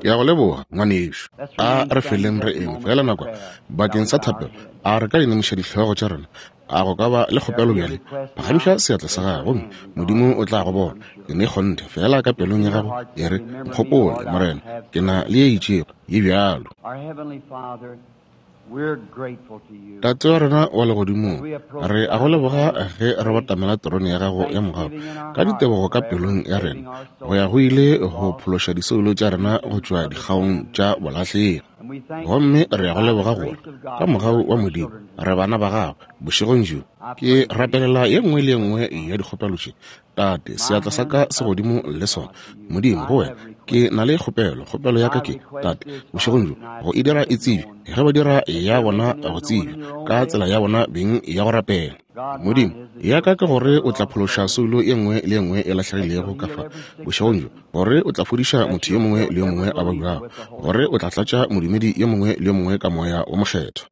Ke a go leboga, ngwanešu. A re feleng re eme feela nakwana bakeng sa thapelo. A re ka inamiša dihlogo tša rena? A go ka ba le kgopelo bjale? Phagamiša seatla sa gago gomme Modimo o tla go bona. Ke ne kgonthe feela ka pelong ya gago e re, Nkgopole, Morena, ke na le ye itšego ye bjalo. Tate wa rena wa legodimong, re a go leboga ge re batamela terone ya gago ya mogau ka ditebogo ka pelong ya rena go ya go ile go phološa disoulo tša rena go tšwa dikgaong tša bolahlegi. Gomme re a go leboga gore ka mogau wa Modimo re bana ba gago bošegong bjo. Ke rapelela ye nngwe le ye nngwe ya dikgopelo tše Tate, seatla sa ka se godimo le sona. Modimo, go wena, ke na le kgopelo. Kgopelo ya ka ke, Tate, bošegong bjo, go e dira e tsebje, ge ba dira ya bona go tsebja, ka tsela ya bona beng ya go rapela. Modimo, ya ka ke gore o tla phološa soulo ye nngwe le ye nngwe e lahlegilego ka fa, bošegong bjo, gore o tla fodiša motho yo mongwe le yo mongwe a babjago, gore o tla tlatša modumedi yo mongwe le yo mongwe ka Moya wo Mokgethwa.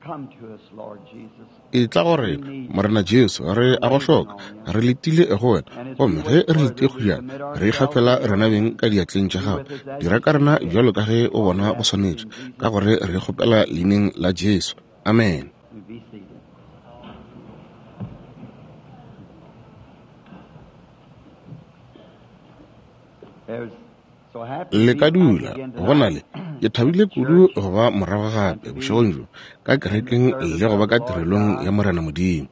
Etla go rena, Morena Jesu, re a go hloka. Re letile go wena, gomme ge re letile kgojana, re ikgafela rena beng ka diatleng tša gago. Dira ka rena bjalo ka ge o bona go swanetše, ka gore re kgopela leineng la Jesu. Amene. Le ka dula. Go na le. Ke thabile kudu go ba morago gape bošegong bjo ka kerekeng le go ba ka tirelong ya Morena Modimo.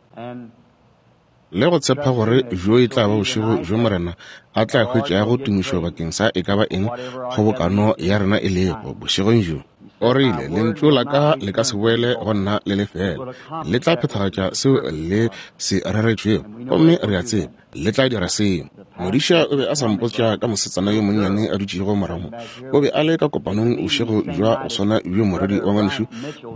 Le go tshepa gore bjo e tla ba bošego bjo Morena a tla hwetšago tumišo bakeng sa e ka ba eng kgobokano ya rena e lego bošegong bjo. O rile, Lentšu la ka le ka se boele go nna le le fela. Le tla phethagatša seo le se reretšwego. Gomme re a tseba le tla dira seo. Modiša o be a sa mpotša ka mosetsana yo monnyane a dutšego morago mo. O be a le ka kopanong bošego bja go swana bjo morwedi wa ngwanešu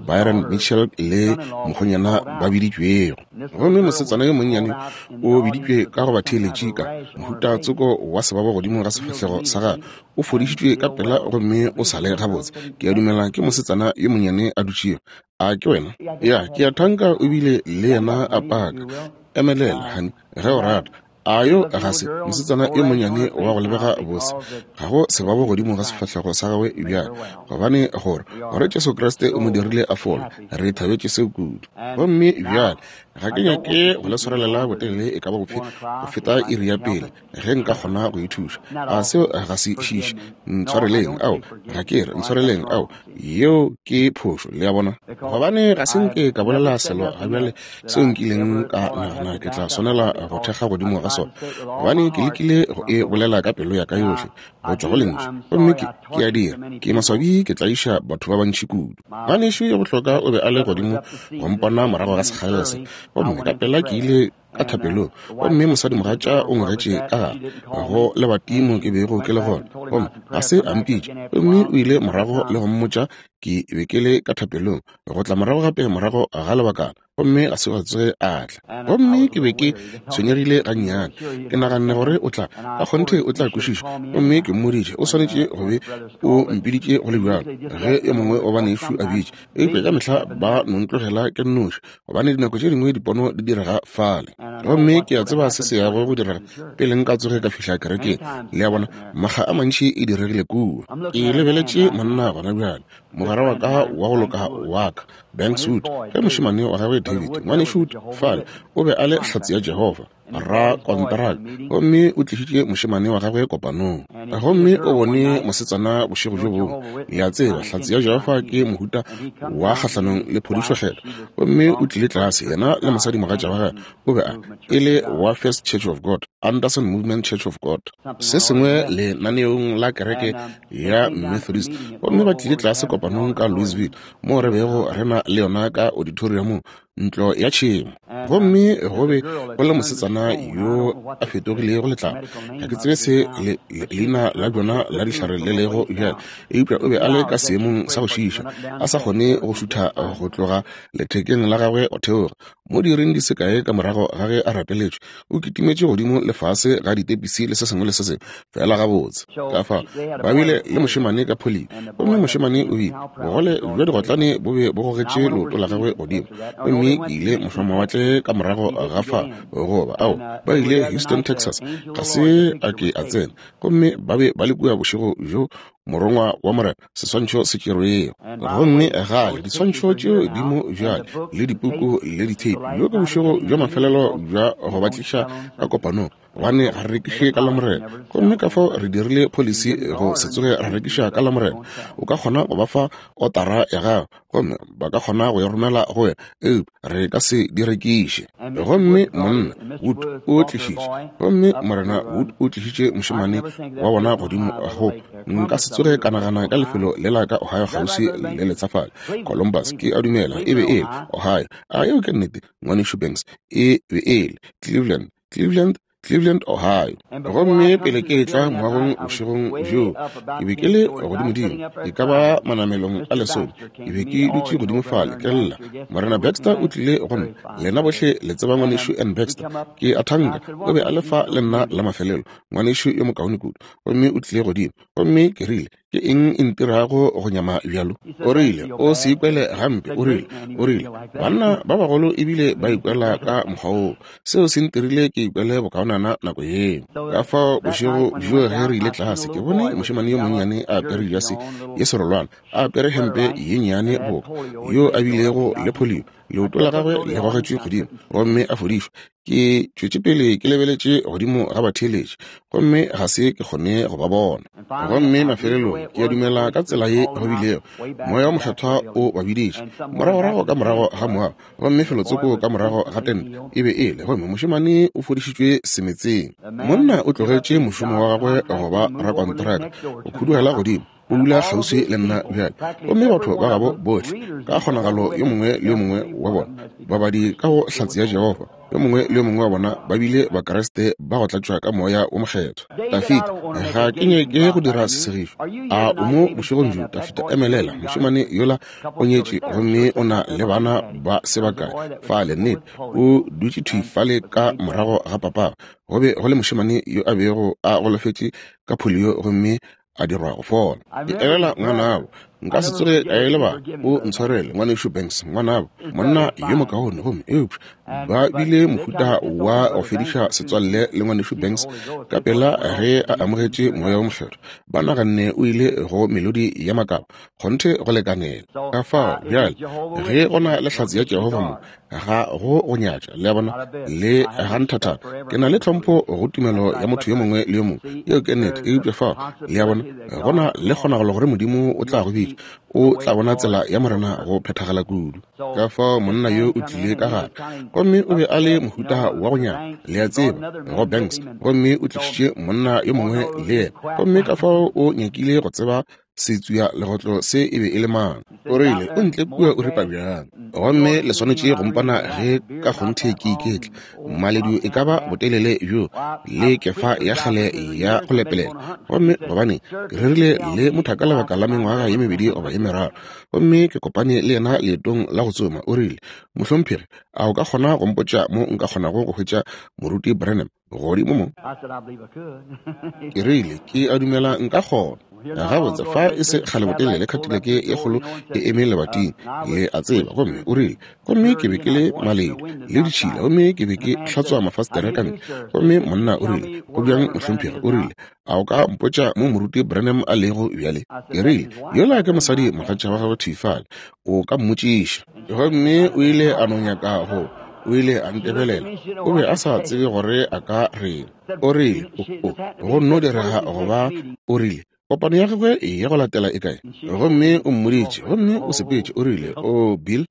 Byron Mitchell le mokgonyana ba biditšwego. Gomme mosetsana yo monnyane o biditšwe ka go batheeletši ka mohuta tsoko wa sebabo godimo ga sefahlego sa gagwe. O fodišitšwe ka pela gomme o sa le gabotse. Ke a dumela ke mosetsana yo monnyane a dutšego. A ke wena? Ya, ke a thanka o bile le yena a paka. Emelela, honey, ge o rata. A yo ga se mosetsana yo monnyane wa go lebega bose? Ga go sebabo godimo ga sefahlego sa gagwe bjale, gobane gore, gore Jesu Kriste o mo dirile a fole. Re thabetše seo kudu. Gomme bjale ga ke nyake go le swarelela botelele e ka ba bofe go feta iri ya pele. Ge nka kgona go e thuša. A seo ga se šiše? Ntshwareleng, ao, ga ke re, ntshwareleng, ao, yeo ke phošo, le a bona. Gobane ga se nke ka bolela selo ga bjale seo nkileng ka nagana ke tla swanela go thekga godimo ga sona, gobane ke lekile go e bolela ka pelo ya ka yohle go tšwa go Lentšu, gomme ke, ke a dira. Ke maswabi ke tlaiša batho ba bantši kudu. Ngwanešu yo bohlokwa o be a le godimo go mpona morago ga sekgalela se, gomme ka pela ke ile ka thapelong, gomme mosadimogatša o ngwegetše ka gare go lebati mo ke bego ke le gona, gomme ga se a mpitša. Gomme o ile morago le go mmotša ke be ke le ka thapelong, go tla morago gape morago ga lebakana, gomme ga se gwa tsoge a tla. Gomme ke be ke tshwenyegile gannyane, ke naganne gore o tla, ka kgonthe o tla kwešiša. Gomme ke mmoditše, o swanetše go be o mpiditše go le bjalo, ge yo mongwe wa banešu a bitša. Eupša ka mehla ba no ntlogela ke nnoši, gobane dinako tše dingwe dipono di direga fale. Gomme ke a tseba se se yago go direga pele nka tsoge ka fihla kerekeng. Le a bona, makga a mantši e diregile kua. Ke lebeletše monna gona bjale, mogwera wa ka wa go loka wa ka, Banks Wood, ge mošemane wa gagwe David, Ngwanešu Wood fale, o be a le Hlatse ya Jehofa, rakonteraka, gomme o tlišitše mošemane wa gagwe kopanong. Gomme o bone mosetsana bošego bjo bongwe. Le a tseba, Hlatse ya Jehofa ke mohuta wa kgahlanong le phodišo-Kgethwa. Gomme o tlile tlase, yena le mosadimogatša wa gagwe, o be a e le wa First Church of God, Anderson Movement Church of God, se sengwe lenaneong la kereke ya Methodist. Gomme ba tlile tlase kopanong ka Louisville, moo re bego re na le yona ka auditoriumong, ntlo ya tšhemo. Gomme go be go le mosetsana yo a fetogilego letlapa. Ga ke tsebe se le, le, leina la bjona la dihlare le lego bjale, eupša o be a le ka seemong sa go šiiša, a sa kgone go šutha go tloga lethekeng la gagwe go theoga. Mo diiring di se kae ka morago ga ge a rapeletšwe, o kitimetše godimo le fase ga ditepisi le se sengwe le se sengwe, feela gabotse. Ka fao, ba bile le mošemane ka pholio, gomme mošemane o bile, bogole bja digotlane bo be bo gogetše leoto la gagwe godimo. Gomme ke ile mošwamawatle ka morago ga fa, goba, ao, ba ile Houston, Texas, ga se a ke a tsena. Gomme ba be ba le kua bošego bjo. Morongwa wa Morena, seswantšho se tšerwego. Gomme gale diswantšho tšeo di mo bjale, le dipuku le ditheipi. Bjo ke bošego bja mafelelo bja go ba tliša ka kopanong, gobane ga re rekiše ka Lamorena. Gomme ka fao re dirile pholisi go se tsoge ra rekiša ka Lamorena. O ka kgona go ba fa otara ya gago, gomme ba ka kgona go e romela go wena, eupša re ka se di rekiše. Gomme Monna Wood o tlišitše, gomme Morena Wood o tlišitše mošemane wa bona godimo go, nka se tsoge ka nagana ka lefelo lela ka Ohio kgauswi le letsafale, Columbus, ke a dumela e be e le Ohio. A yeo ke nnete, Ngwanešu Banks? E be e le Cleveland, Cleveland, Cleveland, Ohio. Gomme pele ke etla moagong bošegong bjoo, ke be ke le godimodimo, e ka ba manamelong a lesome. Ke be ke dutše godimo fale, ke lla. Morena Baxter o tlile go nna. Lena bohle le tseba Ngwanešu N. Baxter. Ke a thanka o be a le fa le nna la mafelelo, ngwanešu yo mokaone kudu. Gomme o tlile godimo. Gomme ke rile, Ke eng e ntirago go nyama bjalo? O rile, O se ikwele gampe. O rile, o rile, Banna ba bagolo ebile ba ikwela ka mokgwa woo. Seo se ntirile ke ikwele bokaonana nako yeo. Ka fao bošego bjoo ge re ile tlase, ke bone mošemane yo monnyane a apere jase ye serolwana, a apere hempe ye nnyane boka yo a bilego le polio, leoto la gagwe le gogetšwe godimo gomme a fodišwa. Ke tšwetše pele ke lebeletše godimo ga batheeletši gomme ga se ke kgone go ba bona. Gomme mafelelong ke a dumela ka tsela ye go bilego, Moya wo Mokgethwa o ba biditše moragorago ka morago ga moago, gomme felotsoko ka morago ga tente e be e le, gomme mošemane o fodišitšwe semetseng. Monna o tlogetše mošomo wa gagwe go ba rakontraka, go khudugela godimo, o dula kgauswi le nna bjale. Gomme batho ba gabo bohle, ka kgonagalo yo mongwe le yo mongwe wa bona, babadi ka go Hlatse ya Jehofa, yo mongwe le yo mongwe wa bona ba bile Bakriste ba go tlatšwa ka Moya wo Mokgethwa. Dafida, ga ke nyake go dira sesegišo. A o mo bošegong bjo, Dafida? Emelela, mošemane yola o nyetše gomme o na le bana ba se bakae fale. Nnete, o dutše thwi fale ka morago ga papagwe. Go be go le mošemane yo a bego a golofetše ka polio gomme a dirwa go fola. Ke elela ngwanabo, nka se tsoge ka e lebala. O ntshwarele, Ngwanešu Banks, ngwanabo, monna yo mokaone. Gomme eupša ba bile mohuta wa go fediša setswalle le Ngwanešu Banks ka pela ge a amogetše Moya wo Mokgethwa. Ba naganne o ile go melodi ya makaba, kgonthe go lekanela. Ka fao bjale ge go na le Hlatse ya Jehofa mo, ga go go nyatša, le a bona, le ga nthathana. Ke na le tlhompho go tumelo ya motho yo mongwe le yo mongwe, yeo ke nnete. Eupša fao, le a bona, go na le kgonagalo gore Modimo o tla go bitša, o tla bona tsela ya Morena go phethagala kudu. Ka fao monna yo o tlile ka gare, gomme o be a le mohuta wa go nyama, le a tseba, go Banks, gomme o tlišitše monna yo mongwe le yena. Gomme ka fao o nyakile go tseba Setswia legotlo se e be e le mang? O rile, O ntle kua o ripa bjang. Gomme le swanetše go mpona ge ka kgonthe ke iketla. Maledu e ka ba botelele bjo le kefa ya kgale ya go lepelela. Gomme gobane ke rerile le mothaka lebaka la mengwaga ye mebedi goba ye meraro, gomme ke kopane le yena leetong la go tsoma, o rile, Mohlomphegi, a o ka kgona go mpotša mo nka kgonago go hwetša Moruti Branham? Godimo mo. Ke rile, Ke a dumela nka kgona. Gabotse, fa e se kgale botelele Cadillac ye kgolo e eme lebating, le a tseba. Gomme o rile, Gomme ke be ke le maledu le ditšhila, gomme ke be ke hlatswa mafastere ka ntle. Gomme monna o rile, Go bjang, mohlomphegi? O rile, A o ka mpotša mo Moruti Branham a lego bjale? Ke rile, Yola ke mosadi mogatša wa gagwe thwi fale. O ka mmotšiša. Gomme o ile a no nyaka go, o ile a ntebelela. O be a sa tsebe gore a ka reng. O rile, O, o, go nno direga go ba, o rile, kopano ya gagwe ya go latela e kae? Gomme o mmoditše, gomme o sepetše. O rile, O, Bill.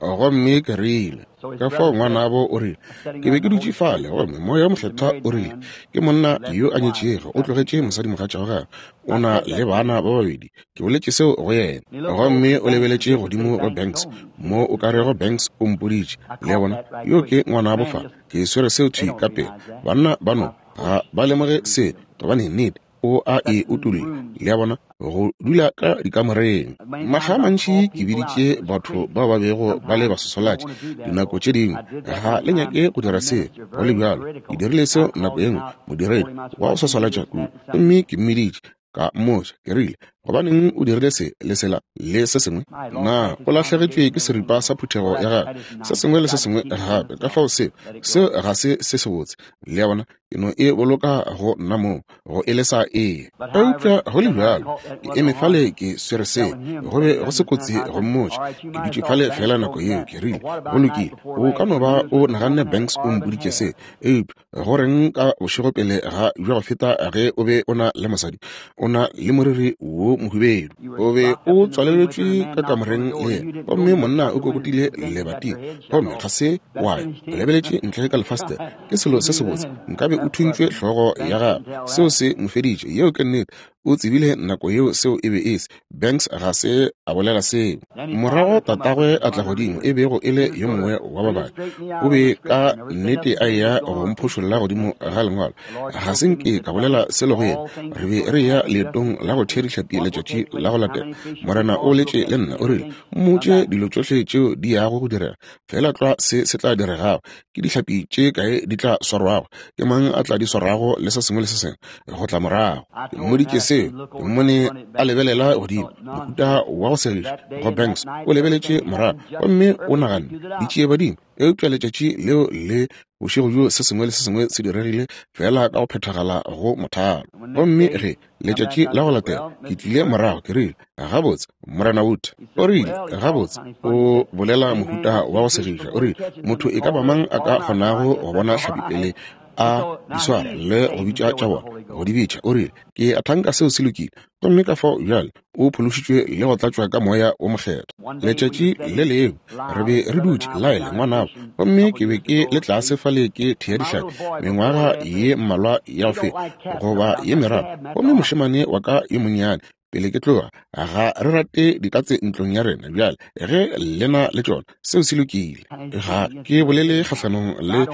Gomme ke rile, ka fao ngwanabo o rile, ke be ke dutše fale, gomme Moya wo Mokgethwa o rile, ke monna yo a nyetšego, o tlogetše mosadimogatša wa gagwe, o na le bana ba babedi. Ke boletše seo go yena. Gomme o lebeletše godimo go Banks, mo o ka rego Banks o mpoditše. Le a bona, yo ke ngwanabo fa. Ke swere seo thwi ka pela. Banna ba no ga ba lemoge se, gobane nnete o a e utolla, le a bona, go dula ka dikamoreng. Makga a mantši ke biditše batho bao ba bego ba le baswaswalatši, dinako tše dingwe ga le nyake go dira seo, go le bjalo. Ke dirile seo nako ye nngwe, modiredi wa go swaswalatša kudu, gomme ke mmiditše, ka mmotša, ke rile, Gobaneng o dirile se le sela le se sengwe? Na o lahlegetšwe ke seripa sa phuthego ya gagwe, se sengwe le se sengwe gape? Ka fao seo, seo ga se se sebotse. Le a bona? Ke no e boloka go nna mong, go e lesa e. Eupša go le bjalo, ke eme fale ke swere seo, go be go se kotsi go mmotša. Ke dutše fale feela nako yeo, ke rile, Go lokile, o ka no ba o naganne Banks o mpoditše se, eupša go reng ka bošego pele ga bja go feta ge o be o na le mosadi, o na le moriri wo mohubedu, o be o tswaleletšwe ka kamoreng le yena, gomme monna o kokotile lebating, gomme ga se wa ya, o lebeletše ntle ka lefastere. Ke selo se sebotse, nkabe o thuntšwe hlogo ya gagwe. Seo se mo feditše. Yeo ke nnete. O tsebile nako yeo seo e be e se. Banks ga se a bolela seo. Morago tatagwe a tla godimo, e bego e le yo mongwe wa babadi. O be ka nnete a eya go mphošolla godimo ga lengwalo. Ga se nke ka bolela selo go yena. Re be re eya leetong la go thea dihlapi letšatši la go latela. Morena o boletše le nna, o rile, Mmotše dilo tšohle tšeo di yago go direga. Feela tlwa se se tla diregago. Ke dihlapi tše kae di tla swarwago, ke mang a tla di swarago, le se sengwe le se sengwe go tla morago. Ke mmoditše seo, ke mmone a lebelela godimo, mohuta wa go segiša go Banks. O lebeletše morago gomme o naganne, Ditšiebadimo. Eupša letšatši leo le bošego bjo se sengwe le se sengwe se diregile feela ka go phethagala go mothalo. Gomme ge letšatši la go latela ke tlile morago, ke rile, Gabotse, Morena Wood. O rile, Gabotse, o bolela mohuta wa go segiša. O rile, Motho e ka ba mang a ka kgonago go bona hlapi pele a di swara le go bitša tša bona, go di bitša. O rile, Ke a thanka seo se lokile. Gomme ka fao bjale o phološitšwe le go tlatšwa ka Moya wo Mokgethwa. Letšatši le lengwe re be re dutše, Lyle, ngwanabo, gomme ke be ke le tlase fale ke thea dihlapi mengwaga ye mmalwa ya go feta, goba ye meraro, gomme mošemane wa ka yo monnyane, pele ke tloga, ga re rate dikatse ntlong ya rena bjale, ge le na le tšona, seo se lokile. Ga ke bolele kgahlanong le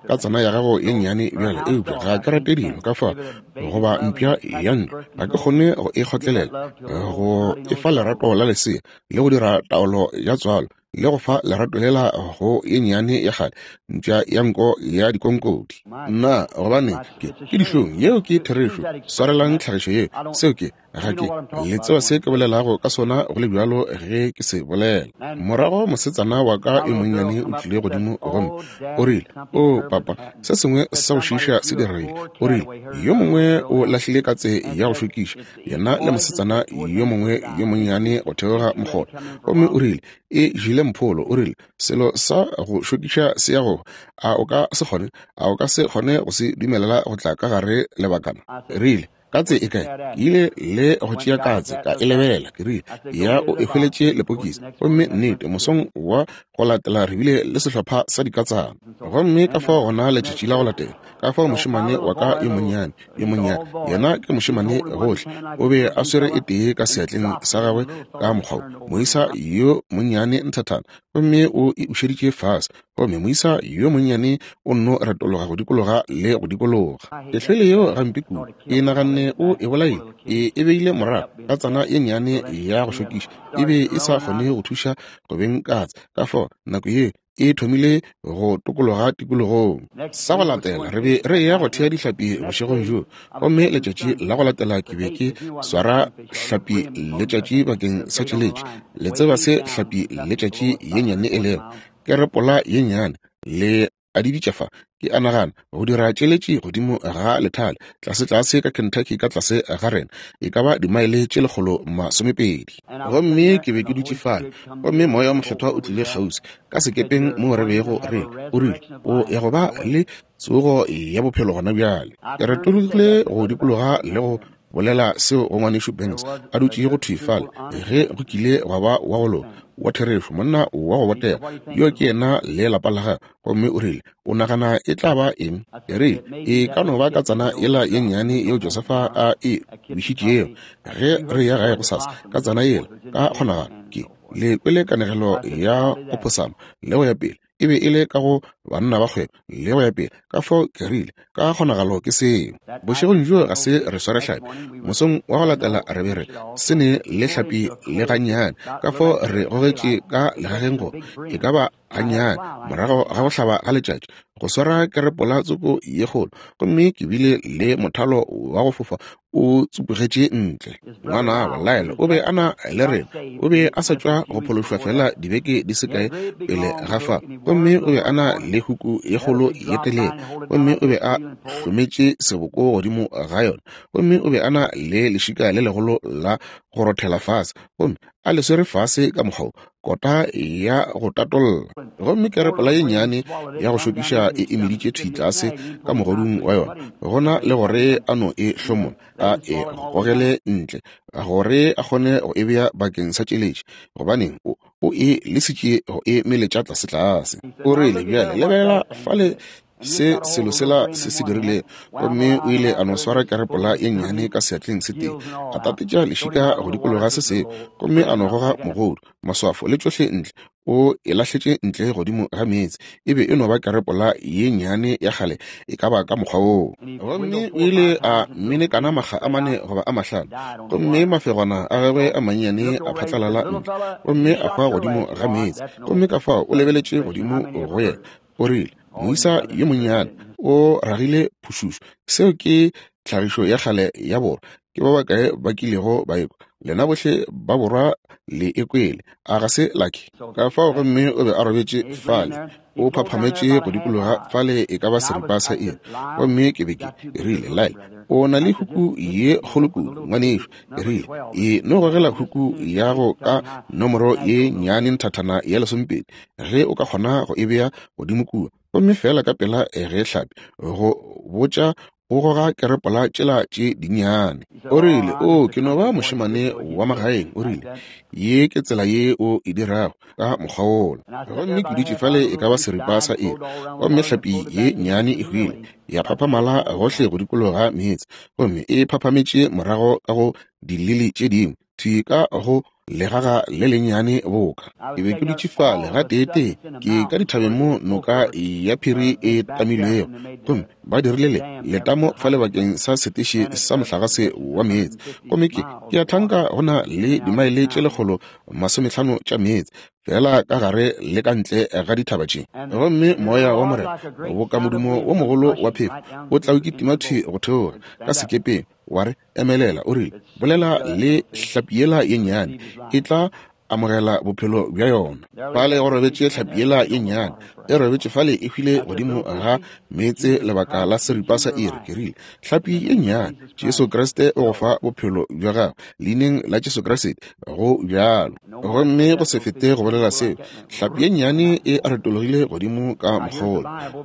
katsana ya gago ye nnyane bjale, eupša ga ke rate dilo ka fao, goba mpša ya ntlo, ga ke kgone go e kgotlelela, go e fa lerato la lesea, le go dira taolo ya tswalo, le go fa lerato lela go ye nnyane ya kgale mpša ya nko ya dikonkodi. Nna, gobane ke, ke dihlong. Yeo ke therešo. Swarelang tlhagišo yeo. Seo ke, ga ke, le tseba se ke bolelago ka sona go le bjalo ge ke se bolela. Morago mosetsana wa ka yo monnyane o tlile godimo gomme o rile, O, papa, se sengwe sa go šiiša se diregile. O rile, Yo mongwe o lahlile katse ya go šokiša, yena le mosetsana yo mongwe yo monnyane go theoga mokgotha. Gomme o rile, E jele mpholo. O rile, Selo sa go šokiša se ya go. A o ka se kgone, a o ka se kgone go se dumelela go tla ka gare lebakana? Rile, Katse e kae? Ke ile le go tšea katse, ka e lebelela. Ke rile, Ya o e hweletše lepokisi. Gomme nnete, mosong wa go latela re bile le sehlopha sa dikatsana. Gomme ka fao gona letšatši la go latela, ka fao mošemane wa ka yo monnyane, yo monnyane, yena ke mošemane gohle, o be a swere e tee ka seatleng sa gagwe ka mokgwa wo, moisa yo monnyane nthathana, gomme o e ušeditše fase, gomme moisa yo monnyane o nno retologa go dikologa le go dikologa. Ke hlwele yeo gampe kudu, ke naganne o e bolaile, ke e beile morago ka tsana ye nnyane ya go šokiša, e be e sa kgone go thuša go beng katse, ka fao nako ye e thomile go tokologa tikologong. Sa go latela re be re eya go thea dihlapi bošegong bjoo, gomme letšatši la go latela ke be ke swara hlapi letšatši bakeng sa tšeletši. Le tseba se hlapi letšatši ye nnyane e lego, kerepola ye nnyane, le a di bitša fa, ke a nagana, go dira tšeletši godimo ga lethale, tlasetlase ka Kentucky ka tlase ga rena, e ka ba dimaele tše 120. Gomme ke be ke dutše fale, gomme Moya wo Mokgethwa o tlile kgauswi, ka sekepeng moo re bego re le, o rile, O ya go ba le tsogo ya bophelo gona bjale. Ke retologile go dikologa le go bolela seo go Ngwanešu Banks, a dutšego thwi fale, ge go kile gwa ba wa go loka, wa therešo, monna wa go botega, yo ke yena le lapa la gagwe. Gomme o rile, O nagana e tla ba eng? Ke rile, E ka no ba katsana yela ye nnyane yeo Josefa a e wišitšego. Ge re ya gae gosasa, katsana yela, ka kgonagalo, ke le kwele kanegelo ya ophosamo le go ya pele, e be e le ka go Banna ba Kgwebo le go ya pele. Ka fao ke rile, Ka kgonagalo ke seo. Bošegong bjoo ga se re sware hlapi. Mosong wa go latela re be re se ne le hlapi le gannyane. Ka fao re gogetše ka legageng go e ka ba gannyane morago ga go hlaba ga letšatši go swara kerepola tsoko ye kgolo, gomme ke bile le mothalo wa go fofa. O tsupugetše ntle. Ngwanabo, Lyle, o be a na le rena. O be a sa tšwa go phološwa feela dibeke di se kae pele ga fa. Gomme o be a na le huku ye kgolo ye telele, gomme o be a hlometše seboko godimo ga yona. Gomme o be a na le lešika le legolo la go rothela fase, gomme a le swere fase ka mokgwa wo, kota ya go tatolla. Gomme kerepola ye nnyane ya go šokiša e e meditše thwi tlase ka mogodung wa yona, gona le gore a no e hlomola, a e gogele ntle, gore a kgone go e bea bakeng sa tšeletši. Gobaneng, o, o e lesitše go e meletša tlasetlase. O rile, Bjale lebelela fale se selo sela se se dirilego. Gomme o ile a no swara kerepola ye nnyane ka seatleng se tee, a tatetša lešika go dikologa se sengwe, gomme a no goga mogodu, maswafo le tšohle ntle, o e lahletše ntle godimo ga meetse. E be e no ba kerepola ye nnyane ya kgale, e ka ba ka mokgwa woo. Gomme o ile a menekana makga a mane goba a mahlano, gomme mafegwana a gagwe a mannyane a phatlalala ntle, gomme a hwa godimo ga meetse. Gomme ka fao o lebeletše godimo go yena, O rile, Moisa yo monnyane o ragile phušušo. Seo ke tlhagišo ya kgale ya borwa. Ke ba bakae ba kilego ba ekwa? Lena bohle ba borwa le e kwele. A ga se la ke? Ka fao gomme o be a robetše fale, o phaphametše go dikologa fale e ka ba seripa sa iri. Gomme ke be ke rile, Lyle, o na le huku ye kgolo kudu, ngwanešu. Ke rile, E no gogela huku ya go ka nomoro ye nnyane nthathana ya lesomepedi, ge o ka kgona go e bea godimo kua. Gomme feela ka pela ge hlapi go botša o goga kerepola tšela tše dinnyane. O rile, O, ke no ba mošemane wa magaeng. O rile, Ye ke tsela ye o e dirago, ka mokgwa wola. Gomme ke dutše fale e ka ba seripa sa iri, gomme hlapi ye nnyane e hwile, ya phaphamala gohle go dikologa meetse, gomme e phaphametše morago ka go dilili tše dingwe, thwi ka go legaga le lennyane boka. Ke be ke dutše fale gateetee, ke ka dithabeng mo noka ya phiri e tamilwego, gomme ba dirile le letamo fale bakeng sa seteše sa mohlagase wa meetse. Gomme ke, ke a thanka go na le dimaele tše 150 tša meetse, feela ka gare le ka ntle ga dithaba tše. Gomme moya wa Morena, boka modumo wo mogolo wa phefo, o tla o kitima thwi go theoga ka sekepeng, wa re, Emelela, o rile, bolela le hlapi yela ye nnyane, e tla amogela bophelo bja yona. Fale go robetše hlapi yela ye nnyane, e robetše fale e hwile godimo ga meetse lebaka la seripa sa iri. Ke rile, Hlapi ye nnyane, Jesu Kriste o go fa bophelo bja gago, Leineng la Jesu Kriste, go bjalo. Gomme go se fete go bolela seo, hlapi ye nnyane e retologile godimo ka mokgolo,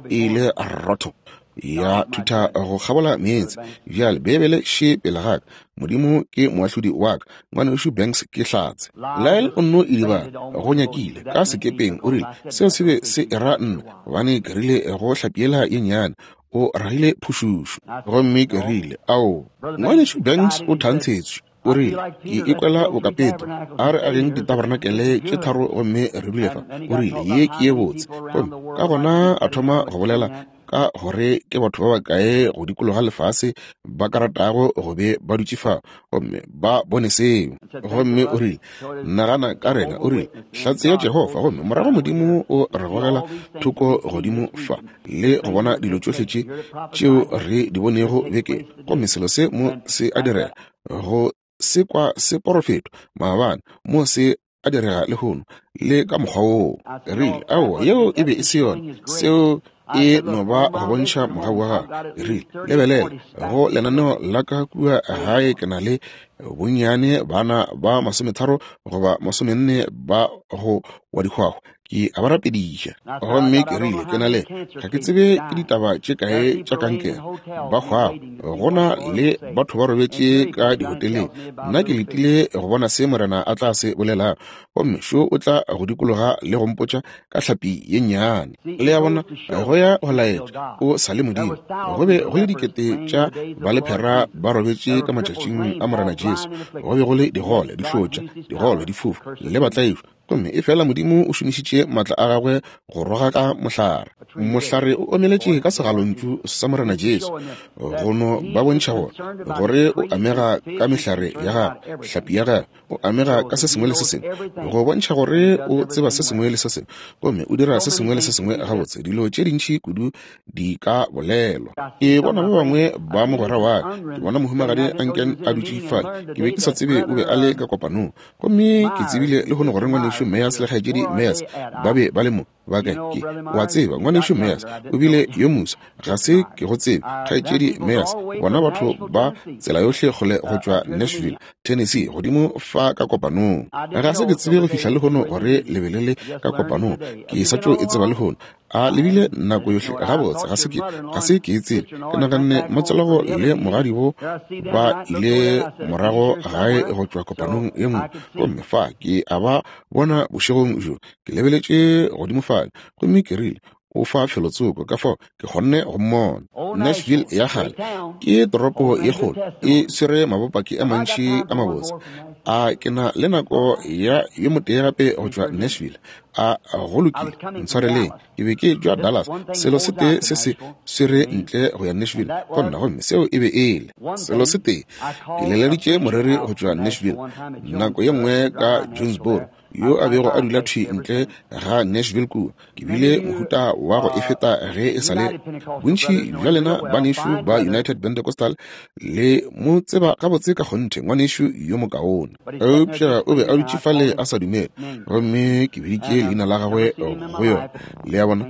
e ile rotho ya thutha go kgabola meetse. Bjale, Beibele še pele ga ka. Modimo ke moahlodi wa ka. Ngwanešu Banks ke hlatse. Lyle o nno idibala, go nyakile, ka sekepeng. O rile, Seo se be se era nna, gobane ke rile go hlapi yela ye nnyane, o ragile phušušu. Gomme ke rile, Ao, Ngwanešu Banks o thantshetšwe. O rile, Ke ikwela boka Petro. A re ageng ditabarenakele tše tharo gomme re dule fa. O rile, Ye ke ye botse. Gomme ka gona a thoma go bolela ka gore ke batho ba bakae go dikologa lefase ba ka ratago go be ba dutše fa gomme ba bone seo. Gomme o rile, Nagana ka rena, o rile, Hlatse ya Jehofa, gomme morago Modimo o re gogela thoko godimo fa le go bona dilo tšohle tše tšeo re di bonego beke, gomme selo se mo se a direga, go se kwa se porofetwa maabane, mo se a direga lehono, le ka mokgwa woo. Rile, Aowa, yeo e be e se yona. Seo e no ba go bontšha mogau wa gagwe. Rile, Lebelela go lenaneo la ka kua gae, ke na le bonnyane bana ba 30 goba 40 ba go wa dihwahwa. Ke a ba rapediša. Gomme ke rile, Ke na le, ga ke tsebe ke ditaba tše kae tša kankere, ba hwago. Go na le batho ba robetše ka dihoteleng. Nna ke letile go bona se Morena a tla se bolelago. Gomme šo o tla go dikologa le go mpotša ka hlapi ye nnyane. Le a bona, go ya go laetša o sa le Modimo. Go be go le dikete tša balephera ba robetše ka matšatšing a Morena Jesu. Go be go le digole, dihlotša, digole, difofu, le batlaišwa. Gomme efela Modimo o šomišitše maatla a Gagwe go rogaka mohlare. Mohlare o omeletše ka segalontšu sa Morena Jesu, go no ba bontšha gore, gore o amega ka mehlare ya gagwe, hlapi ya gagwe, o amega ka se sengwe le se sengwe, go bontšha gore o tseba se sengwe le se sengwe, gomme o dira se sengwe le se sengwe gabotse. Dilo tše dintši kudu di ka bolelwa. Ke bona ba bangwe ba mogwera wa ka, ke bona mohumagadi Anken a dutše fale, ke be ke sa tsebe o be a le ka kopanong. Gomme ke tsebile lehono gore Ngwanešu Meyers le Kgaetšedi Meyers ba be ba le mo. Ba kae? Ke, wa tseba, Ngwanešu Meyers o bile yo moswa. Ga se ke go tsebe, Kgaetšedi Meyers. Bona batho ba tsela yohle kgole go tšwa Nashville, Tennessee, godimo fa ka kopanong. Ga se ke tsebe go fihla lehono gore le be le le ka kopanong. Ke sa tšo e tseba lehono. A lebile nako yohle gabotse, ga se ke, ga se ke e tsebe. Ke naganne motswalago le mogadibo ba ile morago gae go tšwa kopanong ye nngwe, gomme fa ke a ba bona bošegong bjo. Ke lebeletše godimo fale, gomme ke rile, O fa felotsoko, ka fao ke kgonne go mmona. Nashville ya kgale ke toropo ye kgolo, e swere mabopaki a mantši a mabotse. A ke na le nako ya yo motee gape go tšwa Nashville? A go lokile, ntshwareleng, ke be ke tšwa Dallas. Selo se tee se se swere ntle go ya Nashville go nna, gomme seo e be e le selo se tee. Ke leleditše moreri go tšwa Nashville nako ye nngwe ka Jonesboro, yo a bego a dula thwi ntle ga Nashville kua. Ke bile mohuta wa go e feta ge e sa le. Bontši bja lena banešu ba United Pentecostal le mo tseba gabotse ka kgonthe, ngwanešu yo mokaone. Eupša o be a dutše fale a sa dumele, gomme ke biditše leina la gagwe go yona, le a bona,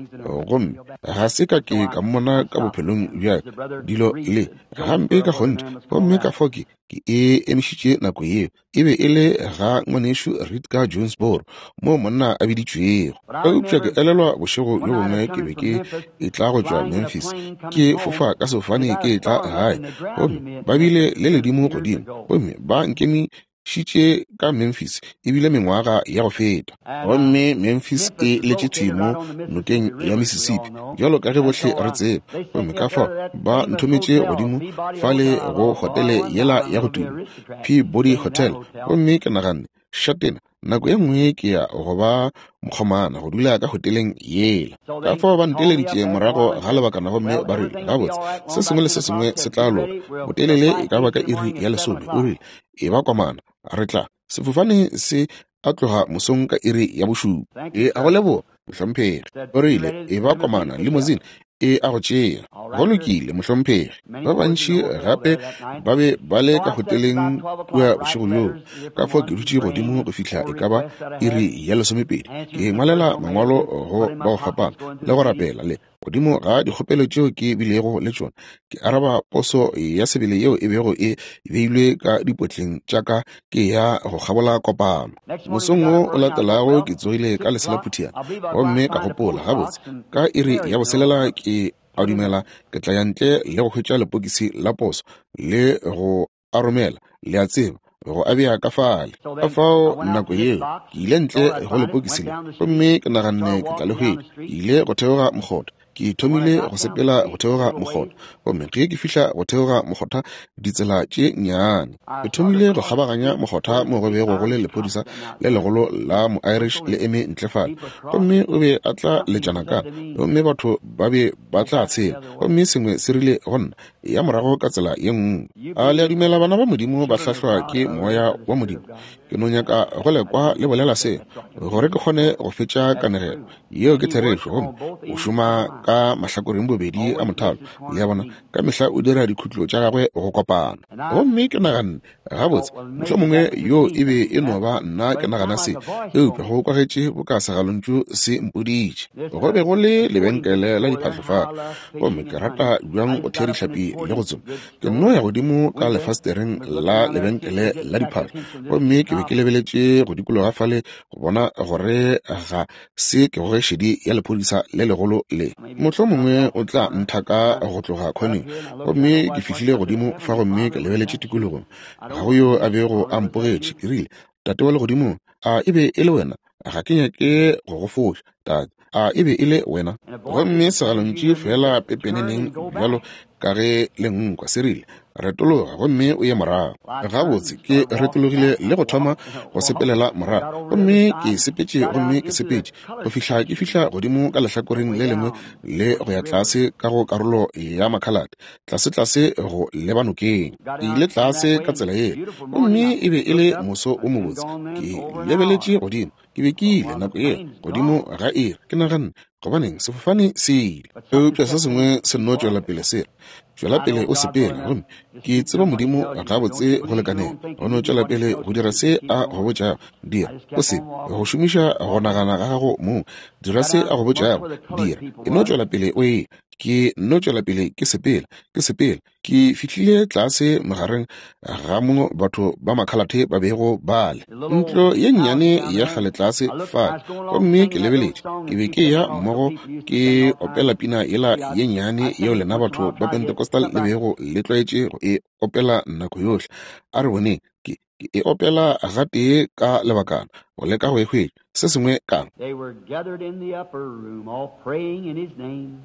gomme ga se ka ke ka mmona ka bophelong bja ka, dilo le gampe ka kgonthe. Gomme ka fao ke, ke e emišitše nako yeo. E be e le ga ngwanešu Reed ka Jonesboro, moo monna a biditšwego. Eupša ke elelwa bošego bjo bongwe ke be ke etla go tšwa Memphis, ke fofa ka sefofane ke etla gae, gomme ba bile le ledimo godimo, gomme ba nkemišitše ka Memphis, e bile mengwaga ya go feta. Gomme Memphis e letše thwi mo nokeng ya Mississippi, bjalo ka ge bohle re tseba. Gomme ka fao ba nthometše godimo fale go hotele yela ya go tuma, Peabody Hotel. Gomme ke naganne, Šatena, nako ye nngwe ke ya go ba mokgomana go dula ka hoteleng yela. Ka fao ba nteleditše morago ga lebakana gomme ba rile, Gabotse, se sengwe le se sengwe se tla loka. Botelele e ka ba ka iri ya lesome, o rile, e ba komana, re tla. Sefofane se a tloga mosong ka iri ya bošupa. E a go leboga, mohlomphegi. O rile, E ba komana, limousine e a go tšea. Go lokile, mohlomphegi. Ba bantši gape ba be ba le ka hoteleng kua bošego bjoo. Ka fao ke dutše godimo go fihla e ka ba iri ya lesomepedi, ke ngwalela mangwalo go ba go fapana le go rapela le godimo ga dikgopelo tšeo ke bilego le tšona, ke araba poso ya sebele yeo e bego e beilwe ka dipotleng tša ka ke ya go kgabola kopano. Mosong wo o latelago ke tsogile ka leselaphuthiana gomme ka gopola, Gabotse, ka iri ya boselela ke a dumela ke tla ya ntle le go hwetša lepokisi la poso le go a romela, le a tseba, go a bea ka fale. Ka fao nako yeo ke ile ntle go lepokisi le, gomme ke naganne ke tla le hwetša. Ke ile go theoga mokgotha, ke thomile go sepela go theoga mokgotha, gomme ge ke fihla go theoga mokgotha ditsela tše nnyane, ke thomile go kgabaganya mokgotha mo go bego go le lephodisa le legolo la mo-Irish le eme ntle fale, gomme o be a tla letšana ka, gomme batho ba be ba tla tshela, gomme sengwe se rile go nna, ya morago ka tsela ye nngwe. A le a dumela bana ba Modimo ba hlahlwa ke Moya wa Modimo? Ke no nyaka go le kwa le bolela seo, gore ke kgone go fetša kanegelo. Yeo ke therešo. Gomme o šoma ka mahlakoreng bobedi a mothalo, le a bona, ka mehla o dira dikhutlo tša gagwe go kopana. Gomme ke naganne, Gabotse, mohlomongwe yoo e be e no ba nna ke nagana se, eupša go kwagetše boka segalontšu se mpoditše. Go be go le lebenkele la diphahlo fale, gomme ke rata bjang go thea dihlapi le go tsoma. Ke nno ya godimo ka lefastereng la lebenkele la diphahlo, gomme ke be ke lebeletše go dikologa fale go bona gore ga se ke goge šedi ya lephodisa le legolo le. Mohlomongwe o tla nthaka go tloga khoneng. Gomme ke fihlile godimo fa gomme ke lebeletše tikologong. Ga go yo a bego a mpogetše. Ke rile, Tate wa Legodimong, a e be e le wena? Ga ke nyake go go foša, Tate. A e be e le wena? Gomme segalontšu feela pepeneneng bjalo. ka ge le nkwa. Se rile, Retologa gomme o ye morago. Gabotse, ke retologile le go thoma go sepelela morago. Gomme ke sepetše gomme ke sepetše go fihla ke fihla godimo ka lehlakoreng le lengwe le go ya tlase ka go karolo ya makhalate, tlase-tlase go leba nokeng. Ke ile tlase ka tsela yela, gomme e be e le moso o mobotse. Ke lebeletše godimo, ke be ke ile nako yela godimo ga iri. Ke naganne, gobaneng sefofane se ile? Eupša se sengwe se nno tšwela pele se re, tšwela pele o sepela. Gomme ke tseba Modimo gabotse go lekaneng go no tšwela pele go dira se a go botšago. Dira, o se go šomiša go nagana ga gago mong. Dira se a go botšago, dira. E no tšwela pele o e. Ke no tšwela pele ke sepela, ke sepela. Ke fihlile tlase magareng ga mo batho ba makhalathe ba bego ba le. Ntlo ye nnyane ya kgale tlase fale, gomme ke lebeletše. Ke be ke ya mmogo ke opela pina yela ye nnyane yeo lena batho ba Pentecostal le bego le tlwaetše go e opela nako yohle. A re boneng, ke e opela gatee ka lebakana, go leka go e hwetša. Se sengwe ka. They were gathered in the upper room, all praying in his name.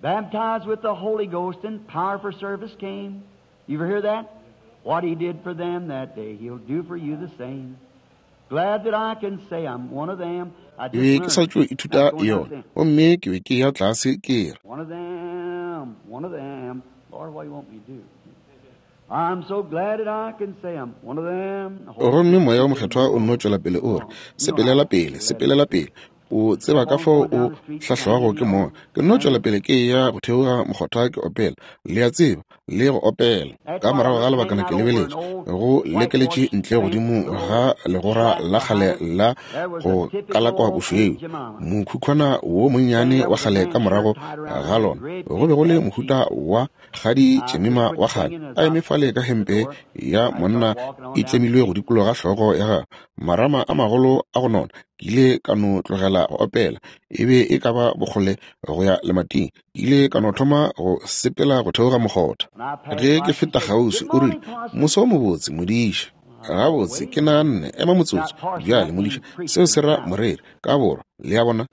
Baptized with the Holy Ghost and power for service came. You ever hear that? What he did for them that day, he'll do for you the same. Glad that I can say I'm one of them. I Ke be just ke sa learned. tšo ithuta That's going out yona, then. gomme ke be ke ya tlase ke re, One of them, one of them. Lord, what do you want me to do? I'm so glad that I can say I'm one of them. The Holy gomme Spirit moya wa said, mokgethwa o nno tšwela pele o re, You know how sepelela pele, to let sepelela pele. O tseba ka fao o hlahlwago ke moya. Ke nno tšwela pele ke ya go theoga mokgotha ke opela, le a tseba, le go opela. Ka morago ga lebakana ke lebeletše, go lekeletše ntle godimo ga legora la kgale la go kalakwa bošweu, mokhukhwana wo monnyane wa kgale ka morago ga lona go be go le mohuta wa kgadi tšemima wa kgale a eme fale ka hempe ya monna e tlemilwe go dikologa hlogo ya gagwe, marama a magolo a go nona. Ke ile ka no tlogela go opela, e be e ka ba bokgole go ya lemating. Ke ile ka no thoma go sepela go theoga mokgotha. Ge ke feta kgauswi, o rile, Moso o mobotse, modiša. Gabotse, ke naganne, ema motsotso. Bjale, modiša, seo se ra moreri, ka borwa, le a bona.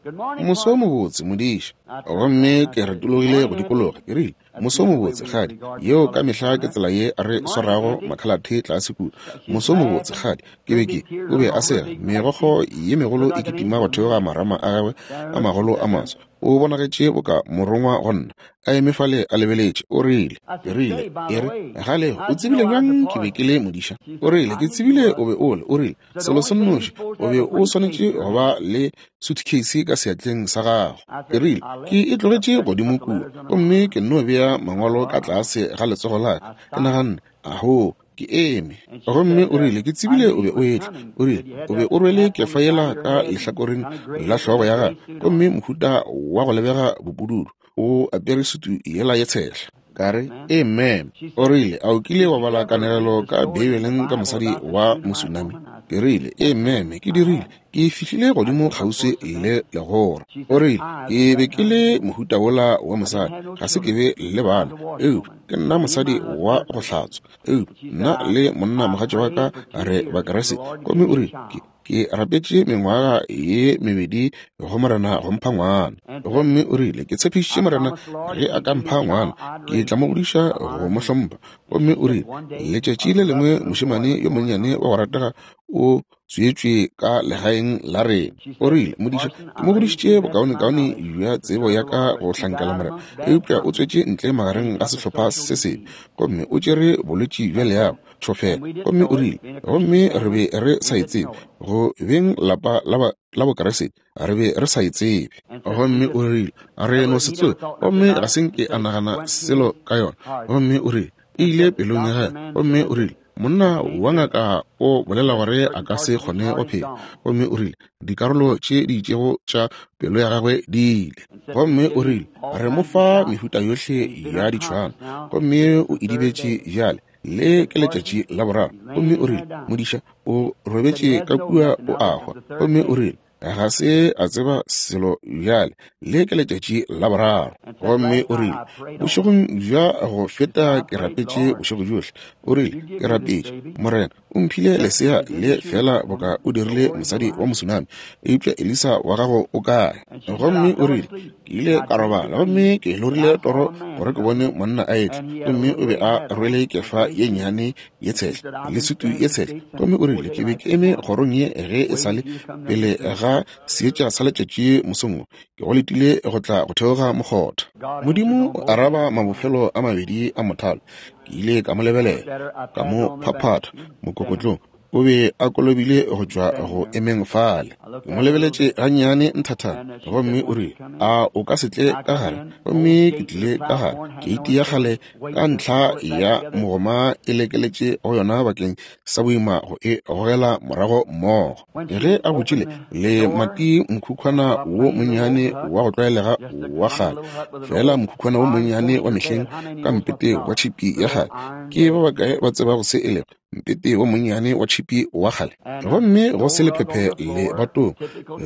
Moso o mobotse, modiša. Gomme ke retologile go dikologa, ke rile, Moso o mobotse, kgadi. Yeo ka mehla ke tsela ye re swarago makhalathe tlase kua. Moso o mobotse, kgadi. Ke be ke, o be a sega, megokgo ye megolo e kitima go theoga marama a gagwe a magolo a maso. O bonagetše boka morongwa go nna, a eme fale a lebeletše. O rile, ke rile, e re, gale o tsebile bjang ke be ke le modiša? O rile, ke tsebile o be o le. O rile, selo se nnoši, o be o swanetše go ba le suitcase ka seatleng sa gago. Ke rile, ke e tlogetše godimo kua, gomme ke nno bea mangwalo ka tlase ga letsogo la ka. Ke naganne, aho, ke eme. Gomme o rile, ke tsebile o be o etla. O rile, o be o rwele kefa yela ka lehlakoreng la hlogo ya gago, gomme mohuta wa go lebega bopududu, o apere sutu yela ye tshehla. Ka re, amen. O rile, a o kile wa bala kanegelo ka Beibeleng ka mosadi wa Mosunami? Ke rile, amen, ke dirile. Ke fihlile godimo kgauswi le legora. O rile, ke be ke le mohuta wola wa mosadi, ga se ke be le bana, eupša ke nna mosadi wa go hlatswa. Eupša nna le monna mogatša wa ka re Bakriste. Gomme o rile, ke rapetše mengwaga ye mebedi go Morena go mpha ngwana. Gomme o rile, ke tshepišitše Morena ge a ka mpha ngwana, ke tla mo godiša go mo hlompha. Gomme o rile, letšatši le lengwe mošemane yo monnyane wa go ratega o tswetšwe ka legaeng la rena. O rile, modiša, ke mo godišitše bokaonekaone bja tsebo ya ka go hlankela Morena, eupša o tswetše ntle magareng ga sehlopha se sebe, gomme o tšere bolwetši bja leago, tšhofela. Gomme o rile, gomme re be re sa e tsebe, go beng lapa la Bokriste, re be re sa e tsebe. Gomme o rile, re no se tsebe, gomme ga se nke a nagana selo ka yona. Gomme o rile, e ile pelong ya gagwe. Gomme o rile, monna wa ngaka o bolela gore a ka se kgone go phela. Gomme o rile, dikarolo tše di itšego tša pelo ya gagwe di ile. Gomme o rile, re mo fa mehuta yohle ya ditšhwana, gomme o idibetše bjale. Le ke letšatši la boraro. Gomme o rile, modiša, o robetše ka kua o a hwa. Gomme o rile, Ga se a tseba selo bjale. Le ke letšatši la boraro. Gomme o rile, bošegong bja go feta ke rapetše bošego bjohle. O rile, ke rapetše, Morena, o mphile lesea le feela boka o dirile mosadi wa Mosunami, eupša Elisa wa gago o kae? Gomme o rile, ke ile ka robala gomme ke lorile toro gore ke bone monna a etla, gomme o be a rwele kefa ye nnyane ye tshehla le sutu ye tshehla. Gomme o rile, ke be ke eme kgorong ye ge e sa le pele ga seetša sa letšatši mosong wo, ke go letile go tla go theoga mokgotha. Modimo o araba mabofelo a mabedi a mothalo. Ke ile ka mo lebelela, ka mo phaphatha mokokotlong. O be a kolobile go tšwa go emeng fale. Ke mo lebeletše gannyane nthathana, gomme o rile, a o ka se tle ka gare? Gomme ke tlile ka gare. Keiti ya kgale ka ntlha ya mogoma e lekeletše go yona bakeng sa boima go e gogela morago mmogo. Ge a butšile lemati mokhukhwana wo monnyane wa go tlwaelega wa kgale, feela mokhukhwana wo monnyane wa mehleng ka mpete wa tšhipi ya kgale. Ke ba bakae ba tsebago se e lego? Mpete wo monnyane wa tšhipi wa kgale, gomme go se lephephe lebatong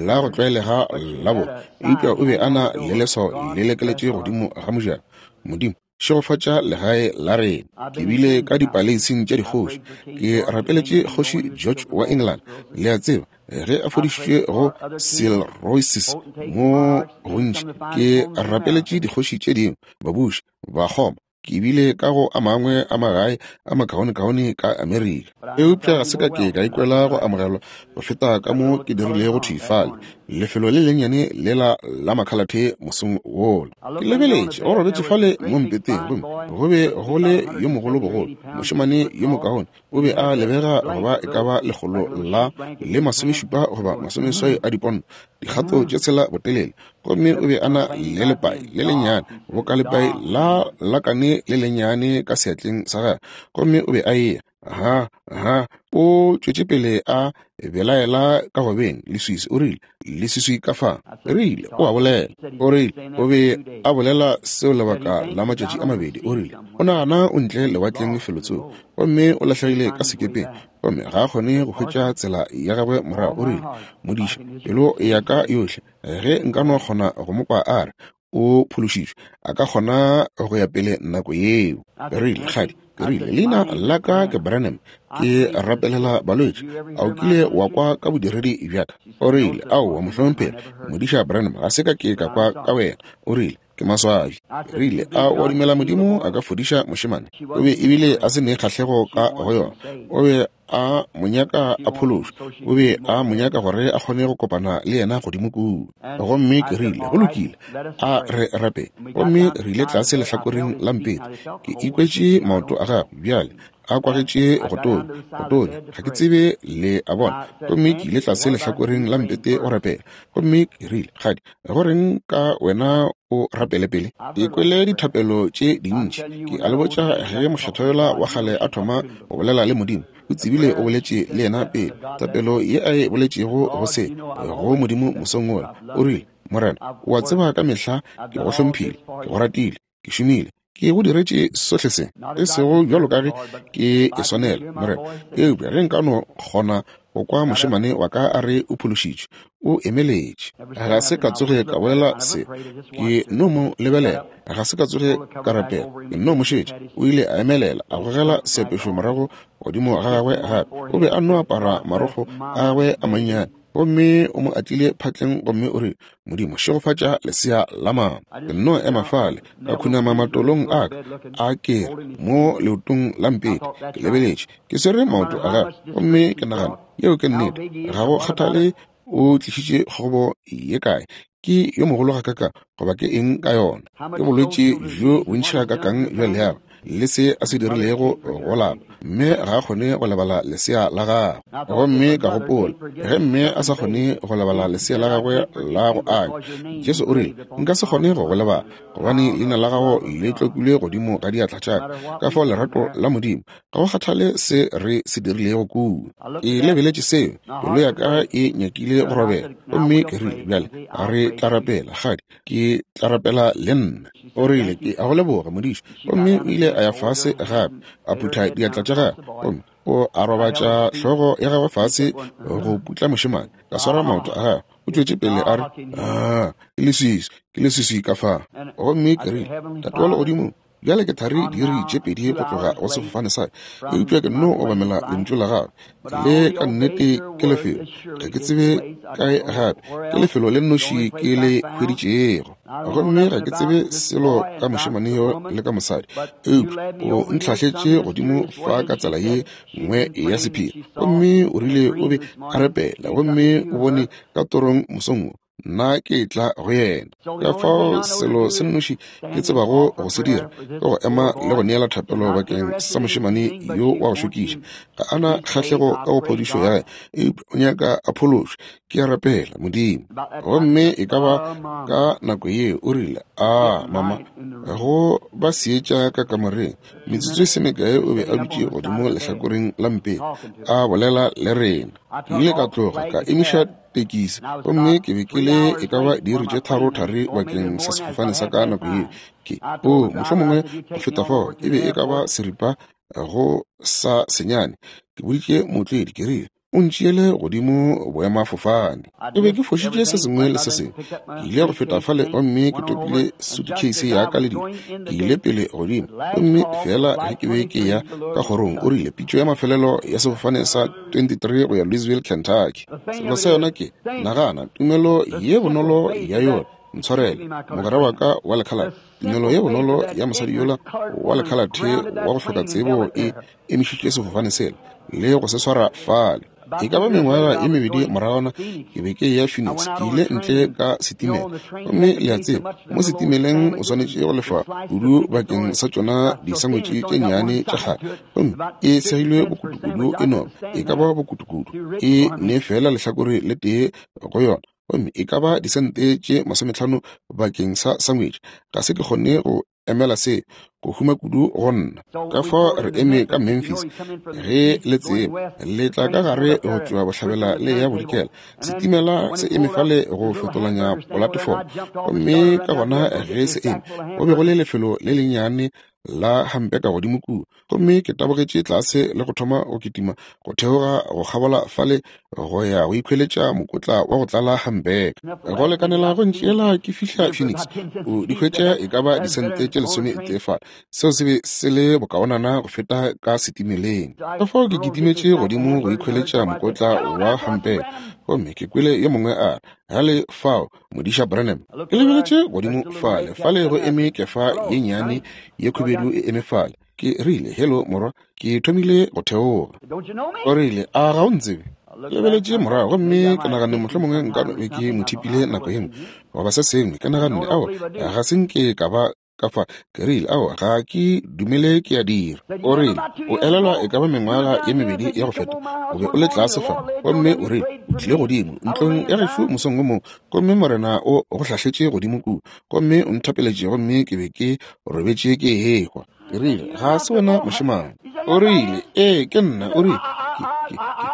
la go tlwaelega la bo, eupša o be a na le leswao le lekeletše godimo ga mojako. Modimo, šegofatša legae la rena. Ke bile ka dipaleising tša dikgoši, ke rapeletše Kgoši George wa England, le a tseba, ge a fodišitšwe go cirrhosis mo gontši. Ke rapeletše dikgoši tše dingwe, babuši, bakgoma. Ke bile ka go a mangwe a magae a makaonekaone ka Amerika, eupša ga se ka ke ka ikwela go amogelwa go feta ka mo ke dirilego thwi fale, lefelo le lennyane lela la makhalathe mosong wola. Ke lebeletše, o robetše fale mo mpeteng, gomme go be go le yo mogolo bogolo, mošemane yo mokaone, o be a lebega go ba e ka ba 170 goba 80 a diponto, dikgato tše tshela botelele, gomme o be a na le lepai le lennyane boka lepai la lakane le lennyane ka seatleng sa gagwe, gomme o be a eya ha ha o tšwetše pele a belaela ka gobeng leswiswi. O rile, leswiswi ka fa. Rile, o a bolela. O rile, o be a bolela seo lebaka la matšatši a mabedi. O rile, o nagana o ntle lewatleng felotsoko, gomme o lahlegile ka sekepeng, gomme ga a kgone go hwetša tsela ya gagwe morago. O rile, modiša, pelo ya ka yohle, ge nka no kgona go mo kwa a re o phološitšwe, a ka kgona go ya pele nako yeo. Rile, kgadi, ke rile, leina la ka ke Branham, ke rapelela balwetši. A o kile wa kwa ka bodiredi bja ka? O rile, aowa, mohlomphegi, modiša Branham, ga se ka ke ka kwa ka wena. O rile, ke maswabi. Rile, a o dumela Modimo a ka fodiša mošemane? O be ebile a se ne kgahlego ka go yona. O be a mo nyaka a phološwa. O be a mo nyaka gore a kgone go kopana le yena godimo kua. Gomme ke rile, go lokile, a re rape. Gomme re ile tlase lehlakoreng la mpete. Ke ikwetše maoto a gagwe bjale a kwagetše go tonya, go tonya, ga ke tsebe, le a bona. Gomme ke ile tlase lehlakoreng la mpete go rapela. Gomme ke rile, kgadi, go reng ka wena o rapele pele? Ke kwele dithapelo tše dintši. Ke a le botša, ge mokgethwa yola wa kgale a thoma go bolela le Modimo, o tsebile o boletše le yena pele. Thapelo ye a e boletšego go se go Modimo mosong wola, o rile, Morena, o a tseba ka mehla ke go hlomphile, ke go ratile, ke šomile, ke go diretše sohle se, e sego bjalo ka ge ke e swanela, Morena, eupša ge nka no kgona go kwa mošemane wa ka a re o phološitšwe, o emeletše. Ga se ka tsoge ka bolela se, ke no mo lebelela. Ga se ka tsoge ka rapela, ke no mo šetša. O ile a emelela, a gogela seapešo morago godimo ga gagwe gape. O be a no apara marokgo a gagwe a mannyane, gomme o mo atlile phatleng gomme o rile, Modimo, šegofatša lesea la mama. Ke nno ema fale, ka khunama matolong a ka, a ke re, mo leotong la mpete, ke lebeletše, ke swere maoto a gagwe, gomme ke nagana, yeo ke nnete, ga go kgathale o tlišitše kgobo ye kae, ke yo mogolo gakakang, goba ke eng ka yona, ke bolwetši bjo bontši gakakang bja leago, le se a se dirilego go lapa, mme ga a kgone go lebala lesea la gagwe. Gomme ka gopola, ge mme a sa kgone go lebala lesea la gagwe la go anya, Jesu o rile, nka se kgone go go lebala, gobane leina la gago le tlokilwe godimo ga diatla tša ka. Ka fao lerato la Modimo, ga go kgathale se re se dirilego kua. Ke lebeletše seo, pelo ya ka e nyakile go robega. Gomme ke rile, bjale re tla rapela, kgadi, ke tla rapela le nna. O rile, ke a go leboga, modiša. Gomme o ile a ya fase gape, a phutha diatla tša gagwe, gomme o a robatša hlogo ya gagwe fase go putla mošemane. Ka swara maoto a gagwe. O tšwetše pele a re, Aa, ke leswiswi, ke leswiswi ka fa. Gomme ke rile, Tate wa Legodimo, bjale ke thari diiri tše pedi go tloga go sefofane sa, eupša ke nno obamela lentšu la gagwe. Le ka nnete ke lefelo, ga ke tsebe kae gape, ke lefelo le nnoši ke le hweditšego. Gomme ga ke tsebe selo ka mošemane yo le ka mosadi, eupša o ntlhahletše godimo fa ka tsela ye nngwe ya sephiri. Gomme o rile o be a rapela, gomme o bone ka torong mosong wo, nna ke tla go yena. Ka fao selo se nnoši ke tsebago go se dira ke go ema le go neela thapelo bakeng sa mošemane yo wa go šokiša. Ga a na kgahlego ka go phodišo ya gagwe, eupša o nyaka a phološwe. Ke a rapela, Modimo. Gomme e ka ba ka nako yeo o rile, A, mama, go ba seetša ka kamoreng. Metsotso e se mekae o be a dutše godimo lehlakoreng la mpete, a bolela le rena. Ke ile ka tloga ka emiša tekisi, gomme ke be ke le e ka ba diiri tše tharo thari bakeng sa sefofane sa ka nako yeo. Ke, o, mohlomongwe go feta fao, e be e ka ba seripa go sa senyane. Ke boditše mootledi, ke rile, O ntšeele godimo boemafofane. Ke be ke fošitše se sengwe le se sengwe. Ke ile go feta fale gomme ke topile suitcase ya ka le dilo. Ke ile pele godimo, gomme feela ge ke be ke ya ka kgorong, o rile, Pitšo ya mafelelo ya sefofane sa 23 go ya Louisville, Kentucky. Selo sa yona ke, nagana, tumelo ye bonolo ya yona. Ntshwarele, mogwera wa ka wa lekhalate. Tumelo ye bonolo ya mosadi yola wa lekhalate wa go hloka tsebo e emišitše sefofane sela le go se swara fale. E ka ba mengwaga ye mebedi moragwana ke be ke eya Phoenix, ke ile ntle ka setimela. Gomme le a tseba, mo setimeleng o swanetše go lefa kudu bakeng sa tšona disangwetše tše nnyane tša kgale. Gomme e segilwe bokutukudu, e no e ka ba bokutukudu, e ne feela lehlakore le tee go yona, gomme e ka ba disente tše 50 bakeng sa sangwetše. Ga se ke kgone go emela se go huma kudu go nna. Ka fao re eme ka Memphis, ge le tseba, le tla ka gare go tšwa bohlabela le ya bodikela. Setimela se eme fale go fetolanya polatefomo, gomme ka gona ge se eme, go be go le lefelo le lennyane la hampeka godimo kua. Gomme ke tabogetše tlase le go thoma go kitima go theoga go kgabola fale go ya go ikhweletša mokotla wa go tlala hambeka go lekanela go ntšeela ke fihla Phoenix. O di hwetša e ka ba disente tše 13 fale. Seo se be se le bokaonana go feta ka setimeleng. Ka fao ke kitimetše godimo go ikhweletša mokotla wa hambeka, gomme ke kwele yo mongwe a re, Gale fao, Modiša Branham. Ke lebeletše godimo fale, fale go eme kefa ye nnyane ye khubedu e eme fale. Ke rile, Hello, morwa. Ke thomile go theoga. O rile, A ga o ntsebe? Ke lebeletše morago gomme ke naganne mohlomongwe nka no be ke mo thipile nako ye nngwe goba se sengwe. Ke naganne, Aowa, ga se nke ka ba ka fa. Ke rile, Aowa, ga ke dumele ke a dira. O rile, O elelwa e ka ba mengwaga ye mebedi ya go feta, o be o le tlase fa, gomme o rile, o tlile godimo ntlong ya gešo mosong wo mongwe, gomme Morena o go hlahletše godimo kua, gomme o nthapeletše, gomme ke be ke robetše ke ehwa. Ke rile, Ga se wena mošemane. O rile, Ee, ke nna. O rile, Ke,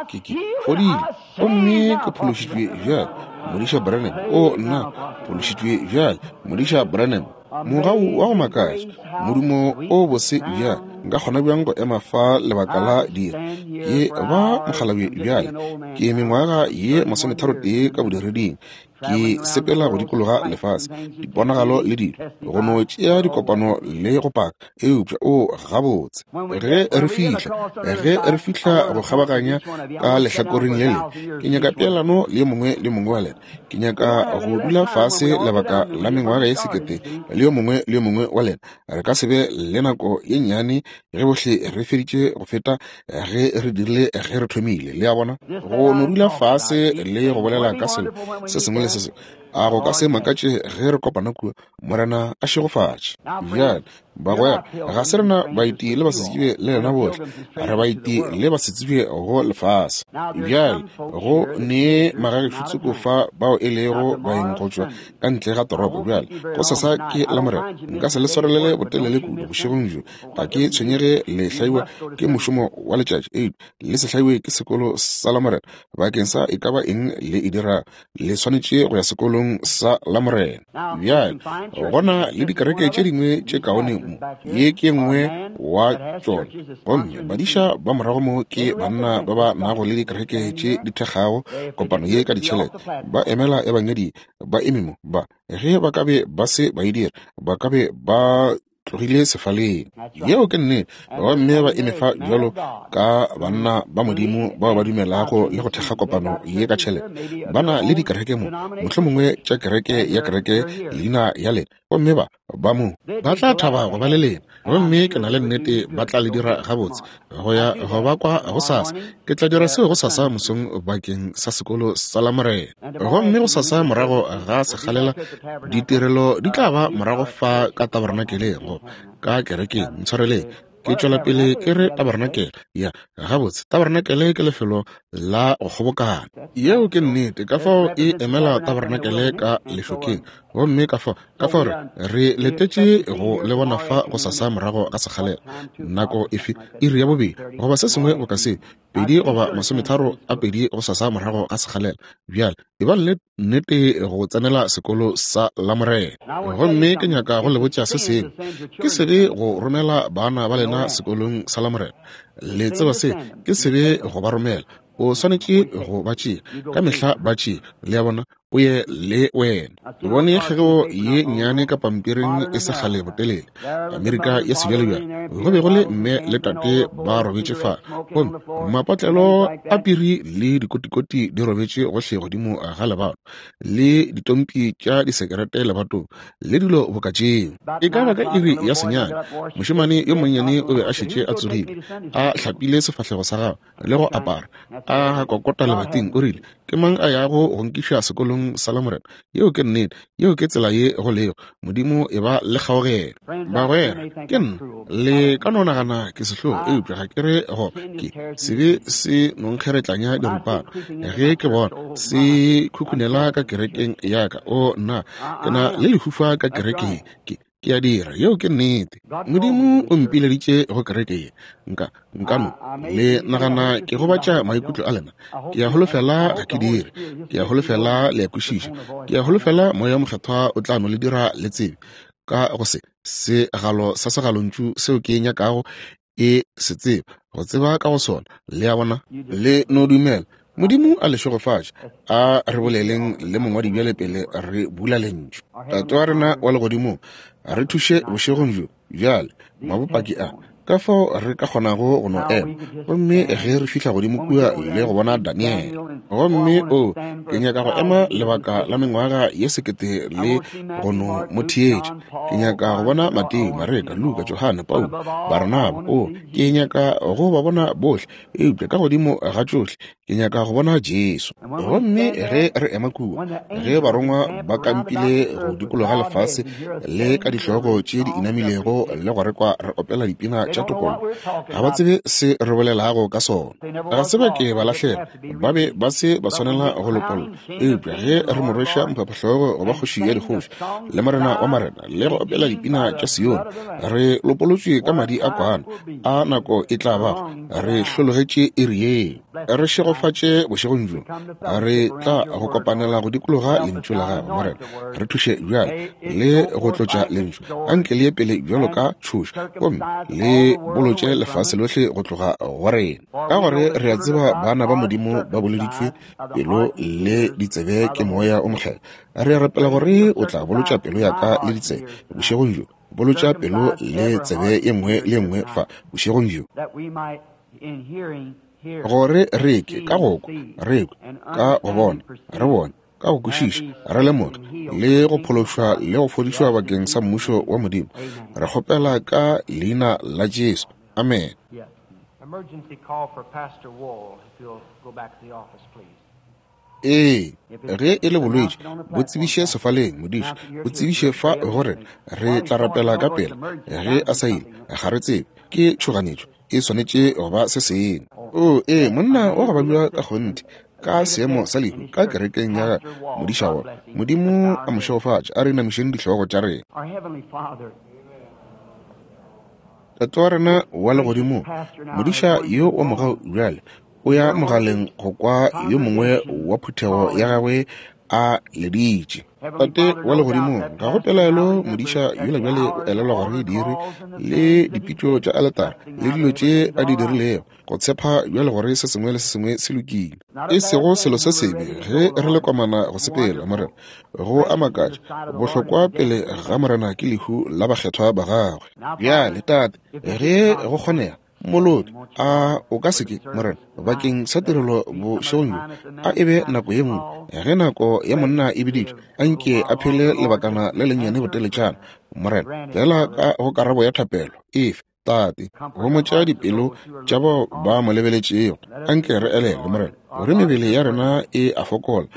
ke, ke, ke, ke fodile, gomme ke phološitšwe bjale, Modiša Branham. O, nna, phološitšwe bjale, Modiša Branham. Mogau wa go makatša, modumo o bose bjale. Nka kgona bjang go ema fa lebaka la dira? Ke ba mokgalabje bjale, ke mengwaga ye 31 ka bodireding. Ke sepela go dikologa lefase, diponagalo le dilo, go no tšea dikopano le go paka. Eupša, o, gabotse, ge re fihla, ge re fihla go kgabaganya ka lehlakoreng le lengwe, ke nyaka peelano le yo mongwe le mongwe wa lena. Ke nyaka go dula fase lebaka la mengwaga ye sekete le yo mongwe le yo mongwe wa lena. Re ka se be le nako ye nnyane ge bohle re feditše go feta ge re dirile ge re thomile. Le a bona? Go no dula fase le go bolela ka selo se sengwe le se sengwe. A go ka se makatše ge re kopana kua? Morena a šegofatše. Bjale, bagwera, ga se rena baeti le basetsebje le lena bohle. Re baeti le basetsebje go lefase. Bjale, go ne magagešo tsoko fa bao e lego baeng go tšwa ka ntle ga toropo. Bjale, gosasa ke Lamorena. Nka se le swarelele botelele kudu bošegong bjo. Ga ke tshwenyege le hlaiwa ke mošomo wa letšatši, eupša le se hlaiwe ke sekolo sa Lamorena. Bakeng sa e ka ba eng le e dirago, le swanetše go ya sekolong sa Lamorena. Bjale, go na le dikereke tše dingwe tše kaone mo. mo, ye ke nngwe wa tšona. Gomme badiša ba morago mo ke banna ba ba nago le dikereke tše di thekgago kopano ye ka ditšhelete. Ba emela Ebangedi, ba eme mo. Ba, ge ba ka be ba se ba e dira, ba ka be ba tlogile sefaleng. Yeo ke nnete. Gomme ba eme fa bjalo ka banna ba Modimo bao ba dumelago le go thekga kopano ye ka tšhelete. Ba na le dikereke mo, mohlomongwe tša kereke ya kereke leina ya lena. Gomme ba, ba mo, ba tla thaba go ba le lena. Gomme ke na le nnete ba tla le dira gabotse go ya go ba kwa gosasa. Ke tla dira seo gosasa mosong bakeng sa sekolo sa Lamorena. Gomme gosasa morago ga sekgalela ditirelo di tla ba morago fa ka tabernakeleng, go ka kerekeng. Ntshwareleng, ke tšwela pele ke re tabernakel. Ya, gabotse, tabernakele ke lefelo la go kgobokana. Yeo ke nnete. Ka fao e emela tabernakele ka lešokeng. Gomme ka fao, ka fao re, re letetše go le bona fa gosasa morago ga sekgalela. Nako efe? Iri ya bobedi, goba se sengwe boka seo, 2:32 gosasa morago ga sekgalela. Bjale, ebang le nnete go tsenela sekolo sa Lamorena. Gomme ke nyaka go le botša se sengwe. Ke sebe go romela bana ba lena sekolong sa Lamorena. Le tseba se, ke sebe go ba romela. O swanetše go ba tšea, ka mehla ba tšea. Le a bona, o ye le wena. Ke bone kgegeo ye nnyane ka pampiring e se kgale botelele, Amerika ya sebjalebjale. Go be go le mme le tate ba robetše fa, gomme mapotlelo a piri le dikotikoti di robetše gohle godimo ga lebato, le ditompi tša disekerete lebatong, le dilo boka tšeo. E ka ba ka iri ya 9, mošemane yo monnyane o be a šetše a tsogile, a hlapile sefahlego sa gagwe le go apara, a kokota lebating. O rile, Ke mang a yago go nkiša sekolong sa Lamorena? Yeo ke nnete. Yeo ke tsela ye go lego. Modimo e ba le kgaogelo. Bagwera, ke nna. Le ka no nagana ke sehlogo, eupša ga ke re go ke sebe se nonkgeretlanya diripana. Ge ke bona se khukhunela ka kerekeng ya ka, o nna, ke na le lehufa ka kerekeng. Ke, ke a dira. Yeo ke nnete. Modimo o mpileditše go kereke ye. Nka, nka no le nagana ke gobatša maikutlo a lena. Ke a holofela ga ke dire. Ke a holofela le a kwešiša. Ke a holofela Moya wo Mokgethwa o tla no le dira le tsebe ka go se segalo sa segalontšu seo ke nyakago e se tseba, go tseba ka go sona. Le a bona? Le no dumela. Modimo a le šegofatše. A re boleleng le mongwadi bjale pele re bula lentšu. Tate wa rena wa legodimong, re thuše bošegong bjo bjale, mabopaki a, ka fao re ka kgonago go no ema. Gomme ge re fihla godimo kua le go bona Daniele, gomme o, ke nyaka go ema lebaka la mengwaga ye 1000 le go no mo theetša. Ke nyaka go bona Mateo, Mareka, Luka, Johane, Paulo, Barnaba. O, ke nyaka go ba bona bohle, eupša ka godimo ga tšohle ke nyaka go bona Jesu. Gomme ge re ema kua, ge barongwa ba kampile go dikologa lefase le ka dihlogo tše di inamilego le go re kwa re opela dipina tša topollo, ga ba tsebe se re bolelago ka sona. Ga se ba ke ba lahlela, ba be ba se ba swanela go lopolla. Eupša ge re mo rweša mphaphahlogo go ba kgoši ya dikgoši le morena wa marena le go opela dipina tša Sione, re lopolotšwe ka madi a kwana a nako e tla bago, re hlologetše iri yeo. Re šegofatše bošegong bjo, re tla go kopanela go dikologa lentšu la gago, Morena. Re thuše bjale le go tlotša lentšu, anke le ye pele bjalo ka tšhoša, gomme le bolotše lefase lohle go tloga go rena. Ka gore re a tseba bana ba Modimo ba boloditšwe pelo le ditsebe ke Moya o Mokgethwa. Re a rapela gore o tla bolotša pelo ya ka le ditsebe bošegong bjo, bolotša pelo le tsebe ye nngwe le ye nngwe fa bošegong bjo, gore re ke ka go kwa, re kwe, ka go bona, re bone, ka go kwešiša, re lemoge, le go phološwa le go fodišwa bakeng sa mmušo wa Modimo. Re kgopela ka leina la Jesu. Amen. Emergency call for Pastor Wall, if you'll go back to the office, please. Ee, ge e le bolwetši, bo tsebiše sefaleng, modiši, bo tsebiše fa gore re tla rapela ka pela. Ge a sa ile, ga re tsebe, ke tšhoganetšo, e swanetše go ba se sengwe. O, ee, monna wa go babja ka kgonthe, ka seemo sa lehu, ka kerekeng ya modiša wa Modimo a mo šegofatše. A re inamišeng dihlogo tša rena. Our Heavenly Father, Tate wa rena wa legodimong, modiša yo wa mogau bjale o ya mogaleng go kwa yo mongwe wa phuthego ya gagwe a leditše. Tate wa Legodimong, ga go pelaelo modiša yola bjale o elelwa gore diiri le dipitšo tša aletara le dilo tše a di dirilego, go tshepa bjale gore se sengwe le se sengwe se lokile. E sego selo se sebe ge re le komana go sepela, Morena. Go a makatša, bohlokwa pele ga Morena ke lehu la bakgethwa ba gagwe. Bjale, Tate, ge go kgonega, Mmoloki, a o ka se ke, Morena, bakeng sa tirelo bošegong bjo, a e be nako ye nngwe, ge nako ya monna e biditšwe, a nke a phele lebakana le lennyane boteletšana, Morena, feela ka go karabo ya thapelo efe, Tate, homotša dipelo tša bao ba mo lebeletšego. A nke re elelwe, Morena, gore mebele ya rena e a fokola,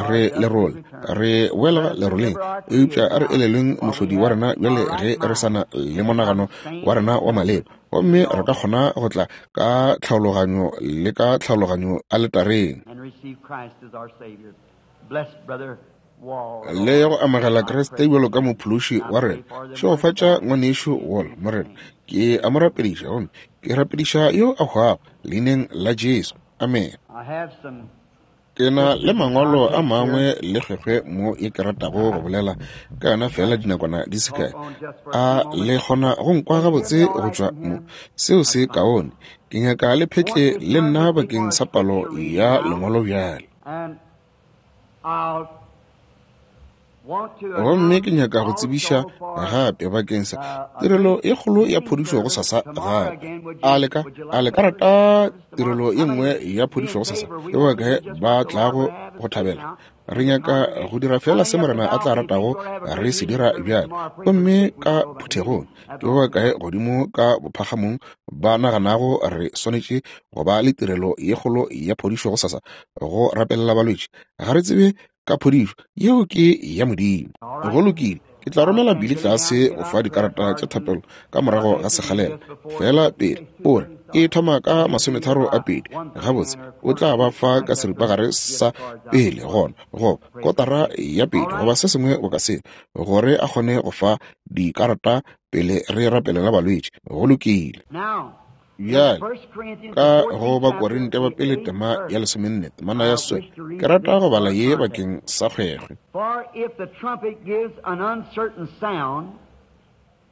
re lerole, re boela leroleng, eupša a re elelweng Mohlodi wa rena bjale ge re sa na le monagano wa rena wa maleba, gomme re ka kgona go tla ka tlhaologanyo le ka tlhaologanyo aletareng le go amogela Kriste bjalo ka Mophološi wa rena. Šegofatša ngwanešu Wall, Morena. Ke a mo rapediša, gomme ke rapediša yo a hwago, Leineng la Jesu. Amene. Ke na le mangwalo a mangwe le kgwekgwe mo ye ke ratago go bolela ka yona feela dinakwana di se kae. A le kgona go nkwa gabotse go tšwa mo? Seo se kaone. Ke nyaka le phetle le nna bakeng sa palo ya lengwalo bjale. Gomme ke nyaka go tsebiša gape bakeng sa tirelo e kgolo ya phodišo go sasa gape. A le ka, a le ka rata tirelo e nngwe ya phodišo go sasa? Ke ba kae ba tlago go thabela? Re nyaka go dira feela se Morena a tla ratago re se dira bjale. Gomme ka phuthegong, ke ba kae godimo ka bophagamong ba naganago re swanetše go ba le tirelo ye kgolo ya phodišo go sasa, go rapelela balwetši? Ga re tsebe ka phodišo yeo ke ya Modimo. Go lokile, ke tla romela Billy tlase go fa dikarata tša thapelo ka morago ga sekgalela. Feela pele o re e thoma ka 32, gabotse o tla ba fa ka seripagare sa pele gona, goba kotara ya pele, goba se sengwe boka se, gore a kgone go fa dikarata pele re rapelela balwetši. Go lokile. Bjale, ka go Bakorinte ba pele tema ya 14, temana ya 9, ke rata go bala ye bakeng sa kgwekgwe.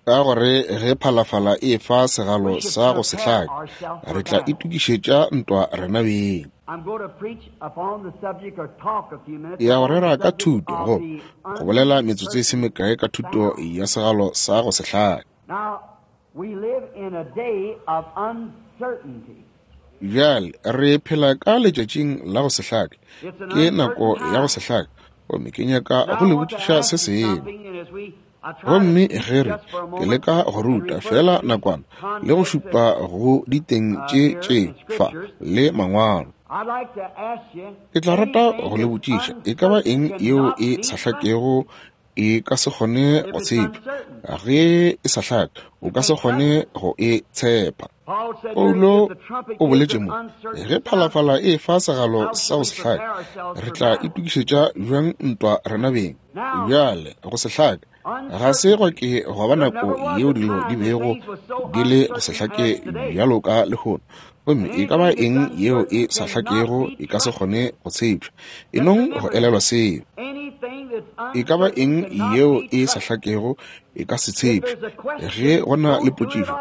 Ka gore ge phalafala e fa segalo sa go se hlake, re tla itokišetša ntwa rena beng. Ya go rera ka thuto, go go bolela metsotso e se mekae ka thuto ya segalo sa go se hlake. Bjale re phela ka letšatšing la go se hlake. Ke nako ya go se hlake. Gomme ke nyaka go le botšiša se sengwe. Gomme ge re, ke leka go ruta feela nakwana le go šupa go diteng tše tše fa le mangwalo. Ke tla rata go le botšiša e ka ba eng yeo e sa hlakego e ka se kgone go tshepa. Ge e sa hlake, o ka se kgone go e tshepa. Paulo o boletše mo, ge phalafala e fa segalo sa go se hlake, re tla itokišetša bjang ntwa rena beng? Bjale, go se hlake ga se gwa ke gwa ba nako yeo dilo di bego di le go se hlake bjalo ka lehono. Gomme e ka ba eng yeo e sa hlakego e ka se kgone go tshepša. E nong go elelwa seo. E ka ba eng yeo e sa hlakego e ka se tshepše. Ge go na le potšišo,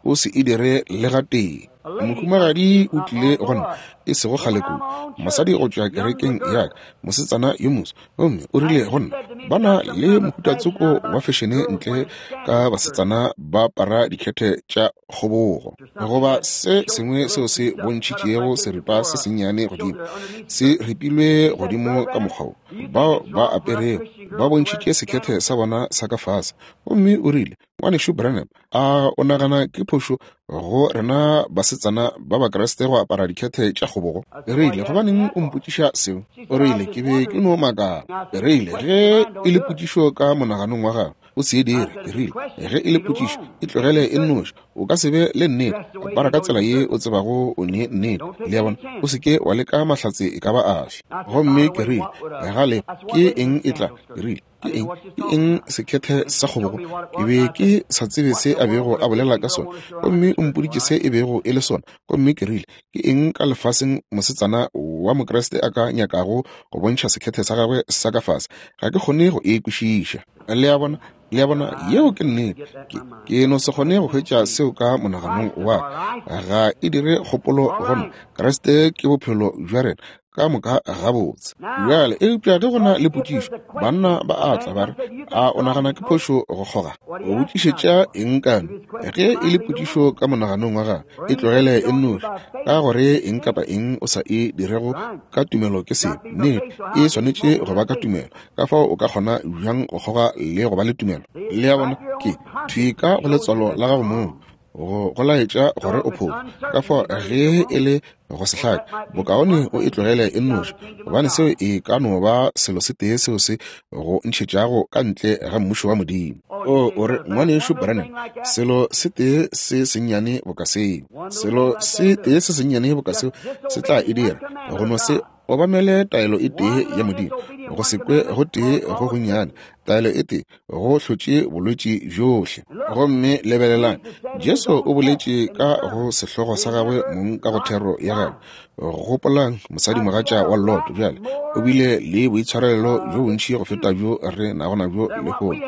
o se e dire le gatee. Mohumagadi o tlile go nna e sego kgale kudu, mosadi go tšwa kerekeng ya ka, mosetsana yo moso, gomme o rile go nna, ba na le mohutatsoko wa fešene ntle ka basetsana ba apara dikhethe tša kgobogo, goba se sengwe seo se bontšhitšego seripa se sennyane godimo, se ripilwe godimo ka mokgwa wo bao ba aperego ba bontšhitše sekhethe sa bona sa ka fase. Gomme o rile, Ngwanešu Branham, a o nagana ke phošo go rena basetsana ba Bakriste go apara dikhethe tša kgobogo? Ke rile, gobaneng o mpotšiša seo? O rile, ke be ke no makala. Ke rile, ge e le potšišo ka monaganong wa gago, O se e dire. Ke rile, Ge e le potšišo, e tlogele e nnoši. O ka se be le nnete. Apara ka tsela ye o tsebago o ne nnete. Le a bona? O se ke wa leka mahlatse e ka ba afe. Gomme ke rile, Gale, ke eng e tla? Ke rile, Ke eng, ke eng sekhethe sa kgobogo? Ke be ke sa tsebe se a bego a bolela ka sona. Gomme o mpoditše se e bego e le sona. Gomme ke rile, Ke eng ka lefaseng mosetsana wa Mokriste a ka nyakago go bontšha sekhethe sa gagwe sa ka fase? Ga ke kgone go e kwešiša. Le a bona? Le a bona, yeo ke nnete. Ke, ke no se kgone go hwetša seo ka monaganong wa ka. Ga e dire kgopolo go nna. Kriste ke bophelo bja rena. Ka moka gabotse. Bjale, eupša ge go na le potšišo, banna ba a tla ba re, A o nagana ke phošo go kgoga? O botšišetša eng kano? Ge e le potšišo ka monaganong wa gago, e tlogele e nnoši, ka gore eng kapa eng o sa e dirego ka tumelo ke sebe. Nnete, e swanetše go ba ka tumelo. Ka fao o ka kgona bjang go kgoga le go ba le tumelo? Le a bona, ke thwi ka go letswalo la gago mong, go go laetša gore o phošo. Ka fao ge e le go se hlake, bokaone o e tlogele e nnoši, gobane seo e ka no ba selo se tee seo se go ntšhetšago ka ntle ga Mmušo wa Modimo. O, o re, Ngwanešu Branham, selo se tee se sennyane boka seo, selo se tee se sennyane boka seo se tla e dira, go no se obamele taelo e tee ya Modimo, go se kwe go tee go gonnyane, taelo e tee go hlotše bolwetši bjohle. Gomme lebelelang, Jesu o boletše ka go sehlogo sa gagwe mong ka go thero ya gagwe. Gopolang mosadimogatša wa Lot bjale, o bile le boitshwarelelo bjo bontši go feta bjo re nago nabjo lehono,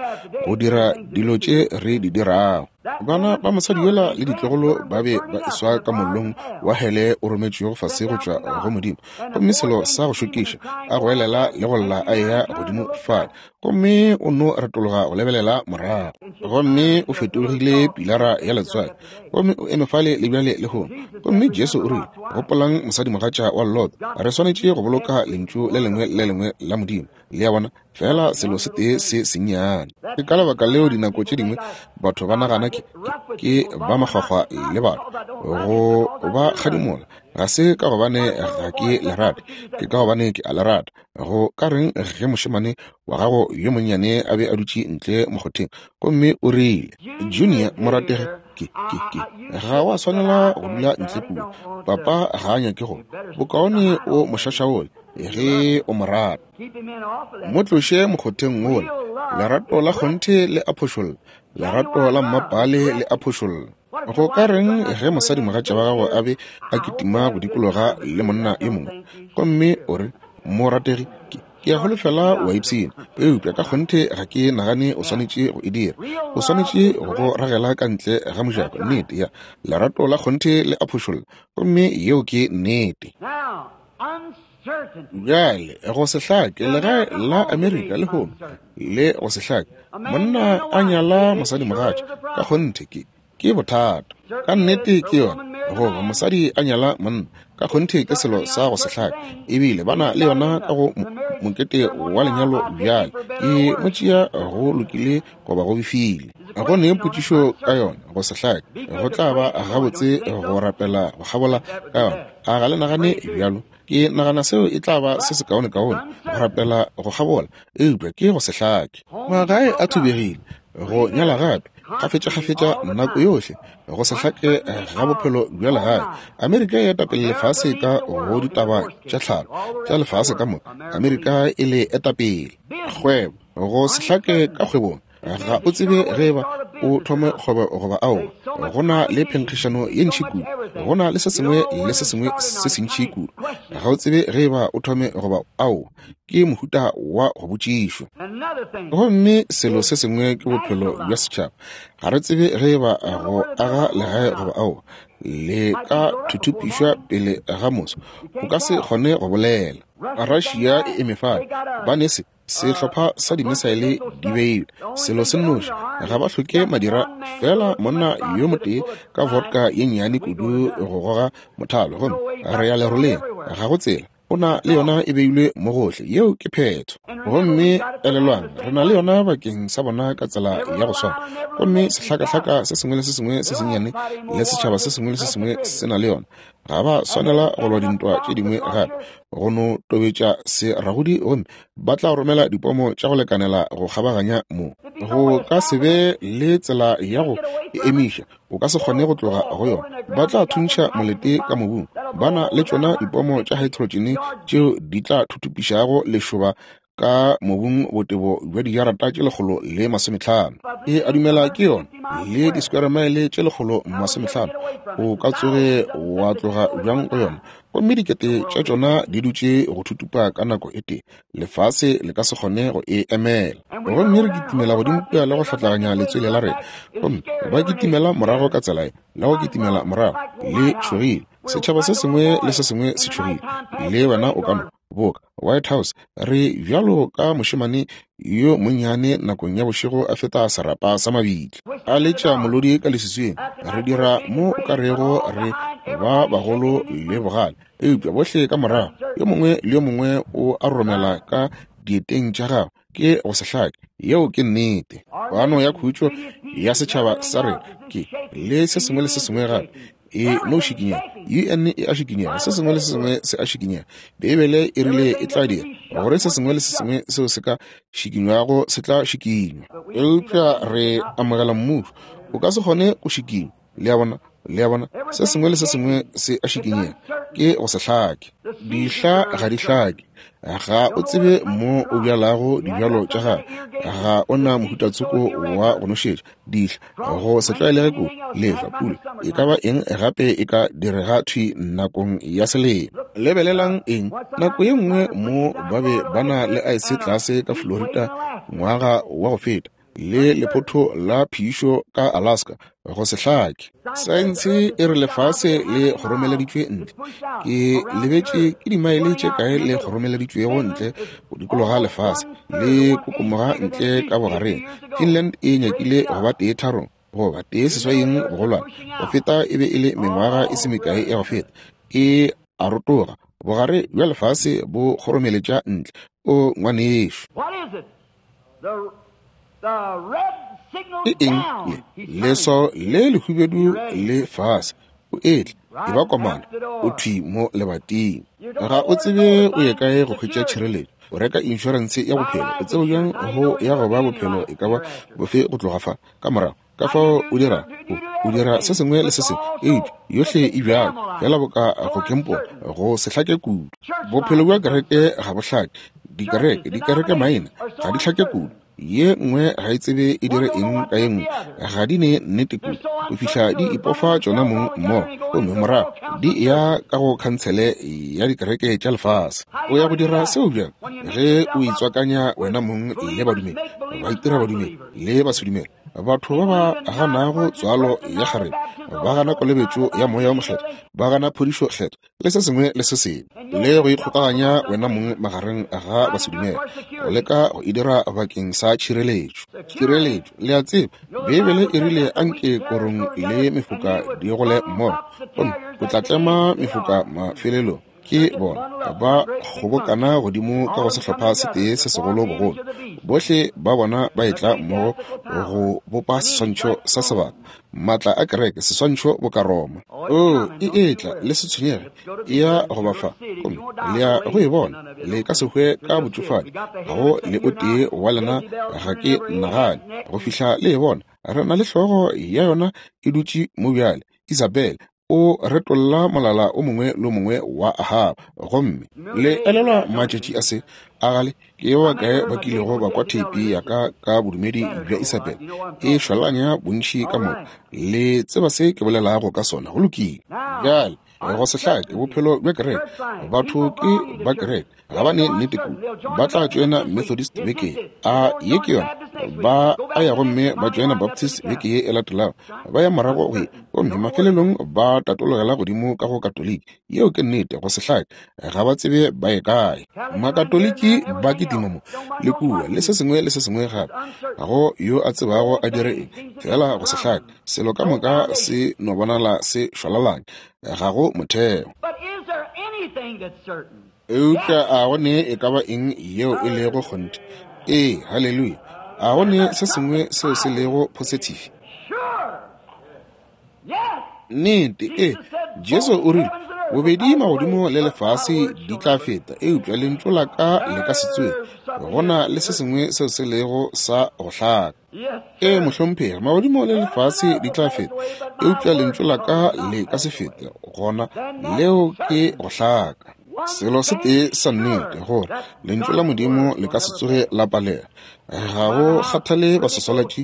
go dira dilo tše re di dirago. Bana ba mosadi yola le ditlogolo ba be ba eswa ka mollong wa hele o rometšwego fase go tšwa go Modimo. Gomme selo sa go šokiša, a goelela le go lla a eya godimo fale, gomme o no retologa go lebelela morago, gomme o fetogile pilara ya letswai, gomme o eme fale le bjale lehono. Gomme Jesu o rile, Gopolang mosadimogatša wa Lot. Re swanetše go boloka Lentšu le lengwe le lengwe la Modimo. Le a bona? Feela selo se tee se sennyane. Ke ka lebaka leo dinako tše dingwe batho ba nagana ke, ke, ke ba makgwakgwa le batho, go ba kgadimola. Ga se ka gobane ga ke le rate, ke ka gobane ke a le rata. Go ka reng ge mošemane wa gago yo monnyane a be a dutše ntle mokgotheng, gomme o rile, Junior, morategi, ke, ke, ke, ga wa swanela go dula ntle kua. Papa ga a nyake go. Bokaone o mo šašaole ge o mo rata. Mo tloše mokgotheng wola. Lerato la kgonthe le a phošolla. Lerato la mmapale le a phošolla. Go ka reng ge mosadimogatša wa gago a be a kitima go dikologa le monna yo mongwe, gomme o re, Morategi, ke, ke a holofela o a ipshina, eupša ka kgonthe ga ke nagane o swanetše go e dira. O swanetše go go ragela ka ntle ga mojako. Nnete, ya. Lerato la kgonthe le a phošolla, gomme yeo ke nnete. Bjale, go se hlake, legae la Amerika lehono le go se hlake, monna a nyala mosadimogatša, ka kgonthe ke, ke bothata. Ka nnete ke yona. Goba mosadi a nyala monna, ka kgonthe ke selo sa go se hlake. Ebile ba na le yona ka go mokete wa lenyalo bjale. Ke mo tšea go lokile goba go befile. Go ne potšišo ka yona, go se hlake. Go tla ba gabotse go rapela go kgabola ka yona. A ga le nagane bjalo? Ke nagana seo e tla ba se sekaonekaone, go rapela go kgabola, eupša ke go se hlake. Magae a thubegile, go nyala gape, kgafetšakgafetša, nako yohle, go se hlake ga bophelo bja legae. Amerika e etapele lefase ka go ditaba tša tlhalo tša lefase ka moka. Amerika e le etapele. Kgwebo, go se hlake ka kgwebong. Ga o tsebe ge eba o thome kgwebo goba aowa. Go na le phenkgišano ye ntši kudu. Go na le se sengwe le se sengwe se sentši kudu. Ga o tsebe ge eba o thome goba aowa. Ke mohuta wa go botšišwa. Gomme selo se sengwe ke bophelo bja setšhaba. Ga re tsebe ge eba go aga legae goba aowa. Le ka thuthupišwa pele ga moso. O ka se kgone go bolela. Russia e eme fale. Ba ne se. Sehlopha sa dimisaele di beilwe. Selo se nnoši, ga ba hloke madira, feela monna yo motee ka vodka ye nnyane kudu go goga mothalo, gomme re ya leroleng. Ga go tsela. O na le yona e beilwe mo gohle. Yeo ke phetho. Gomme elelwang, re na le yona bakeng sa bona ka tsela ya go swana. Gomme sehlakahlaka se sengwe le se sengwe se sennyane le setšhaba se sengwe le se sengwe se na le yona. Ga ba swanela go lwa dintwa tše dingwe gape, go no tobetša seragodi gomme ba tla romela dipomo tša go lekanela go kgabaganya mo. Go ka se be le tsela ya go e emiša, o ka se kgone go tloga go yona. Ba tla thuntšha molete ka mobung. Ba na le tšona dipomo tša haetrotšene tšeo di tla thuthupišago lešoba ka mobung botebo bja dijarata tše 150. E a dumela ke yona le di-square mile tše 150. O ka tsoge wa tloga bjang go yona? Gomme dikete tša tšona di dutše go thutupa ka nako e tee. Lefase le ka se kgone go e emela. Gomme re kitimela godimo kua le go hlatlaganya letswele la rena. Gomme ba kitimela morago ka tsela ye, le go kitimela morago. Le tšhogile. Setšhaba se sengwe le se sengwe se tšhogile. Le wena o ka no boka White House re bjalo ka mošemane yo monnyane nakong ya bošego a feta serapa sa mabitla a letša molodi ka leswiswing. Re dira mo o ka rego re ba bagolo le bogale, eupša bohle ka morago yo mongwe le yo mongwe o a romela ka dieteng tša gagwe. Ke go se hlake. Yeo ke nnete. Kwano ya khutšo ya setšhaba sa rena ke le se sengwe le se sengwe gape e no šikinyega. UN e a šikinyega, se sengwe le se sengwe se a šikinyega. Beibele e rile e tla dira gore se sengwe le se sengwe seo se ka šikinywago se tla šikinywa. Eupša re amogela mmušo, o ka se kgone go šikinywa. Le a bona? Le a bona? Se sengwe le se sengwe se a šikinyega. Ke go se hlake. Dihla ga di hlake. Ga o tsebe mo o bjalago dibjalo tša gago. Ga o na mohutatsoko wa go nošetša. Dihla go se tlwaelege kudu, lehlwa, pula, e ka ba eng gape e ka direga thwi nakong ya selemo. Lebelelang eng, nako ye nngwe mo ba be ba na le aese tlase ka Florida ngwaga wa go feta, le lephotho la phišo ka Alaska, go se hlake. Saense e re lefase le kgoromeleditšwe ntle. Ke lebetše ke dimaele tše kae le kgoromeleditšwego ntle go dikologa lefase, le kokomoga ntle ka bogareng. Finland e nyakile go ba 1/3 goba 1/8 bogolwane go feta e be e le mengwaga e se mekae ya go feta. E a rotoga, bogare bja lefase bo kgoromeletša ntle. O ngwanešo. Ke eng le leswao le lehubedu le fase? O etla, e ba komana, o thwi mo lebating. Ga o tsebe o ye kae go hwetša tšhireletšo. O reka inšorense ya bophelo, o tsebe bjang go ya go ba bophelo e ka ba bofe go tloga fa ka morago. Ka fao o dira, o dira se sengwe le se sengwe, eupša yohle e bjalo fela boka go kempola, go se hlake kudu. Bophelo bja kereke ga bo hlake. Dikereke, dikereke maina ga di hlake kudu. Ye nngwe ga e tsebe e dire eng ka ye nngwe, ga di ne nnete kudu go fihla di ipofa tšona mong mmogo, gomme morago di ya ka go khansele ya dikereke tša lefase. O ya go dira seo bjang ge o itswakanya wena mong le badumedi, ba itira badumedi le basedumele, batho ba ba ganago tswalo ya kgarebe, ba gana kolobetšo ya Moya wo Mokgethwa, ba gana phodišo kgethwa, le se sengwe le se sengwe, le go ikgokaganya wena mong magareng ga basedumele, go leka go e dira bakeng sa tšhireletšo. Tšhireletšo, le a tseba, Beibele e rile anke korong le mefoka di gole mmogo, gomme o tla tlema mefoka mafelelong. Ke bona ba kgobokana godimo ka go sehlopha se tee se segolo bogolo. Bohle ba bona ba etla mmogo go bopa seswantšho sa sebaka, maatla a kereke, seswantšho boka Roma. Oo, e etla, le se tshwenyege, e ya go ba fa, gomme le ya go e bona. Le ka se hwe ka botšofadi, ga go le o tee wa lena, ga ke nagane, go fihla le e bona. Re na le hlogo ya yona e dutše mo bjale, Isabel. O retolla molala o mongwe le o mongwe wa Ahaba. Gomme le elelwa matšatši a se a gale, ke ba bakae ba kilego ba kwa theipi ya ka ka bodumedi bja Isabel e šwalanya bontši ka moka? Le tseba se ke bolelago ka sona. Go lokile. Bjale, go se hlake bophelo bja kereke. Batho ke ba kereke, ga ba ne nnete kudu. Ba tla tšoena Methodist beke ye, a ye ke yona, ba a ya gomme ba tšoena Baptist beke ye e latelago, ba ya morago go ye, gomme mafelelong ba tatologela godimo ka go Katoliki. Yeo ke nnete, go se hlake, ga ba tsebe ba ye kae. Makatoliki ba kitima mo le kua le se sengwe le se sengwe gape, ga go yo a tsebago a dire eng, fela go se hlake, selo ka moka se no bonala se šwalalanya, ga go motheo. Eupša a go ne e ka ba eng yeo e lego kgonthe? Ee, haleluya. A go ne se sengwe seo se lego positive? Nnete, ee. Jesu o rile, Bobedi magodimo le lefase di tla feta, eupša lentšu la ka le ka se tsoge. Go na le se sengwe seo se lego sa go hlaka. Ee, mohlomphegi, magodimo le lefase di tla feta, eupša lentšu la ka le ka se fete. Gona leo ke go hlaka. Selo se tee sa nnete, gore lentšu la Modimo le ka se tsoge la palela. Ga go kgathale baswaswalatši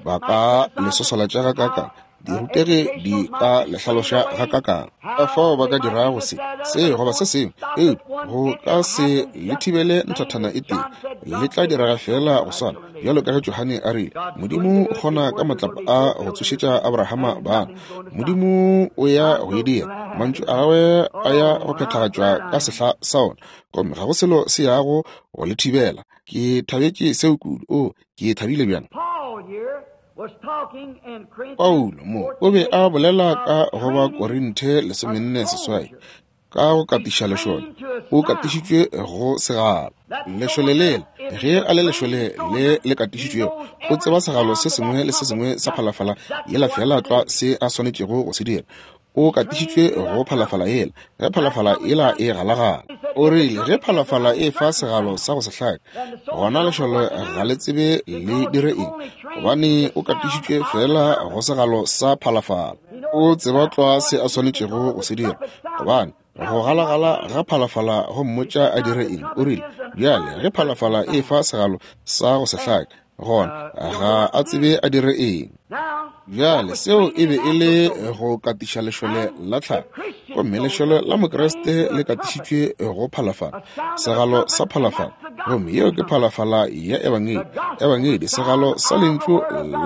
ba ka le swaswalatša gakaakang, dirutegi di ka le hlaloša gakaakang, ka fao ba ka dirago se, se goba se sengwe, eupša go ka se le thibele nthathana e tee. Le tla direga feela go swana bjalo ka ge Johane a rile, Modimo o kgona ka matlapa a go tsošetša Abrahama bana. Modimo o ya go e dira. Mantšu a gagwe a ya go phethagatšwa ka sehla sa ona, gomme ga go selo se yago go le thibela. Ke thabetše seo kudu. O, ke thabile bjang. Paulo mo o be a bolela ka go ba Korinthe 48 ka go katiša lešole. O katišitšwe go segalo. Lešole lela, ge a le lešole le le katišitšwego, o tseba segalo se sengwe le se sengwe sa phalafala yela feela tlwa se a swanetšego go se dira. O katišitšwe go phalafala yela, ge phalafala yela e galagala. O rile ge phalafala e fa segalo sa go se hlake, gona lešole ga le tsebe le dire eng, gobane o katišitšwe feela go segalo sa phalafala. O tseba tlwa se a swanetšego go se dira, gobane go galagala ga phalafala go mmotša a dire eng. O rile bjale ge phalafala e fa segalo sa go se hlake, gona ga a tsebe a dire eng. Bjale seo e be e le go katiša lešole la tlhago, gomme lešole la Mokriste le katišitšwe go phalafala, segalo sa phalafala, gomme yeo ke phalafala ya Ebangedi. Ebangedi, segalo sa lentšu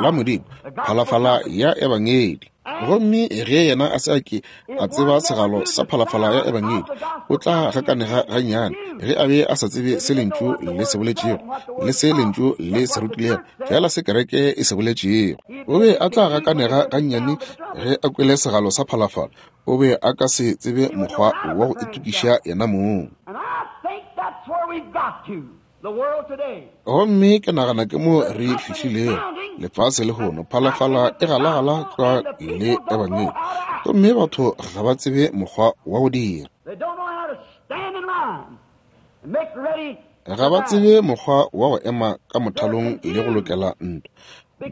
la Modimo, phalafala ya Ebangedi. Gomme ge yena a se a ke a tseba segalo sa phalafala ya Ebangedi, o tla gakanega gannyane ge a be a sa tsebe se lentšu le se boletšego le se lentšu le se rutilego, fela se kereke e se boletšego. O be a tla gakanega gannyane ge a kwele segalo sa phalafala. O be a ka se tsebe mokgwa wa go itokiša yena mong. Gomme ke nagana ke mo re fihlilego lefase lehono. Phalafala e galagala tlwa le Ebangedi, gomme batho ga ba tsebe mokgwa wa go dira. Ga ba tsebe mokgwa wa go ema ka mothalong le go lokela ntwa.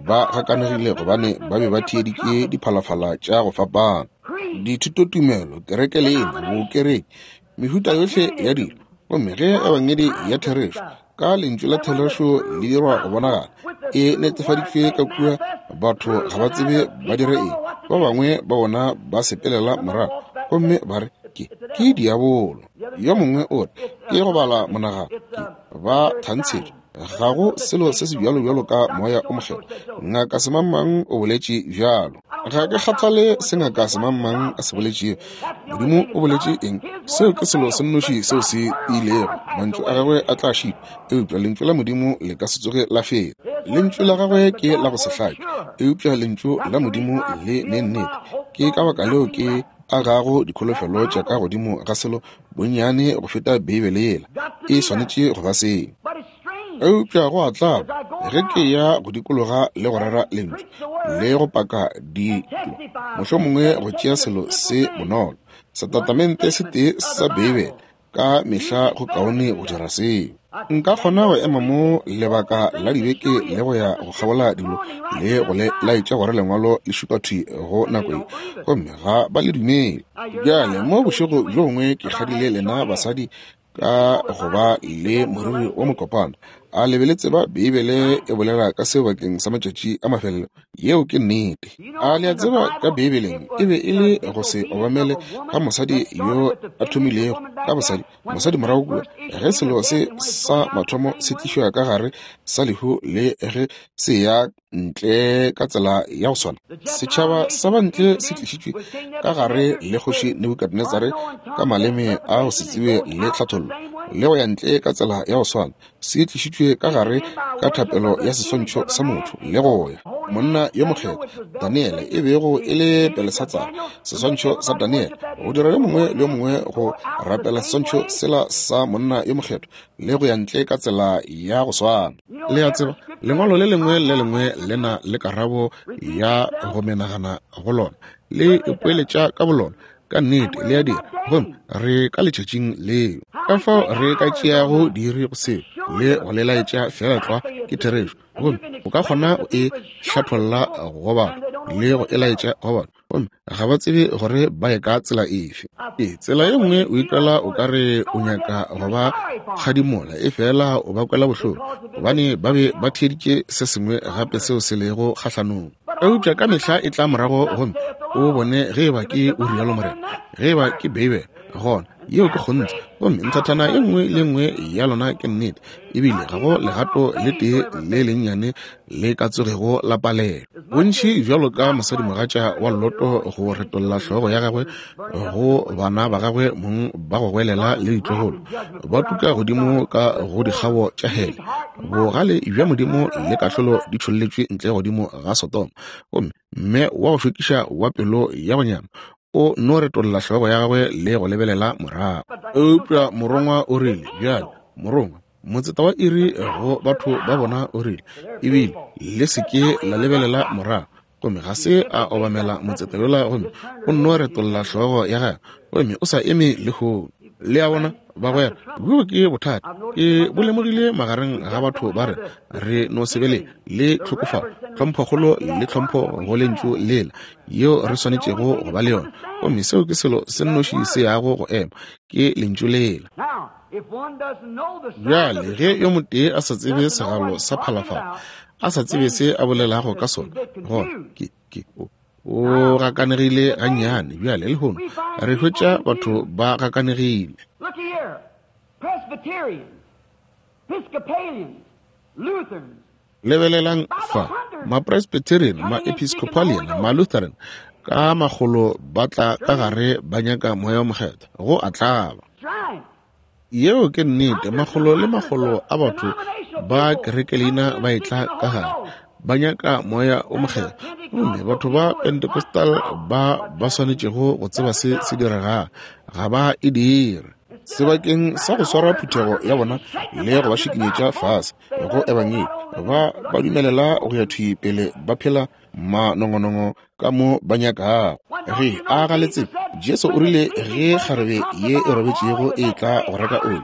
Ba gakanegile gobane ba be ba theeditše diphalafala tša go fapana, dithutotumelo, kereke leina, bokereke, mehuta yohle ya dilo. Gomme ge Ebangedi ya therešo ka lentšu la therešo le dirwa go bonagala, e netefaditšwe ka kua, batho ga ba tsebe ba dire eng. Ba bangwe ba bona ba sepelela morago gomme ba re ke diabolo. Yo mongwe o re ke go bala monagano, ke ba thantshetšo. Ga go selo se se bjalo bjalo ka moya o mokgethwa. Ngaka semangmang o boletše bjalo. Ga ke kgathale se ngaka semangmang a se boletšego. Modimo o boletše eng? Seo ke selo se nnoši seo se tiilego. Mantšu a gagwe a tla šitwa, eupša lentšu la Modimo le ka se tsoge la feta. Lentšu la gagwe ke la go se hlake, eupša lentšu la Modimo le ne nnete. Ke ka baka leo ke agago dikholofelo tša ka godimo ga selo bonnyane go feta Beibele yela. E swanetše go ba seo. Eupša go a tlaba ge ke ya go dikologa le go rera lentšu le go paka dilo, mohlomongwe go tšea selo se bonolo, setatamente se tee sa Beibele, ka mehla go kaone go dira seo. Nka kgona go ema mo lebaka la dibeke le go ya go kgabola dilo le go le laetša gore lengwalo le šupa thwi go nako ye, gomme ga ba le dumele. Bjale mo bošego bjo bongwe ke kgadile lena basadi ka go ba le moriri wa mokopana. A le be le tseba Beibele e bolela ka seo bakeng sa matšatši a mafelelo? Yeo ke nnete. A le a tseba ka Beibeleng e be e le go se obamele ga mosadi yo a thomilego ka bosadi, mosadi morago kua, ge selo se sa mathomo se tlišwa ka gare sa lehu le ge se ya ntle ka tsela ya go swana. Setšhaba sa bantle se tlišitšwe ka gare le kgoši Nebukadnezare ka maleme a go se tsebe le tlhathollo, le go ya ntle ka tsela ya go swana. Se tlišitšwe ka gare ka thapelo ya seswantšho sa motho le go ya monna yo mokgethwa Daniele, e bego e le Belesatsara, seswantšho sa Daniele, go dira yo mongwe le yo mongwe go rapela seswantšho sela sa monna yo mokgethwa le go ya ntle ka tsela ya go swana. Le a tseba, lengwalo le lengwe le lengwe le na le karabo ya go menagana go lona, le ipoeletša ka bolona. Ka nnete le a dira. Gomme re ka letšatšing leo. Ka fao re ka tšeago diiri go seo le go le laetša feela tlwa ke therešo. Gomme o ka kgona go e hlatholla go batho le go e laetša go batho, gomme ga ba tsebe gore ba ye ka tsela efe. Ee, tsela ye nngwe o ikwela o ka re o nyaka go ba kgadimola, efela o ba kwela bohloko gobane ba be ba theeditše se sengwe gape seo se lego kgahlanong. Eupša ka mehla e tla morago gomme o bone ge eba ke o rialo Morena, ge eba ke Beibele, gona yeo ke kgonthe. Gomme nthathana e nngwe le nngwe ya lona ke nnete, ebile ga go legato le tee le lennyane le ka tsogego la palelwa. Bontši bjalo ka mosadimogatša wa Loto go retolla hlogo ya gagwe go bana ba gagwe mong ba go goelela le ditlogolo, ba tuka godimo ka go dikgabo tša hele. Bogale bja Modimo le kahlolo di tšholletšwe ntle godimo ga Sodoma, gomme mme wa go šokiša wa pelo ya go nyama o no retolla hlogo ya gagwe le go lebelela morago. Eupša morongwa o rile, bjale, morongwa, motseta wa iri go batho ba bona o rile, ebile le se ke la lebelela morago. Gomme ga se a obamela motseta yola, gomme o nno retolla hlogo ya gagwe, gomme o sa eme lehono. Le a bona, bagwera, bjo ke bothata ke bo lemogile magareng ga batho ba rena. Re no se be le le tlhokofalo, tlhomphokgolo le tlhompho go lentšu lela yeo re swanetšego go ba le yona. Gomme seo ke selo se nnoši se yago go ema, ke lentšu lela. Bjale, ge yo motee a sa tsebe segalo sa phalafala, a sa tsebe se a bolelago ka sona, gona ke, ke, o, o gakanegile gannyane. Bjale, lehono re hwetša batho ba gakanegile. Lebelelang fa, Mapresbyterian, Maepiscopalian, Malutheran, ka makgolo ba tla ka gare ba nyaka Moya wo Mokgethwa, go a tlaba. Yeo ke nnete, makgolo le makgolo a batho ba kerekeleina ba etla ka gare ba nyaka Moya wo Mokgethwa, gomme batho ba Pentecostal ba ba swanetšego go tseba se se diregago ga ba e dire. Sebakeng sa go swara phuthego ya bona le go ba šikinyetša fase go ebangedi, ba ba dumelela go ya thwi pele ba phela manongonongo ka mo ba nyakago. Ge a ga le tsebe, Jesu o rile ge kgarebe ye e robetšego e tla go reka oli,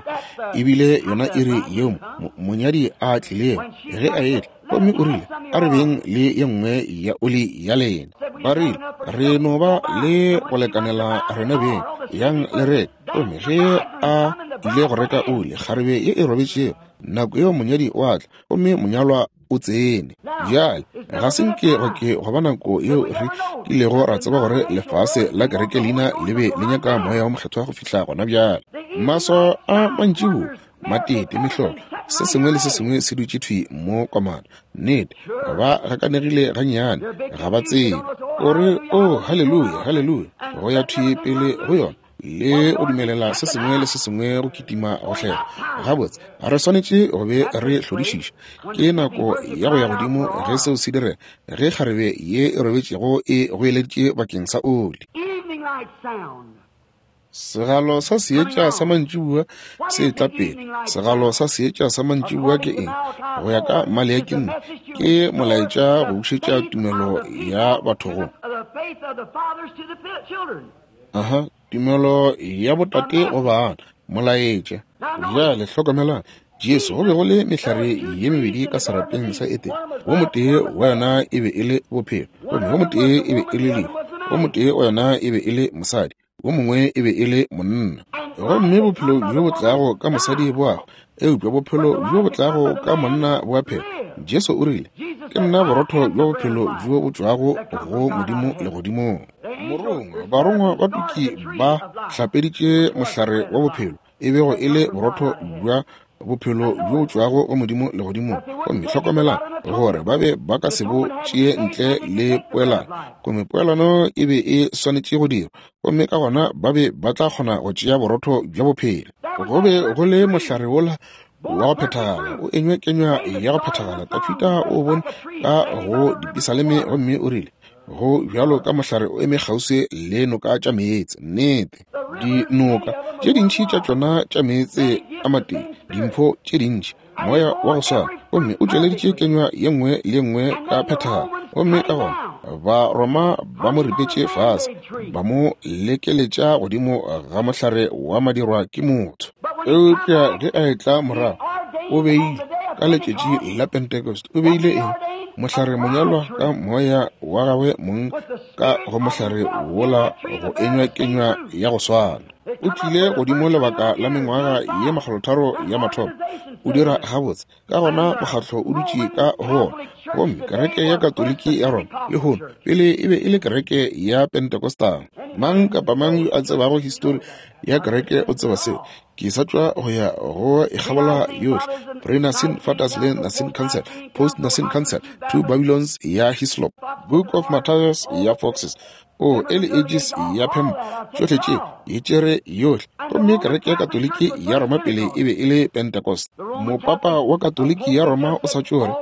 ebile yona iri yeo monyadi a tlilego ge a etla, gomme o rile, a re beng le ye nngwe ya oli ya lena. Ba rile, re no ba le go lekanela rena beng, yang le reke. Gomme ge a ile go reka oli, kgarebe ye e robetšego, nako yeo monyadi o a tla, gomme monyalwa o tsene. Bjale, ga se nke go ke go ba nako yeo re kilego ra tseba gore lefase la kereke leina le be le nyaka Moya wo Mokgethwa go fihla gona bjale. Maswao a mantšiboa, matete, mehlolo, se sengwe le se sengwe se dutše thwi mo komana. Nnete, ba gakanegile gannyane, ga ba tsebe. O re, Oh, haleluya, haleluya, go ya thwi pele go yona le go dumelela se sengwe le se sengwe go kitima go hlela. Gabotse, re swanetše go be re hlodišiša. Ke nako ya go ya godimo ge seo se direga, ge kgarebe ye e robetšego e goeleditše bakeng sa oli. Segalo sa seetša sa mantšiboa se tla pele. Segalo sa seetša sa mantšiboa ke eng? Go ya ka Maleaki nne, ke molaetša go bušetša tumelo ya batho go. Aha, tumelo ya botate go bana, molaetša. Bjale hlokomelang, Jesu, go be go le mehlare ye mebedi ka serapeng sa Edene. Wo motee wa yona e be e le bophelo, gomme wo motee e be e le lehu. Wo motee wa yona e be e le mosadi, wo mongwe e be e le monna. Gomme bophelo bjo bo tlago ka mosadi bo a hwa, eupša bophelo bjo bo tlago ka monna bo a phela. Jesu o rile, Ke nna borotho bja bophelo bjo bo tšwago go Modimo legodimong. Morongwa, barongwa ba tuki ba hlapeditše mohlare wa bophelo, e bego e le borotho bja bophelo bjo bo tšwago go Modimo legodimong. Gomme hlokomelang gore ba be ba ka se bo tšee ntle le poelano, gomme poelano e be e swanetše go dirwa, gomme ka gona ba be ba tla kgona go tšea borotho bja bophelo. Go be go le mohlare wola wa go phethagala, o enywe kenywa ya go phethagala. Dafida o bone ka go dipisaleme gomme o rile, Go bjalo ka mohlare o eme kgauswi le noka tša meetse. Nnete, dinoka tše dintši tša tšona tša meetse a matee, dimpho tše dintši, moya wa go swana, gomme o tšweleditše kenywa ye nngwe le ye nngwe ka phethagalo. Gomme ka gona Ba-Roma ba mo ripetše fase, ba mo lekeletša godimo ga mohlare wa madirwa ke motho. Eupša ge a etla morago, o beile ka letšatši la Pentecost, o beile eng? Mohlare monyalwa ka moya wa gagwe mong ka go mohlare wola go enywa kenywa ya go swana. O tlile godimo lebaka la mengwaga ye 300 ya mathomo, o dira gabotse. Ka gona mokgatlo o dutše ka go wona. Gomme kereke ya Katoliki ya Roma lehono pele e be e le kereke ya Pentecostal. Mang kapa mang yo a tsebago histori ya kereke o tseba seo. Ke sa tšwa go ya go e kgabola yohle. Pre-Nicene Fathers le Nicene Council, Post-Nicene Council, Two Babylons ya Hislop, Book of Matthias ya Foxes, o Early Ages ya Pemba, tšohle tše e tšere yohle. Gomme kereke ya Katoliki ya Roma pele e be e le Pentecost. Mopapa wa Katoliki ya Roma o sa tšo re,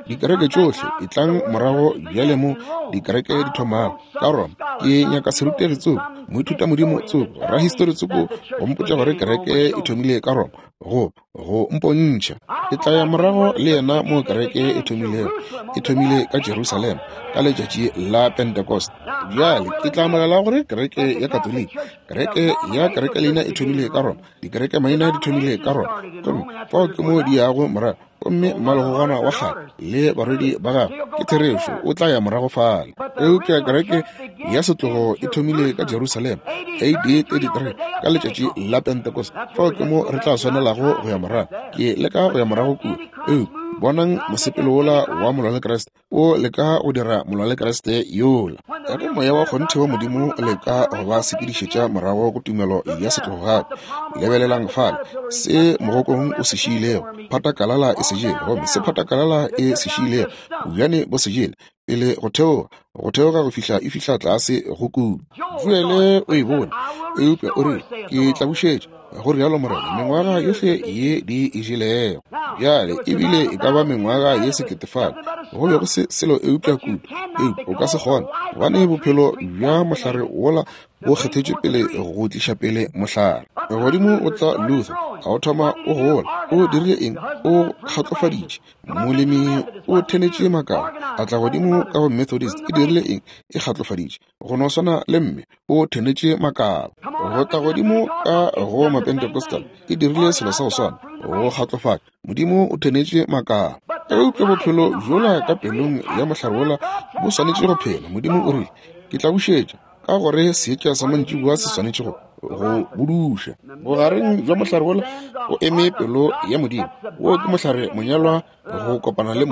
dikereke tšohle etlang morago bjale mo dikereke di thomago ka Roma. Ke nyaka serutegi tsoko, moithutamodimo tsoko, rahistori tsoko go mpotša gore kereke e thomile ka Roma, go go mpontšha. Ke tla ya morago le yena mo kereke e thomilego. E thomile ka Jerusalema ka letšatši la Pentecost. Bjale ke tla amogela gore kereke ya Katoliki, kereke ya kerekeleina e thomile ka Roma, dikereke maina di thomile ka Roma, gomme fao ke mo di yago morago. Gomme mmalegogwana wa kgale le barwedi ba gagwe, ke therešo, o tla ya morago fale. Eupša kereke ya setlogo e thomile ka Jerusalema AD 33 ka letšatši la Pentecost. Fao ke mo re tla swanelago go ya morago. Ke leka go ya morago kua. Eupša bonang mosepelo wola wa molwalekriste o leka go dira molwalekriste yola. Ka ge moya wa kgonthe wa Modimo o leka go ba sepedišetša morago go tumelo ya setlogo gape. Lebelelang fale se mogokong o se šiilego, phatakalala e se jele, gomme se phatakalala e se šiilego, bojane bo se jele, pele go theoga, go theoga go fihla e fihla tlase go kudu. Joele o e bone, eupša o rile, ke tla bušetša, go rialo Morena, mengwaga yohle ye di e jelego. Bjale ebile e ka ba mengwaga ye 1000 fale, go be go se selo eupša kudu, eupša o ka se kgone, gobane bophelo bja mohlare wola bo kgethetšwe pele go tliša pele mohlare. Godimo go tla Luther, a o thoma o gola. O dirile eng? O kgatlofaditše. Molemi o thenetše makala, a tla godimo ka go Methodist. E dirile eng? E kgatlofaditše. Go no swana le mme, o thenetše makala. Go tla godimo ka go Mapentecostal, e dirile selo sa go swana, go kgatlofatša. Modimo o thenetše makala. Eupša bophelo bjola ka pelong ya mohlare wola bo swanetše go phela. Modimo o rile, ke tla bušetša, ka gore seetša sa mantšiboa se swanetše go go buduša. Bogareng bja mohlare wola go eme pelo ya Modimo. Wo ke mohlare monyalwa go kopana le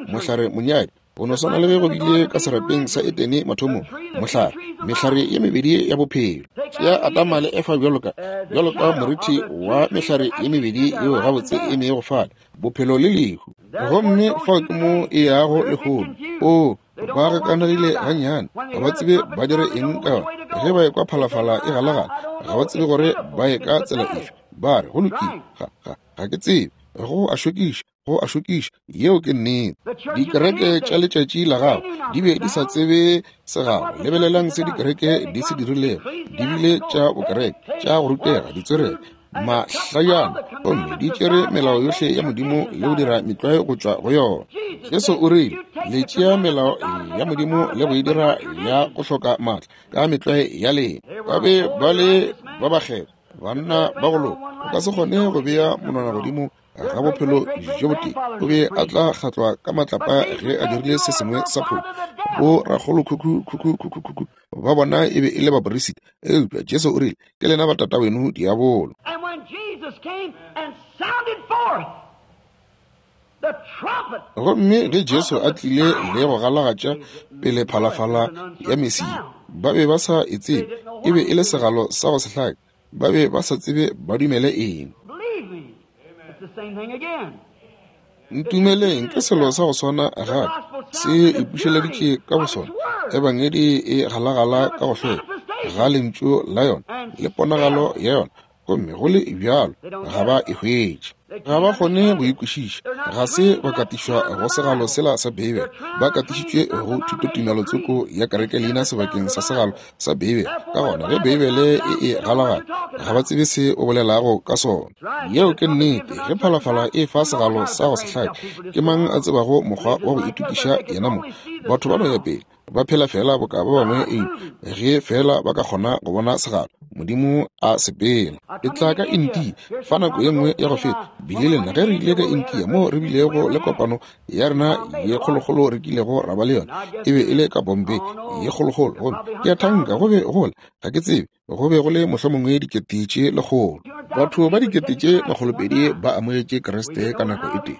mohlare monyadi. Go no swana le ge go bile ka serapeng sa Edene mathomong, mohlare, mehlare ye mebedi ya bophelo. Tšea Adama le Efa bjalo ka, bjalo ka morithi wa mehlare ye mebedi yeo gabotse e mego fale, bophelo le lehu. Gomme fao ke mo e yago lehono. Oo, ba gakanegile gannyane, ga ba tsebe ba dire eng ka yona. Ge ba ekwa phalafala e galagala, ga ba tsebe gore ba ye ka tsela efe. Ba re, go lokile, ga, ga, ga ke tsebe. Go a šokiša, go a šokiša. Yeo ke nnete. Dikereke tša letšatši la gago di be di sa tsebe segalo. Lebelelang se dikereke di se dirilego. Di bile tša bokereke, tša go rutega, ditswerere, mahlajana, gomme di tšere melao yohle ya Modimo le go dira metlwae go tšwa go yona. Jesu o rile, le tšea melao ya Modimo le go e dira ya go hloka maatla ka metlwae ya lena. Ba be ba le ba bakgethwa, banna ba go loka. O ka se kgone go bea monwana godimo ga bophelo bjo botee. O be a tla kgatlwa ka matlapa ge a dirile se sengwe sa phošo. Bo rakgolo khukhu khukhu khukhu khukhu ba bona e be e le baperisita, eupša Jesu o rile, ke lena ba tataweno diabolo. Gomme ge Jesu a tlile le go galagatša pele phalafala ya Mesia, ba be ba sa e tsebe. E be e le segalo sa go se hlake. Ba be ba sa tsebe ba dumele eng. Ntumeleng, ke selo sa go swana gape, se ipušeleditše ka bosona. Ebangedi e galagala ka go hlweka ga lentšu la yona le ponagalo ya yona, gomme go le bjalo ga ba e hwetše. Ga ba kgone go e kwešiša. Ga se ba katišwa go segalo sela sa Beibele. Ba katišitšwe go thutotumelo tsoko ya kereke leina sebakeng sa segalo sa Beibele. Ka gona ge Beibele e e galagala, ga ba tsebe se o bolelago ka sona. Yeo ke nnete. Ge phalafala e fa segalo sa go se hlake, ke mang a tsebago mokgwa wa go itokiša yena mong? Batho ba no ya pele. Ba phela feela boka ba bangwe, eupša ge feela ba ka kgona go bona segalo Modimo a sepela. Ke tla ka India fa nako ye nngwe ya go feta, bile le nna ge re ile ka India moo re bilego le kopano ya rena ye kgolokgolo re kilego ra ba le yona, e be e le ka Bombay ye kgolokgolo. Gomme ke a thanka go be go le, ga ke tsebe, go be go le mohlomongwe 100,000. Batho ba 200,000 ba amogetše Kriste ka nako e tee.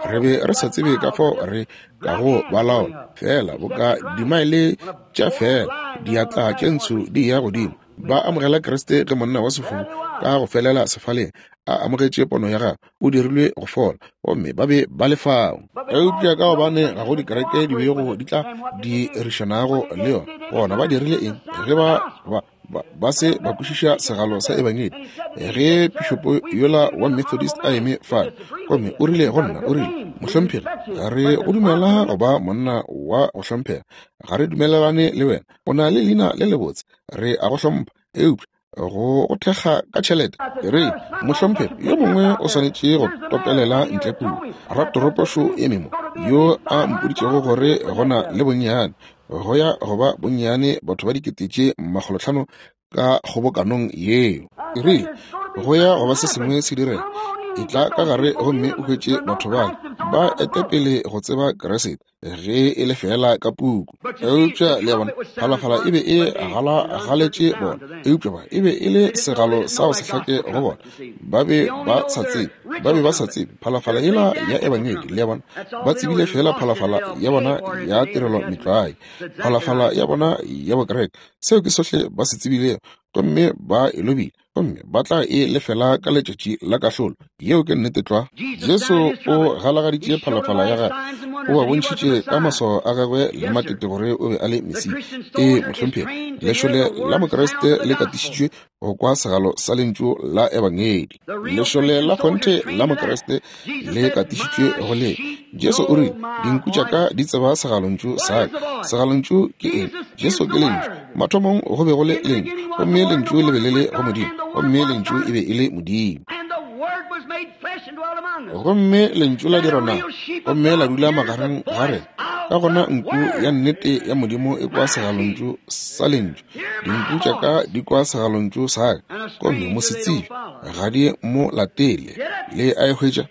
Re be re sa tsebe ka fao re ka go ba laola, feela boka dimaele tša feela diatla tše ntsho di ya godimo. Ba amogela Kriste ge monna wa sefofu ka go felela sefaleng a amogetše pono ya gagwe, o dirilwe go fola, gomme ba be ba le fao. Eupša ka gobane ga go dikereke di bego di tla dirišanago le yona, gona ba dirile eng ge ba se ba kwešiša segalo sa ebangedi? Ge pišopo yola wa Methodist a eme fale gomme o rile go nna, o rile, Mohlomphegi, re go dumela go ba monna wa go hlomphega, ga re dumelelane le wena, o na le leina le lebotse, re a go hlompha, eupša go go thekga ka tšhelete. Re, mohlomphegi, yo mongwe o swanetše go topelela ntle kua. Ratoropo šo eme mo, yo a mpoditšego gore go na le bonnyane, go ya go ba bonnyane batho ba 500,000 ka kgobokanong yeo. Ke rile, go ya go ba se sengwe se direga. Etla ka gare gomme o hwetše batho bale ba ete pele go tseba Kriste, ge e le feela ka puku. Eupša le a bona, phalafala e be e galagaletše bona, eupša ba e be e le segalo sa go se hlake go bona. Ba be ba sa tsebe, ba be ba sa tsebe phalafala yela ya ebangedi. Le a bona, ba tsebile feela phalafala ya bona ya tirelo metlwae, phalafala ya bona ya bokereke. Seo ke sohle ba se tsebilego, gomme ba e lobile, gomme ba tla e lefela ka letšatši la kahlolo. Yeo ke nnete tlwa. Jesu o galagaditše phalafala ya gagwe, o ba bontšhitše ka maswao a gagwe le matete gore o be a le Mesia. Ee, mohlomphegi, lešole la Mokriste le katišitšwe go kwa segalo sa lentšu la ebangedi. Lešole la kgonthe la Mokriste le katišitšwe go le. Jesu o rile, dinku tša ka di tseba segalontšu sa ka. Segalontšu ke eng? Jesu ke lentšu. Mathomong go be go le lentšu, gomme lentšu le be le le go Modimo, gomme lentšu e be e le Modimo. Gomme lentšu la dirwa nama, gomme la dula magareng ga rena. Ka gona nku ya nnete ya Modimo e kwa segalontšu sa lentšu. Dinku tša ka di kwa segalontšu sa ka, gomme mosetsebje ga di mo latele. Le a e hwetša?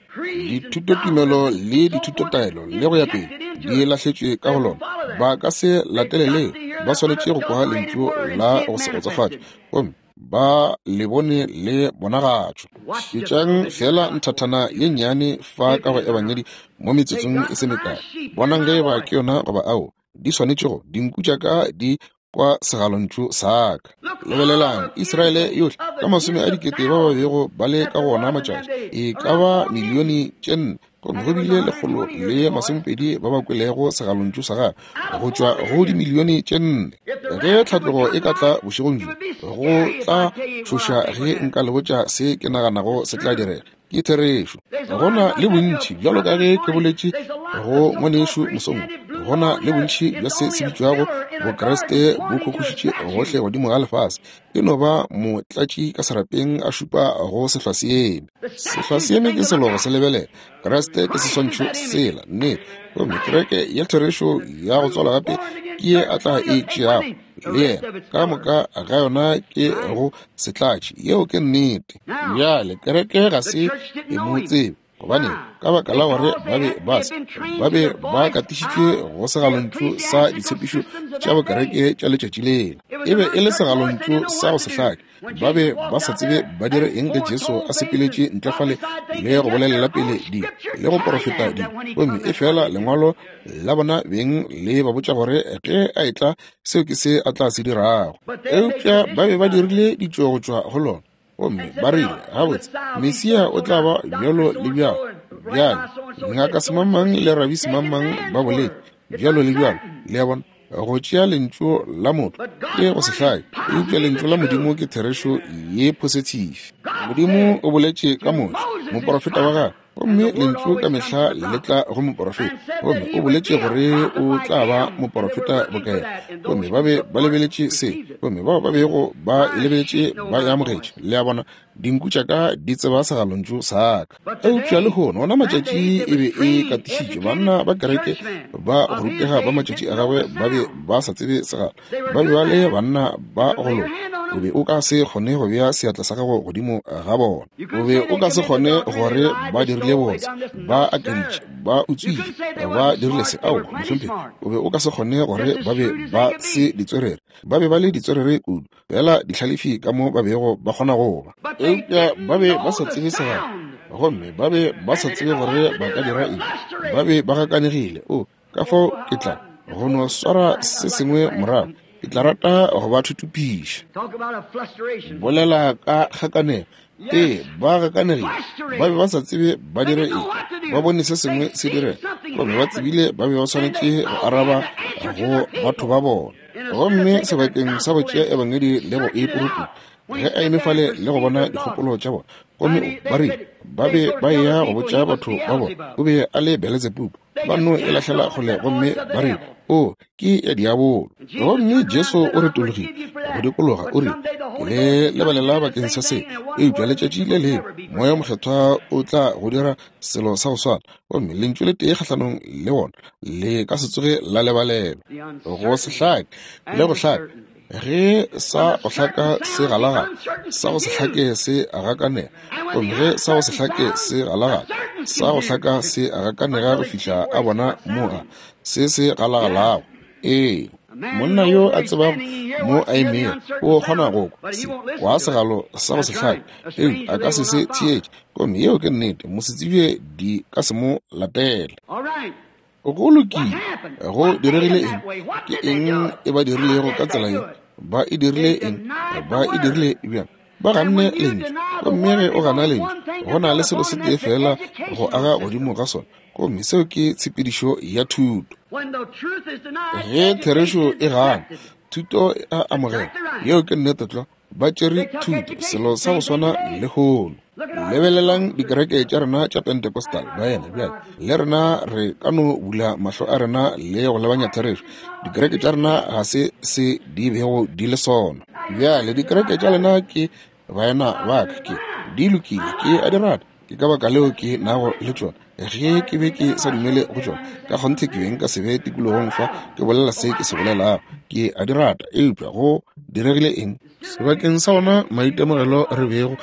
Dithutotumelo le dithutotaelo le go ya pele di lahletšwe ka go lona. Ba ka se latele leo, ba swanetše go kwa lentšu la go se kgotsofatše, gomme ba le bone le bonagatšwa. Šetšang feela nthathana ye nnyane fa ka go Ebangedi mo metsotsong e se mekae. Bonang ge eba ke yona goba ao. Di swanetše go, dinku tša ka di kwa segalontšu sa ka. Lebelelang Israele yohle ka 100,000 ba ba bego ba le ka go ona matšatši, e ka ba 4 milione, gomme go bile 120 ba ba kwelego segalontšu sa gagwe go tšwa go 4 milione. Ge tlhatlogo e ka tla bošegong bjo, go tla tšhoša ge nka le botša se ke naganago se tla direga. Ke therešo. Go na le bontši, bjalo ka ge ke boletše go ngwanešu mosong, go na le bontši bja se se bitšwago Bokriste bo khokhošitše gohle godimo ga lefase. E no ba motlatši ka serapeng a šupa go sehlwaseeme. Sehlwaseeme ke selo go se lebelela. Kriste ke seswantšho sela, nnete. Gomme kereke ya therešo ya go tswalwa gape ke ye a tla e tšeago le yena. Ka moka ga yona ke go setlatši. Yeo ke nnete. Bjale kereke ga se e mo tsebe, gobane ka baka la gore ba be ba katišitšwe go segalontšu sa ditshepišo tša bokereke tša letšatši lela. E be e le segalontšu sa go se hlake. Ba be ba sa tsebe ba dire eng ge Jesu a sepeletše ntle fale le go bolelela pele di le go porofeta di, gomme e fela lengwalo la bona beng le ba botša gore ge a etla seo ke se a tla se dirago. Eupša ba be ba dirile ditšo go tšwa go lona, gomme ba rile, gabotse, Mesia o tla ba bjalo le bjalo. Bjale ngaka semangmang le rabi semangmang ba boletše bjalo le bjalo. Le a bona, go tšea lentšu la motho ke go se hlake, eupša lentšu la Modimo ke therešo ye positive. Modimo o boletše ka Moshe, moporofeta wa gagwe. Gomme Lentšu ka mehla le tla go moporofeta. Gomme o boletše gore o tla ba moporofeta bokaena. Gomme ba be ba lebeletše se. Gomme bao ba bego ba e lebeletše ba e amogetše. Le a bona, dinku tša ka di tseba segalontšu sa ka. Eupša lehono, ona matšatši e be e katišitšwe. Banna ba kereke ba go rutega ba matšatši a gagwe ba be ba sa tsebe segalo. Ba be ba le banna ba go loka. O be o ka se kgone go bea seatla sa gago godimo ga bona. O be o ka se kgone gore ba dirile botse, ba akaditše, ba utswile, ba dirile se. Aowa, mohlomphegi. O be o ka se kgone gore ba be ba se ditswerere. Ba be ba le ditswerere kudu, fela dihlalefi ka mo ba bego ba kgona go ba. Eupša ba be ba sa tsebe segalo, gomme ba be ba sa tsebe gore ba ka dira eng. Ba be ba gakanegile. O, ka fao ke tla go no swara se sengwe morago. Ke tla rata go ba thutupiša. Bolela ka kgakanego. Ee, ba gakanegile. Ba be ba sa tsebe ba dire eng. Ba bone se sengwe se direga, gomme ba tsebile ba be ba swanetše go araba go batho ba bona. Gomme sebakeng sa go tšea ebangedi le go e puruputša, ge a eme fale le go bona dikgopolo tša bona, gomme ba rile ba be ba eya go botša batho ba bona o be a le Beletsebubu. Ba no e lahlela kgole gomme ba re, O, ke ya diabolo. Gomme Jesu o retologile go dikologa, o rile, Ke le lebalela bakeng sa se, eupša letšatši le lengwe Moya Mokgethwa o tla go dira selo sa go swana, gomme lentšu le tee kgahlanong le wona le ka se tsoge la lebalelwa. Go se hlake le go hlaka, ge sa go hlaka se galagala, sa go se hlake se gakanega, gomme ge sa go se hlake se galagala, sa go hlaka se gakanega go fihla a bona mo a se se galagalago. Ee, monna yo a tsebago mo a emego o kgona go kwa se kwa segalo sa go se hlake, eupša a ka se se theetše. Gomme yeo ke nnete, mosetsebje di ka se mo latele. Go lokile, go diregile eng? Ke eng e ba dirilego ka tsela ye? Ba e dirile eng? Ba e dirile bjang? Ba ganne Lentšu. Gomme ge o gana Lentšu, go na le selo se tee feela go aga godimo ga sona, gomme seo ke tshepedišo ya thuto. Ge therešo e gana, thuto e a amogelwa. Yeo ke nnete tlwa. Ba tšere thuto, selo sa go swana lehono. Lebelelang dikereke tša rena tša Pentecostal, baena. Bjale le rena re ka no bula mahlo a rena le go lebanya therešo. Dikereke tša rena ga se se di bego di le sona. Bjale dikereke tša lena ke baena ba ka, ke di lokile, ke a di rata. Ke ka baka leo ke nago le tšona. Ge ke be ke sa dumele go tšona, ka kgonthe ke be nka se be tikologong fa ke bolela se ke se bolelago. Ke a di rata, eupša go diregile eng? Sebakeng sa ona maitemogelo re bego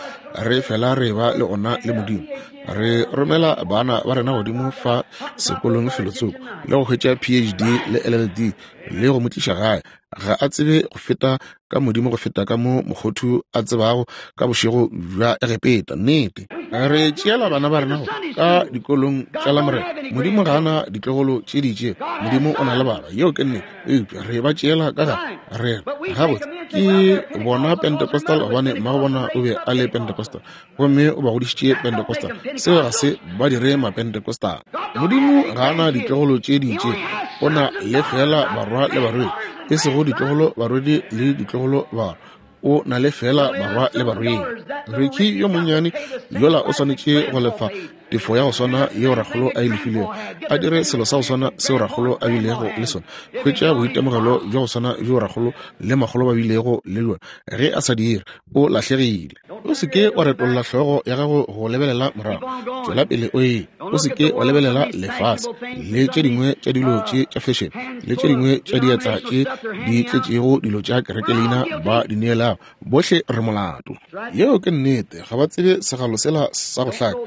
re fela re ba le ona le Modimo, re romela bana ba rena godimo fa sekolong felotsoko le go hwetša PhD le LLD le go mo tliša gae. Ga a tsebe go feta ka Modimo go feta ka mo mokgothu a tsebago ka bošego bja Egepeta. Nnete. Re tšeela bana ba rena go ka dikolong tša Lamorena. Modimo ga a na ditlogolo tše di itšego. Modimo o na le barwa. Yeo ke nnete. Eupša re ba tšeela ka gare. Re re, gabotse, ke bona Pentecostal gobane mmago bona o be a le Pentecostal, gomme o ba godišitše Pentecostal. Seo ga se ba dire Mapentecostal. Modimo ga a na ditlogolo tše di itšego. O na le feela barwa le barwedi, e sego ditlogolo barwedi le ditlogolo barwa. O na le feela barwa le barwedi. Ricky yo monnyane yola o swanetše go lefa tefo ya go swana yeo rakgolo a e lefilego, a dire selo sa go swana seo rakgolo a bilego le sona, hwetša boitemogelo bja go swana bjo rakgolo le makgolo ba bilego le bjona. Ge a sa dire, o lahlegile. O se ke wa retolla hlogo ya gago go lebelela morago, tšwela pele o ye. O se ke wa lebelela lefase le tše dingwe tša dilo tše tša fashion le tše dingwe tša diatla tše di tletšego dilo tša kerekeleina ba di neelago. Bohle re molato. Yeo ke nnete. Ga ba tsebe segalo sela sa go hlaka.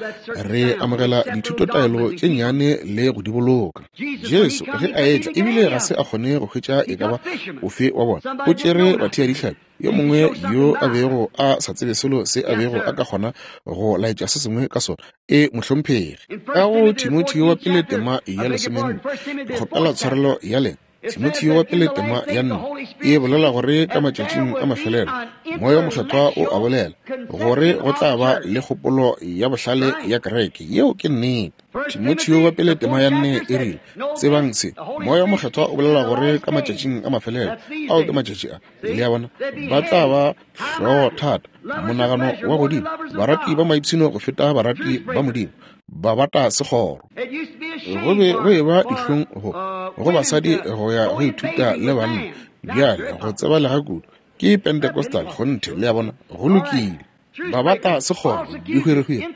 Re amogela dithutotaelo tše nnyane le go di boloka. Jesu ge a etla, ebile ga se a kgone go hwetša e ka ba ofe wa bona. O tšere batheadihlapi, yo mongwe yo a bego a sa tsebe selo se a bego a ka kgona go laetša se sengwe ka sona. E, mohlomphegi. Ka go Timotheo wa pele tema ya lesomenne, ke kgopela tshwarelo ya lena. Timotheo wa pele tema ya nne e bolela gore ka matšatšing a mafelelo Moya wo Mokgethwa o a bolela gore go tla ba le kgopolo ya bohlale ya kereke. Yeo ke nnete. Timotheo wa pele tema ya 4 e rile, Tsebang se, Moya wo Mokgethwa o bolela gore ka matšatšing a mafelelo, ao ke matšatši a, le a bona, ba tla ba hlogo thata, monagano wa godimo, barati ba maipshino go feta barati ba Modimo, ba bata sekgoro. Go be go eba dihlong go, go basadi go ya go ithuta le banna, bjale go tsebalega kudu, ke Pentecostal, kgonthe, le a bona, go lokile. Ba bata sekgoro, dihwirihwiri,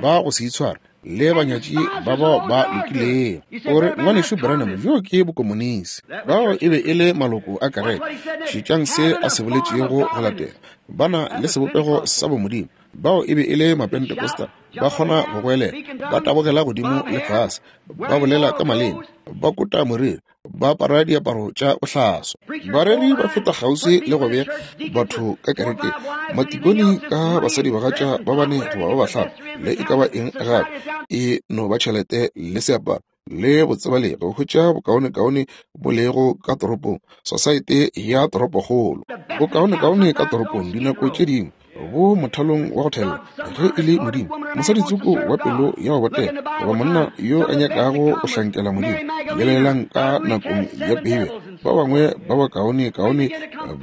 ba go se itshware, le banyatši ba bao ba lokilego. O re, Ngwanešu Branham, bjo ke bokomonisi. Bao e be e le maloko a kereke. Šetšang se a se boletšego go latela. Ba na le sebopego sa bomodimo. Bao e be e le Mapentecostal. Ba kgona go goelela, ba tabogela godimo le fase, ba bolela ka maleme, ba kota moriri, ba apara diaparo tša bohlaswa. Bareri ba feta kgauswi le go bea batho ka kerekeng, matikoni ka basadibagatša ba bane goba ba bahlano, le e ka ba eng gape, e no ba tšhelete le seaparo le botsebalegi go hwetša bokaonekaone bo lego ka toropong, sosaete ya toropokgolo, bokaonekaone ka toropong dinako tše dingwe bo mothalong wa go thella. Ge e le Modimo, mosaditsoko wa pelo ya go botega goba monna yo a nyakago go hlankela Modimo, lebelelang ka nakong ya Beibele, ba bangwe ba bakaonekaone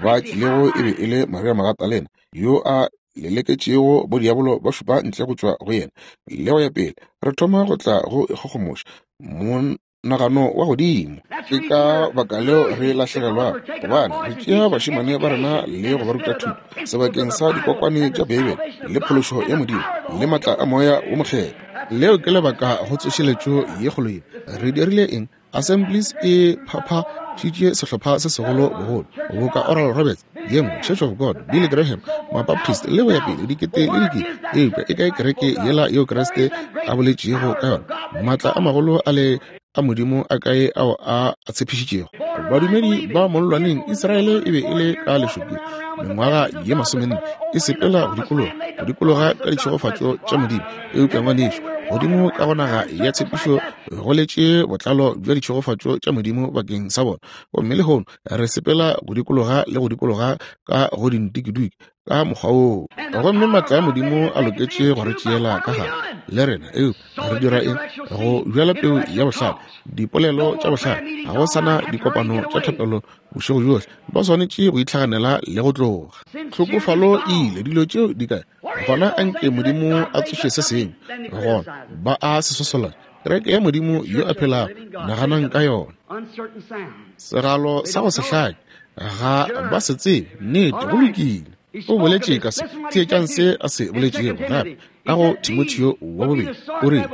ba tlilego e be e le Maria Magatalena, yo a leleketšego bodiabolo ba šupa ntle go tšwa go yena, le go ya pele. Re thoma go tla go ikgogomoša monagano wa godimo. Ke ka baka leo re lahlegelwago, gobane re tšea bašemane ba rena le go ba ruta thuto sebakeng sa dikokwane tša Beibele le phološo ya Modimo le matla a Moya wo Mokgethwa. Leo ke lebaka go tsošeletšo ye kgolo ye. Re dirile eng? Assemblies e phaphašitše sehlopha se segolo bogolo, boka Oral Roberts, ye nngwe, Church of God, Billy Graham, Mabaptist, le go ya pele, dikete le dikete. Eupša e kae kereke yela yeo Kriste a boletšego ka yona? Maatla a magolo a le a Modimo a kae ao a a tshepišitšego? Badumedi ba mollwaneng, Israele e be e le ka lešokeng mengwaga ye masomenne, e sepela go dikologa, go dikologa ka ditšhegofatšo tša Modimo. Eupša ngwanešu, godimo ka go naga ya tshepišo go letše botlalo bja ditšhegofatšo tša Modimo bakeng sa bona. Gomme lehono re sepela go dikologa le go dikologa ka go dintikiduki ka mokgwa woo. Gomme maatla a Modimo a loketše go re tšeela ka gare le rena. Eupša re dira eng? Go bjala peu ya bohlale, dipolelo tša bohlale. Ga go sa na dikopano tša thapelo bošego bjohle. Ba swanetše go itlhaganela le go tloga. Tlhokofalo e ile. Dilo tšeo di kae? Gona anke Modimo a tsoše se sengwe. Gona ba a se sosola. Kereke ya Modimo yo a phelago, naganang ka yona. Segalo sa go se hlake, ga ba se tsebe. Nnete, go lokile. O boletše ka se. Theetšang se a se boletšego gape ka go Timotheo wa bobedi. O rile,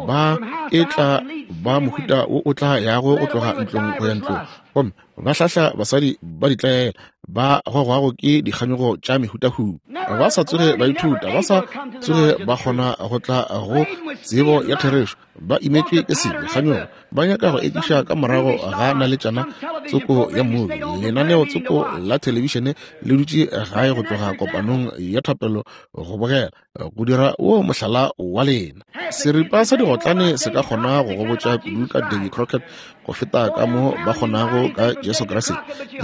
Ba e tla ba mohuta wo o tla yago go tloga ntlong go ya ntlong, gomme ba hlahla basadi ba ditlaela ba gogwago ke dikganyogo tša mehutahuta, ba sa tsoge ba ithuta, ba sa tsoge ba kgona go tla go tsebo ya therešo, ba imetšwe ke sebe, kganyogo, ba nyaka go ekiša ka morago ga naletšana tsoko ya mmubi, lenaneo tsoko la thelebišene le dutše gae go tloga kopanong ya thapelo go bogela, go dira wo mohlala wa lena. Seripa sa digotlane se ka kgona go go botša kudu ka Davy Crockett go feta ka mo ba kgonago ka Jesu Kriste.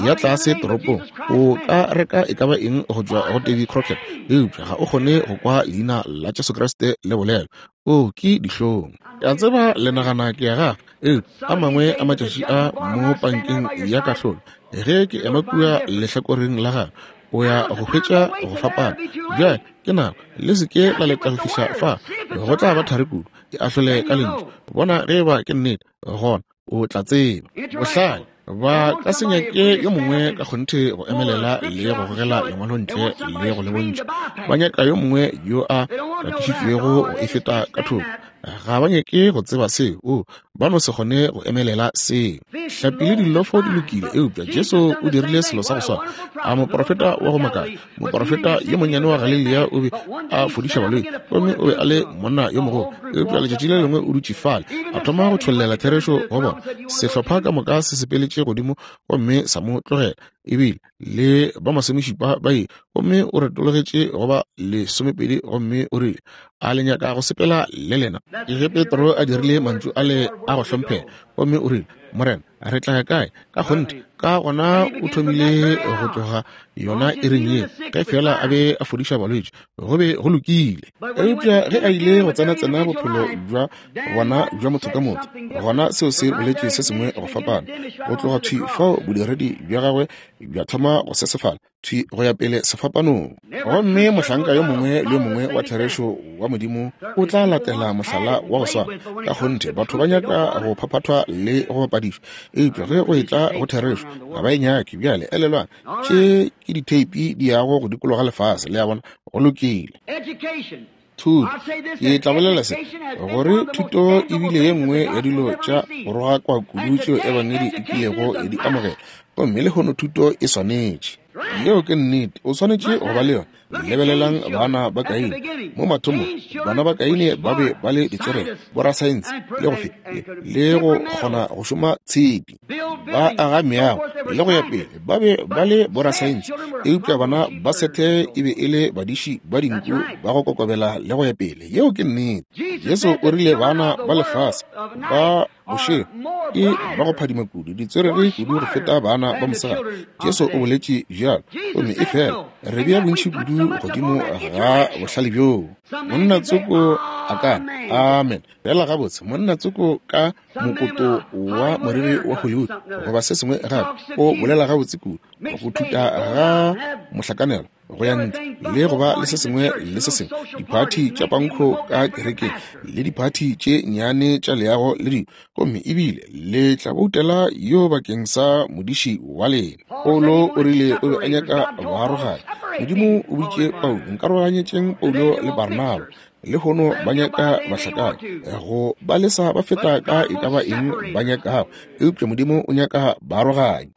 Ya tlase toropong, o ka reka e ka ba eng go tšwa go Davy Crockett, eupša ga o kgone go kwa leina la Jesu Kriste le bolelwa. O ke dihlong. Ke a tseba le nagana ke ya gafa, eupša a mangwe a matšatši a mo pankeng ya kahlolo, ge ke ema kua lehlakoreng la gagwe, o ya go hwetša go fapana. Bjale ke nako, le se ke la leta go fihla fa, go tla ba thari kudu. Ke ahlole ka lentšu, bona ge eba ke nnete, gona o tla tseba. Bohlale ba ka se nyake yo mongwe ka kgonthe go emelela le go gogela lengwalo ntle le go le bontšha. Ba nyaka yo mongwe yo a katišitšwego go e feta ka thoko. Ga ba nyake go tseba seo. O, ba no se kgone go emelela seo. Hlapi le dillofo di lokile, eupša Jesu o dirile selo sa go swana. A moprofeta wa go makatša, moprofeta yo monnyane wa Galilea o be a fodiša balwetši, gomme o be a le monna yo mogolo. Eupša letšatši le lengwe o dutše fale, a thoma go tšhollela therešo go bona. Sehlopha ka moka se sepeletše godimo gomme sa mo tlogela, ebile le ba masomešupa ba ile, gomme o retologetše go ba lesomepedi gomme o rile, A le nyaka go sepela le lena? Ge Petro a dirile mantšu ale a go hlomphega, gomme o rile, Morena, re tla ya kae? Ka kgonthe, Ka gona o thomile go tloga yona iring ye, ge feela a be a fodiša balwetši, go be go lokile. Eupša ge a ile go tsena-tsena bophelo bja bona bja motho ka motho, gona seo se boletše se sengwe go fapana. Go tloga thwi fao bodiredi bja gagwe bja thoma go sesefala, thwi go ya pele sefapanong. Gomme mohlanka yo mongwe le yo mongwe wa therešo wa Modimo o tla latela mohlala wa go swana. Ka kgonthe, batho ba nyaka go phaphathwa le go bapadišwa, eupša ge go etla go therešo, ga ba e nyake. Bjale elelwang, tše ke ditheipi di yago go dikologa lefase, le a bona. Go lokile. Thuto. Ke tla bolela se, gore thuto e bile ye nngwe ya dilo tša go rogakwa kudu tšeo Ebangedi e kilego ya di amogela, gomme lehono thuto e swanetše. Yeo ke nnete, o swanetše go ba le yona. Lebelelang bana ba Kaine. Mo mathomong, bana ba Kaine ba be ba le ditswerere, borasaense, le go fe, le go kgona go šoma tshepi, ba aga meago, le go ya pele. Ba be ba le borasaense, eupša bana ba Sethe e be e le badiši ba dinku ba go kokobela le go ya pele. Yeo ke nnete. Jesu o rile bana ba lefase ba bošego ke ba go phadima kudu, ditswerere kudu go feta bana ba mosegare. Jesu o boletše bjalo, gomme e fela re bea bontši kudu godimo ga bohlale bjoo. Monna tsoko a ka re, Amen. Fela gabotse, monna tsoko ka mokoto wa moriri wa Hollywood goba se sengwe gape, o bolela gabotse kudu, go thuta ga mohlakanelo go ya ntle le go ba le se sengwe le se sengwe, diphathi tša pankho ka kerekeng le diphathi tše nnyane tša leago le dilo, gomme ebile le tla boutela yo bakeng sa modiši wa lena. Paulo o rile o be a nyaka baaroganya. Modimo o boditše Paulo, nkaroganyetšeng Paulo le Barnaba. Lehono ba nyaka bahlakani go ba lesa ba feta ka e ka ba eng ba nyakago, eupša Modimo o nyaka baaroganya.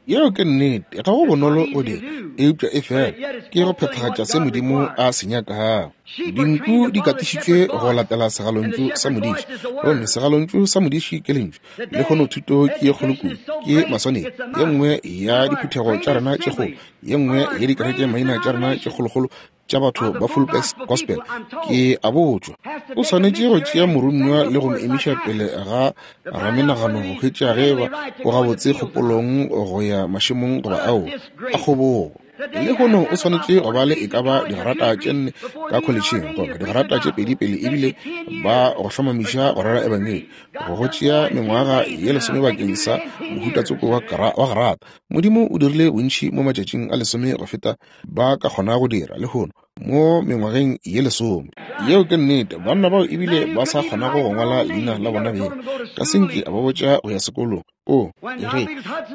Yeo ke nnete, ga go bonolo go dira, eupša e fela ke go phethagatša se Modimo a se nyakago. Dinku di katišitšwe go latela segalontšu sa modiši, gomme segalontšu sa modiši ke lentšu. Lehono thuto ke ye kgolo kudu, ke maswanedi. Ye nngwe ya diphuthego tša rena tše kgolo, ye nngwe ya dikereke maina tša rena tše kgolokgolo tša batho ba Full Gospel, ke a botšwa, o swanetše go tšea moromiwa le go mo emiša pele ga ramenagano go hwetša ge eba o gabotse kgopolong go ya mašemong goba ao a kgobogo. Lehono o swanetše go ba le e ka ba digrata tše 4 ka kholetšheng goba digrata tše 2 pele ebile ba go hlomamiša go rera ebangedi, go go tšea mengwaga ye 10 bakeng sa mohuta tsoko wa grata. Modimo o dirile bontši mo matšatšing a 10 go feta ba ka kgona go dira lehono mo mengwageng ye 10. Yeo ke nnete. Banna bao ebile ba sa kgonago go ngwala leina la bona beng, ka senke a ba botša go ya sekolong. O, ge,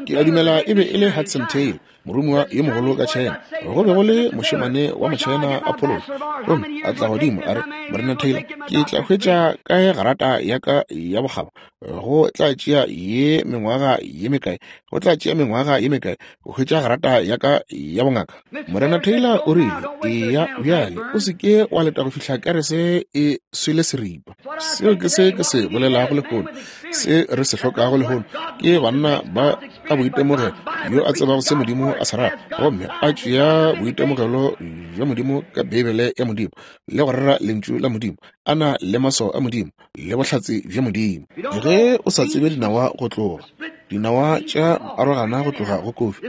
ke a dumela e be e le Hudson Taylor, moromiwa yo mogolo ka China. Go be go le mošemane wa Mochina a phološa, gomme a tla godimo a re, Morena Taylor, ke tla hwetša kae garata ya ka ya bokgabo? Go tla tšea ye mengwaga ye mekae? Go tla tšea mengwaga ye mekae go hwetša garata ya ka ya bongaka? Morena Taylor o rile, Eya bjale, o se ke wa leta go fihla kerese e swele seripa. Seo ke se ke se bolelago lehono. Se re se hlokago lehono ke banna ba ka boitemogelo, yo a tsebago se Modimo a se rata, gomme a tšea boitemogelo bja Modimo ka Beibele ya Modimo le go rera Lentšu la Modimo, a na le maswao a Modimo le bohlatse bja Modimo. Ge o sa tsebe dinawa go tloga, dinawa tša arogana go tloga go kofi,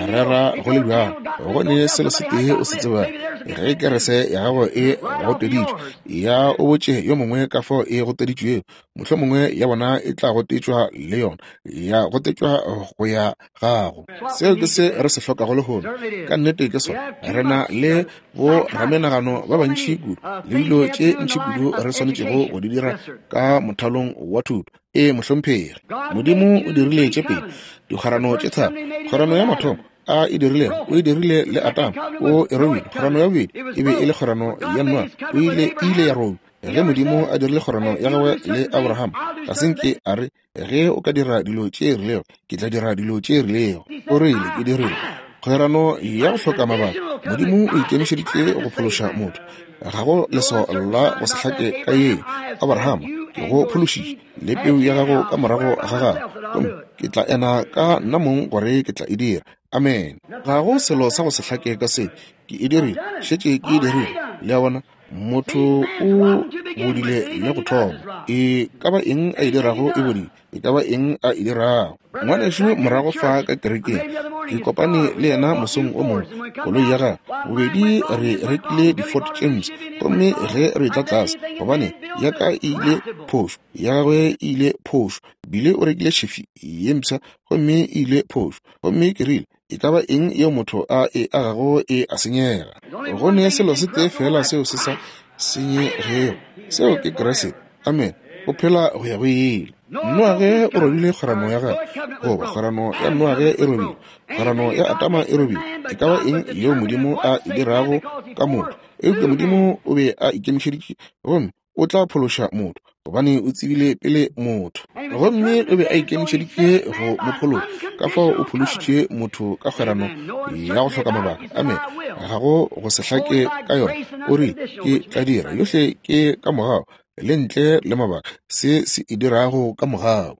rera go le bjalo, go ne selo se tee o se tsebago, ge kerese ya gago e goteditšwe, ya o botše yo mongwe ka fao e goteditšwego, mohlomongwe ya bona e tla gotetšwa le yona, ya gotetšwa go ya gago. Seo ke se re se hlokago lehono. Ka nnete ke sona. Re na le bo ramenagano ba bantši kudu le dilo tše ntši kudu re swanetšego go di dira ka mothalong wa thuto. Ee, mohlomphegi. Modimo o dirile tše pedi dikgwerano tše tharo. Kgwerano ya mathomo a e dirilego, o e dirile le Adama, o e robile. Kgwerano ya bobedi e be e le kgwerano ya Noa, o ile, e ile ya robja. Ge Modimo a dirile kgwerano ya gagwe le Abraham, ga se nke a re, Ge o ka dira dilo tše rilego, ke tla dira dilo tše rilego. O rile, Ke dirile kgwerano ya go hloka mabaka. Modimo o ikemišeditše go phološa motho. Ga go leswao la go se hlake ka ye. Abraham, ke go phološitše le peu ya gago ka morago ga gago, gomme ke tla ena ka nna mong gore ke tla e dira. Amen. Ga go selo sa go se hlake ka se. Ke e dirile, šetše ke e dirile. Le a bona? Motho o bodile le go thoma. E ka ba eng a e dirago e bodile, e ka ba eng a e dirago. Ngwanešu morago fa ka kerekeng, ke kopane le yena mosong o mongwe, koloi ya gagwe, bobedi re rekile di-Ford James, gomme ge re tla tlase, gobane ya ka e ile phošo, ya gagwe e ile phošo, bile o rekile Chevy ye mpsha, gomme e ile phošo. Gomme ke rile, E ka ba eng yeo motho a e agago e a senyega. Go ne selo se tee feela seo se sa senyegego, seo ke Kriste. Amen. O phela go ya go ile. Noage o robile kgwerano ya gagwe, goba kgwerano ya Noage e robile, kgwerano ya Adama e robile. E ka ba eng yeo Modimo a e dirago ka motho, eupša Modimo o be a ikemišeditše gomme o tla phološa motho, gobane o tsebile pele motho, gomme o be a ikemišeditše go mo phološa. Ka fao o phološitše motho ka kgwerano ya go hloka mabaka. Amen. Ga go go se hlake ka yona. O rile, Ke tla dira yohle ke ka mogau, le ntle le mabaka, se se e dirago ka mogau.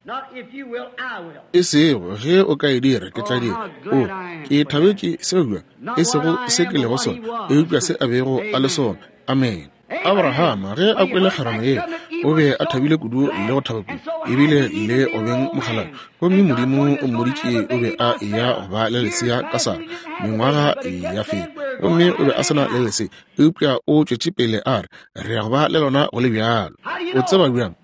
E sego ge o ka e dira, ke tla dira. O, ke thabetše seo bjang, e sego se ke lego sona, eupša se a bego a le sona. Amen. Abrahama ge a kwele kgwerano ye, o be a thabile kudu le go thaba kudu, ebile le go beng mokgalabje. Gomme Modimo o mmoditše o be a eya go ba le lesea ka Sara, mengwaga ya feta, gomme o be a se na le lesea, eupša o tšwetše pele a re, Re ya go ba le lona go le bjalo. O tseba bjang?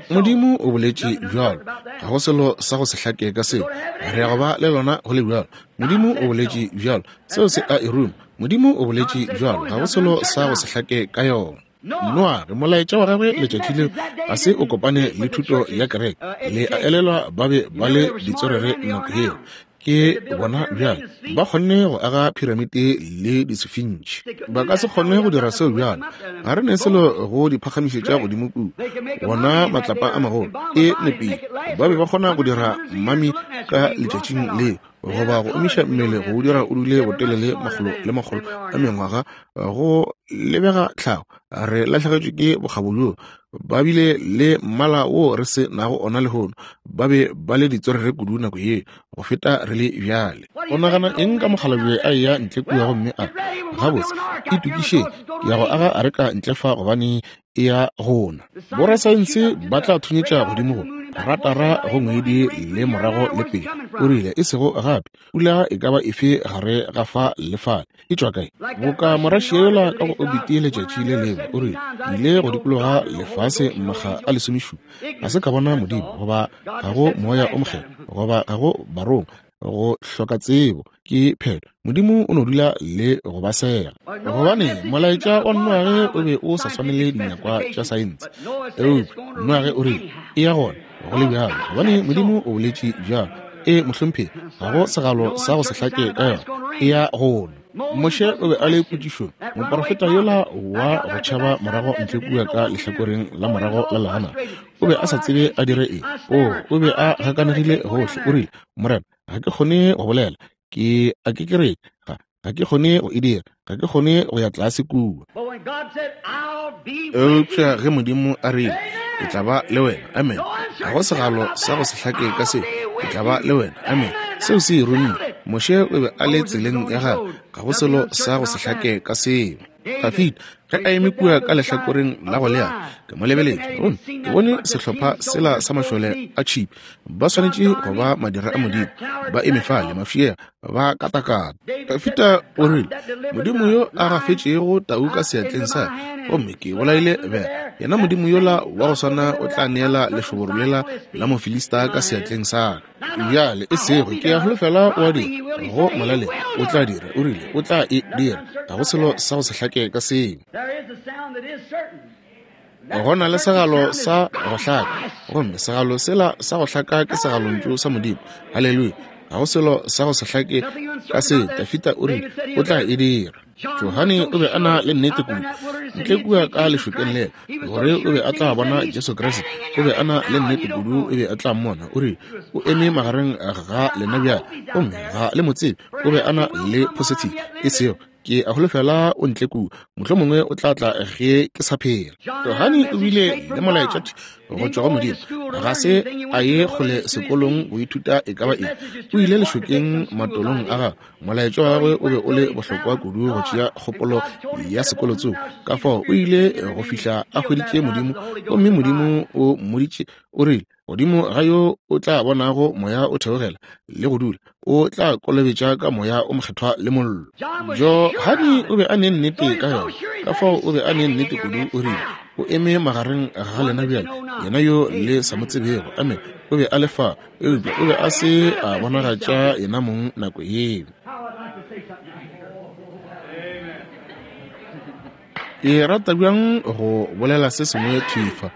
Modimo o boletše bjalo. Ga go selo sa go se hlake ka seo. Re ya go ba le lona go le bjalo. Modimo o boletše bjalo. Seo se a e ruma. Modimo o boletše bjalo. Ga go selo sa go se hlake ka yona. Noage, molaetša wa gagwe letšatši leo ga se o kopane le thuto ya kereke. Le a elelwa ba be ba le ditswerere nako yeo. Ke bona bjale ba kgonne go aga phiramite le disefintši. Ba ka se kgone go dira seo bjale. Ga re ne selo go di phagamišetša godimo kua. Bona matlapa a magolo e nepile. Ba be ba kgona go dira mami ka letšatšing leo, goba go omiša mmele go o dira o dule botelele makgolo le makgolo a mengwaga go lebega tlhago. Re lahlegetšwe ke bokgabo bjoo. Ba bile le mmala wo re se nago ona lehono. Ba be ba le ditswerere kudu nako ye go feta re le bjale. O nagana eng ka mokgalabje a eya ntle kua gomme a re, Gabotse, itokišeng, ke ya go aga areka ntle fa gobane e ya go na. Borasaense ba tla thunyetša godimo go ratara go ngwedi le morago le pele. O rile, e sego gape pula e ka ba efe gare ga fa le fale. E tšwa kae? Boka Morašia yola ka go obiti letšatši le lengwe, o rile, Ke ile go dikologa lefase makga a lesomešupa, ga se ka bona Modimo, goba ga go Moya o Mokgethwa, goba ga go Barongwa, go hloka tsebo ke phetho. Modimo o no dula le go ba sega. Gobane molaetša wa Noage o be o sa swanele dinyakwa tša saense, eupša Noage o rile, E ya gona go le bjalo, gobane Modimo o boletše bjalo. E, mohlomphegi, ga go segalo sa go se hlake ka yona. E ya gona. Moshe o be a le potšišong, moporofeta yola wa go tšhaba morago ntle kua ka lehlakoreng la morago la legana. O be a sa tsebe a dire eng. O, o be a gakanegile gohle. O rile, Morena, ga ke kgone go bolela. Ke a ke kereke. Ga, ga ke kgone go e dira. Ga ke kgone go ya tlase kua. Eupša ge Modimo a rile, Ke tla ba le wena, amen, ga go segalo sa go se hlake ka seo, Ke tla ba le wena, amen, seo se e rumme. Moshe o be a le tseleng ya gagwe, ga go selo sa go se hlake ka seo. Dafida, ge a eme kua ka lehlakoreng la Goliate, ke mo lebeletše, gomme ke bone sehlopha sela sa mašole a tšhipi, ba swanetše go ba madira a Modimo, ba eme fale, mafšega, ba katakata. Dafida o rile, Modimo yo a gafetšego tau ka seatleng sa gomme ke bolaile bera, yena Modimo yola wa go swana o tla neela lešoboro lela la Mofilista ka seatleng sa ka. Bjale, e sego, ke a holofela o a dira, go molaleng, o tla dira, o rile, o tla e dira. Ga go selo sa go se hlake ka seo. Go na le segalo sa go hlaka, gomme segalo sela sa go hlaka ke segalontšu sa Modimo. Haleluya! Ga go selo sa go se hlake ka seo. Dafida o rile o tla e dira. Johane o be a na le nnete kudu ntle kua ka lešokeng lela gore o be a tla bona Jesu Kriste. O be a na le nnete kudu o be a tla mmona. O rile o eme magareng ga lena bjale, gomme ga le mo tsebe. O be a na le positive, e sego. Ke a holofela o ntle kua, mohlomongwe o tla tla ge ke sa phela. Johane o bile le molaetša go tšwa go Modimo. Ga se a ye kgole sekolong go ithuta e ka ba eng. O ile lešokeng matolong a gagwe. Molaetša wa gagwe o be o le bohlokwa kudu go tšea kgopolo ya sekolo tsoko. Ka fao o ile go fihla a hweditše Modimo, gomme Modimo o mmoditše, o rile, Godimo ga yo o tla bonago moya o theogela le go dula, o tla kolobetša ka moya o mokgethwa le mollo. Johane o be a ne nnete ka yona, ka fao o be a ne nnete kudu, o rile, O eme magareng ga lena bjale, yena yo le sa mo tsebego. Amen. O be a le fa, eupša o be a se a bonagatša yena mong nako yeo. Ke rata bjang go bolela se sengwe thwi fa.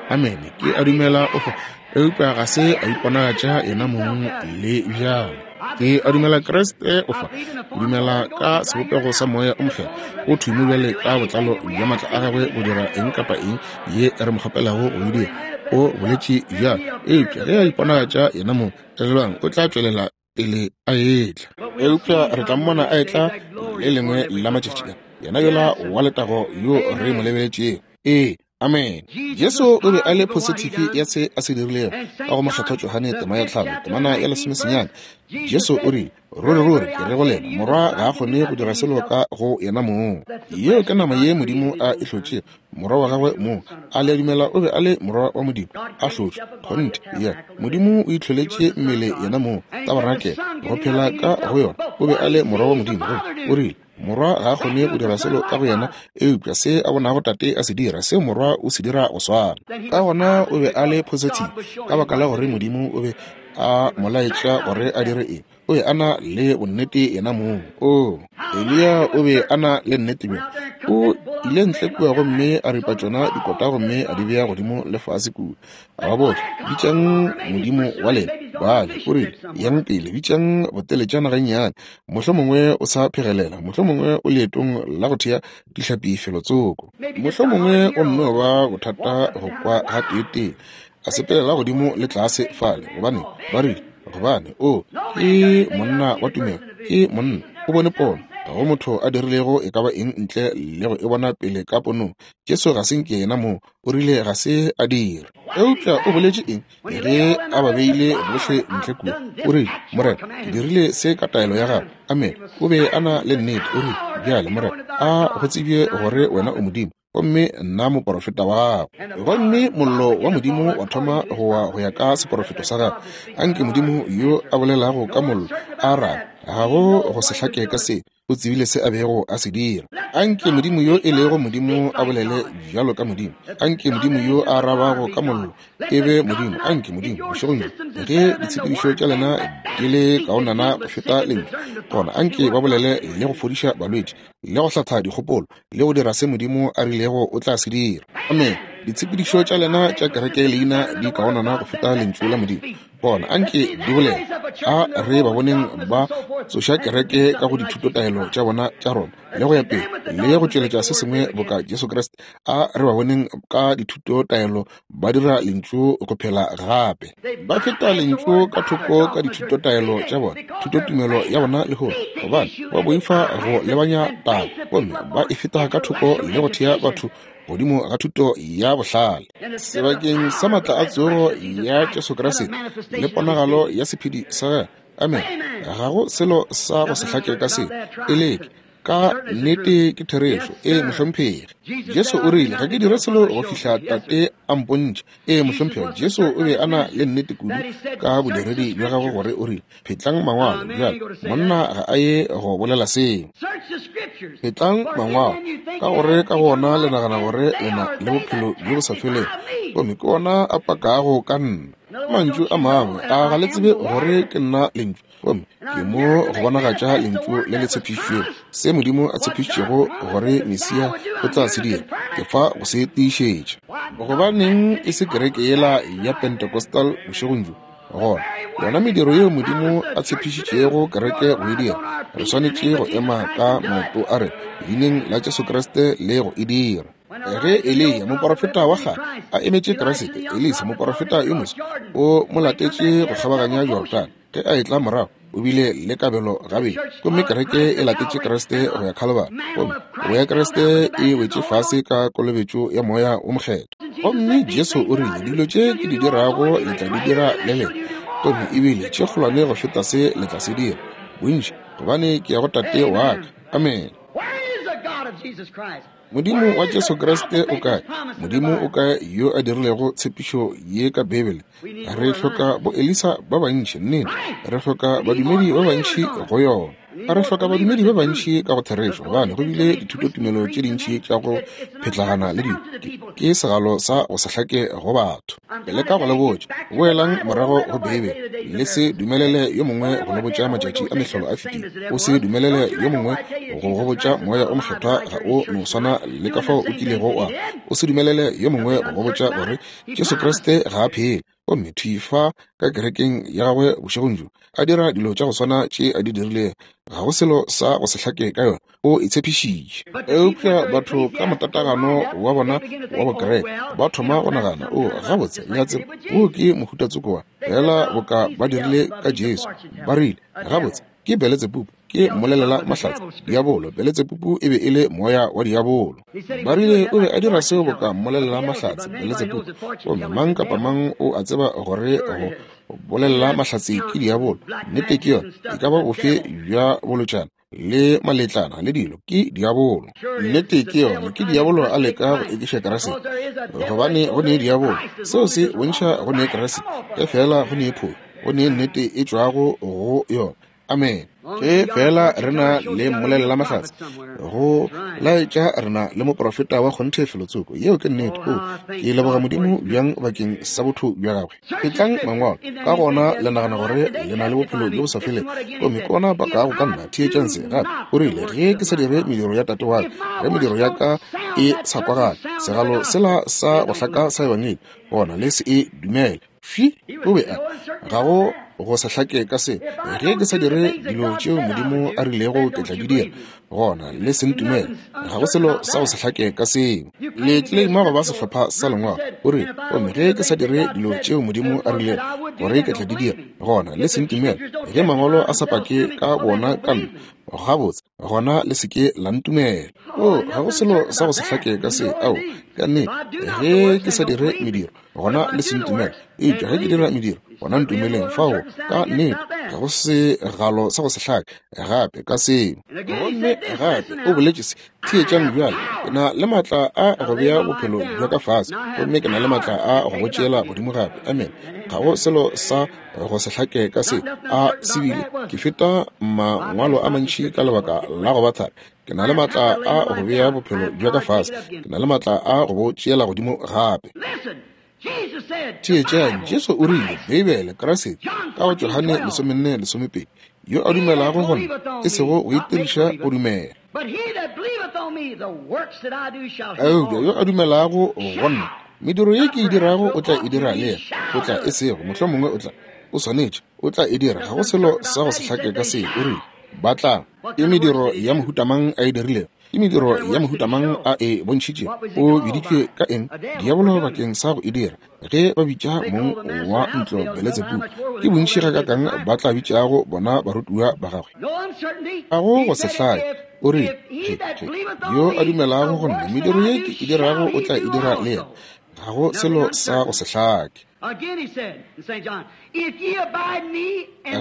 Amene. Ke a dumela o fa, eupša ga se a iponagatša yena mong le bjalo. Ke a dumela Kriste o fa. Ke dumela ka sebopego sa Moya o Mokgethwa o thwi mo bjale ka botlalo bja maatla a gagwe go dira eng kapa eng ye re mo kgopelago go e dira. O boletše bjalo, eupša ge a iponagatša yena mong, elelwang, o tla tšwelela pele a etla. Eupša re tla mmona a etla le lengwe la matšatši a, yena yola wa letago yo re mo lebeletšego. Ee, amen. Jesu o be a le phosithifi ya se a se dirilego ka go Mokgethwa Johane tema ya 5 temana ya 19. Jesu o rile, Ruri, ruri, ke re go lena, Morwa ga a kgone go dira selo ka go yena mong. Yeo ke nama ye Modimo a e hlotšego, Morwa wa gagwe mong. A le a dumela o be a le Morwa wa Modimo, a hlotšwe? Kgonthe, ya. Modimo o itlholetše mmele yena mong, tabarenakele, go phela ka go yona. O be a le Morwa wa Modimo. Gomme o rile, Morwa ga a kgone go dira selo ka go yena, eupša se a bonago Tate a se dira, seo Morwa o se dira go swana. Ka gona o be a le positive, ka baka la gore Modimo o be a mo laetša gore a dire eng. O be a na le bonnete yena mong. Oo, Eliya o be a na le nnete bjang. O ile ntle kua gomme a ripa tšona dikota gomme a di bea godimo le fase kua. A ba botša, Bitšang modimo wa lena, Baale. O rile, Yang pele, bitšang boteletšana gannyane. Mohlomongwe o sa phegelela. Mohlomongwe o leetong la go thea dihlapi felotsoko. Mohlomongwe o nno ba bothata go kwa gateetee. A sepelela godimo le tlase fale. Gobane, ba rile, gobane o ke monna wa tumelo, ke monna, o bone pono. Ga go motho a dirilego e ka ba eng ntle le go e bona pele ka ponong. Jesu ga se nke yena mong, o rile ga se a dira. Eupša o boletše eng ge a ba beile bohle ntle kua? O rile, Morena, ke dirile se ka taelo ya gago. Amen. O be a na le nnete. O rile, Bjale, Morena, a go tsebje gore wena o Modimo, gomme nna moporofeta wa gago. Gomme mollo wa Modimo wa thoma go wa go ya ka seporofeto sa gagwe. Anke Modimo yo a bolelago ka mollo a arabe. Ga go go se hlake ka se. O tsebile se a bego a se dira. Anke Modimo yo e lego Modimo a bolele bjalo ka Modimo. Anke Modimo yo a arabago ka mollo e be Modimo. Anke Modimo, bošegong bjo, ge ditshepedišo tša lena di le kaonana go feta Lentšu, gona anke ba bolele le go fodiša balwetši, le go hlatha dikgopolo, le go dira se Modimo a rilego o tla se dira. Amen. Ditshepedišo tša lena tša kereke leina di kaonana go feta Lentšu la Modimo, gona anke di bolele. A re ba boneng ba tsoša kereke ka go dithutotaelo tša bona tša Roma le go ya pele, le go tšweletša se sengwe boka Jesu Kriste. A re ba boneng ka dithutotaelo ba dira Lentšu go phela gape. Ba feta Lentšu ka thoko ka dithutotaelo tša bona, thutotumelo ya bona lehono, gobane ba boifa go lebanya taba, gomme ba e feta ka thoko le go thea batho godimo ga thuto ya bohlale. Sebakeng sa maatla a tsogo ya Jesu Kriste le ponagalo ya sephedi sa gagwe. Amen. Ga go selo sa go se hlake ka se. E leke. Ka nnete ke therešo. Ee, mohlomphegi. Jesu o rile, Ga ke dire selo go fihla Tate a mpontšha. Ee, mohlomphegi. Jesu o be a na le nnete kudu ka bodiredi bja gagwe gore o rile, Phetlang Mangwalo. Bjale, monna ga a ye go bolela seo. Phetlang Mangwalo, ka gore ka go ona le nagana gore le na le bophelo bjo bo sa felego, gomme ke ona a pakago ka nna. Ka mantšu a mangwe, a ga le tsebe gore ke nna Lentšu? Gomme ke mo go bonagatša Lentšu le le tshepišitšwego, se Modimo a tshepišitšego gore Mesia o tla se dira. Ke fa go se tiišetša. Gobaneng e se kereke yela ya Pentecostal bošegong bjo? Gona, yona mediro yeo Modimo a tshepišitšego kereke go e dira, re swanetše go ema ka maoto a rena Leineng la Jesu Kriste le go e dira. Ge Eliya, moporofeta wa kgale, a emetše Kriste, Elisa, moporofeta yo moswa, o mo latetše go kgabaganya Jordane. Ge a etla morago, O bile le kabelo gabedi. Gomme kereke e latetše Kriste go ya Calvary. Gomme go ya Kriste e wetše fase ka kolobetšo ya Moya wo Mokgethwa. Gomme Jesu o rile, Dilo tše ke di dirago le tla di dira le lena, gomme ebile tše kgolwane go feta se le tla se dira, bontši, gobane ke ya go Tate wa ka. Amene. Modimo wa Jesu Kriste o kae? Modimo o kae yo a dirilego tshepišo ye ka Beibele? Re hloka bo Elisa ba bantši, nnete. Re hloka badumedi ba bantši go yona. A re hloka badumedi ba bantši ka go therešo, gobane go bile dithutotumelo tše dintši tša go phetlagana le dilo. Ke segalo sa go se hlake go batho. Ke leka go le botša, boelang morago go Beibele. Le se dumelele yo mongwe go le botša matšatši a mehlolo a fetile. O se dumelele yo mongwe go go botša Moya o Mokgethwa ga o no swana le ka fao o kilego wa. O se dumelele yo mongwe go go botša gore Jesu Kriste ga a phele, gomme thwi fa ka kerekeng ya gagwe bošegong bjo, a dira dilo tša go swana tše a di dirilego. Ga go selo sa go se hlake ka yona. O e tshepišitše. Eupša batho ka motatagano wa bona wa bokereke ba thoma go nagana, O, gabotse, le a tseba, wo ke mohuta tsoko wa, feela boka ba dirile ka Jesu. Ba rile, Gabotse, ke Beletsebubu, ke mmolelela mahlatse, diabolo. Beletsebubu e be e le moya wa diabolo. Ba rile o be a dira seo boka mmolelela mahlatse, Beletsebubu. Gomme mang kapa mang o a tseba gore go bolelela mahlatse ke diabolo. Nnete ke yona, e ka ba bofe bja bolotšana le maletlana le dilo ke diabolo. Nnete ke yona, ke diabolo a leka go ekiša Kriste, gobane go ne diabolo. Seo se bontšha go ne Kriste, efela go ne phošo, go ne nnete e tšwago go yona. Amen. Ge fela re na le mmolelela mahlatse go laetša re na le moprofeta wa kgonthe felotsoko. Yeo ke nnete. O, ke leboga Modimo bjang bakeng sa botho bja gagwe. Etlang mangwalo, ka gona le nagana gore le na le bophelo bjo bo sa felego, gomme ke ona pakago ka nna. Theetšang se gape. O rile, Ge ke sa dire mediro ya Tate wa ka, ge mediro ya ka e sa kwagale, segalo sela sa go hlaka sa Ebangedi, gona le se e dumele. Fi, o be a, ga go go sa hlake ka se. Ge ke sa dire dilo tšeo Modimo a rilego ke tla di dira, gona le se ntumele. Ga go selo sa go se hlake ka seo. Le tleleima go ba sehlopha sa lengwalo. O rile, gomme ge ke sa dire dilo tšeo Modimo a rilego gore ke tla di dira, gona le se ntumele. Ge mangwalo a sa pake ka bona ka nna, gabotse, gona le se ke la ntumela. O, ga go selo sa go se hlake ka se. Ao, ka nnete, ge ke sa dire mediro, gona le se ntumele. Eupša ge ke dira mediro, gona ntumeleng. Fao, ka nnete, ga go segalo sa go se hlake gape ka seo. Gomme gape o boletše se, theetšang bjale, ke na le maatla a go bea bophelo bja ka fase, gomme ke na le maatla a go bo tšeela godimo gape. Amen. Ga go selo sa go se hlake ka se. A se bile, ke feta mangwalo a mantši ka lebaka la go ba thari. Ke na le maatla a go bea bophelo bja ka fase, ke na le maatla a go bo tšeela godimo gape. Theetšang, Jesu o rile, Beibele, Kriste, ka go Johane 14:12, yo a dumelago go nna, e sego go itiriša go dumela, eupša yo a dumelago go nna, mediro ye ke e dirago o tla e dira le yena. O tla, e sego mohlomongwe o tla, o swanetše, o tla e dira. Ga go selo sa go se hlake ka se. O rile, Ba tla. Ke mediro ya mohuta mang a e dirilego? Ke mediro ya mohuta mang a e bontšhitšego? O biditšwe ka eng? Diabolo bakeng sa go e dira. Ge ba bitša mong wa ntlo Beletsebubu, ke bontši gakakang ba tla bitšago bona barutiwa ba gagwe? Ga go go se hlake. O rile, Ge, ge, yo a dumelago go nna, mediro ye ke e dirago o tla e dira le yena. Ga go selo sa go se hlake.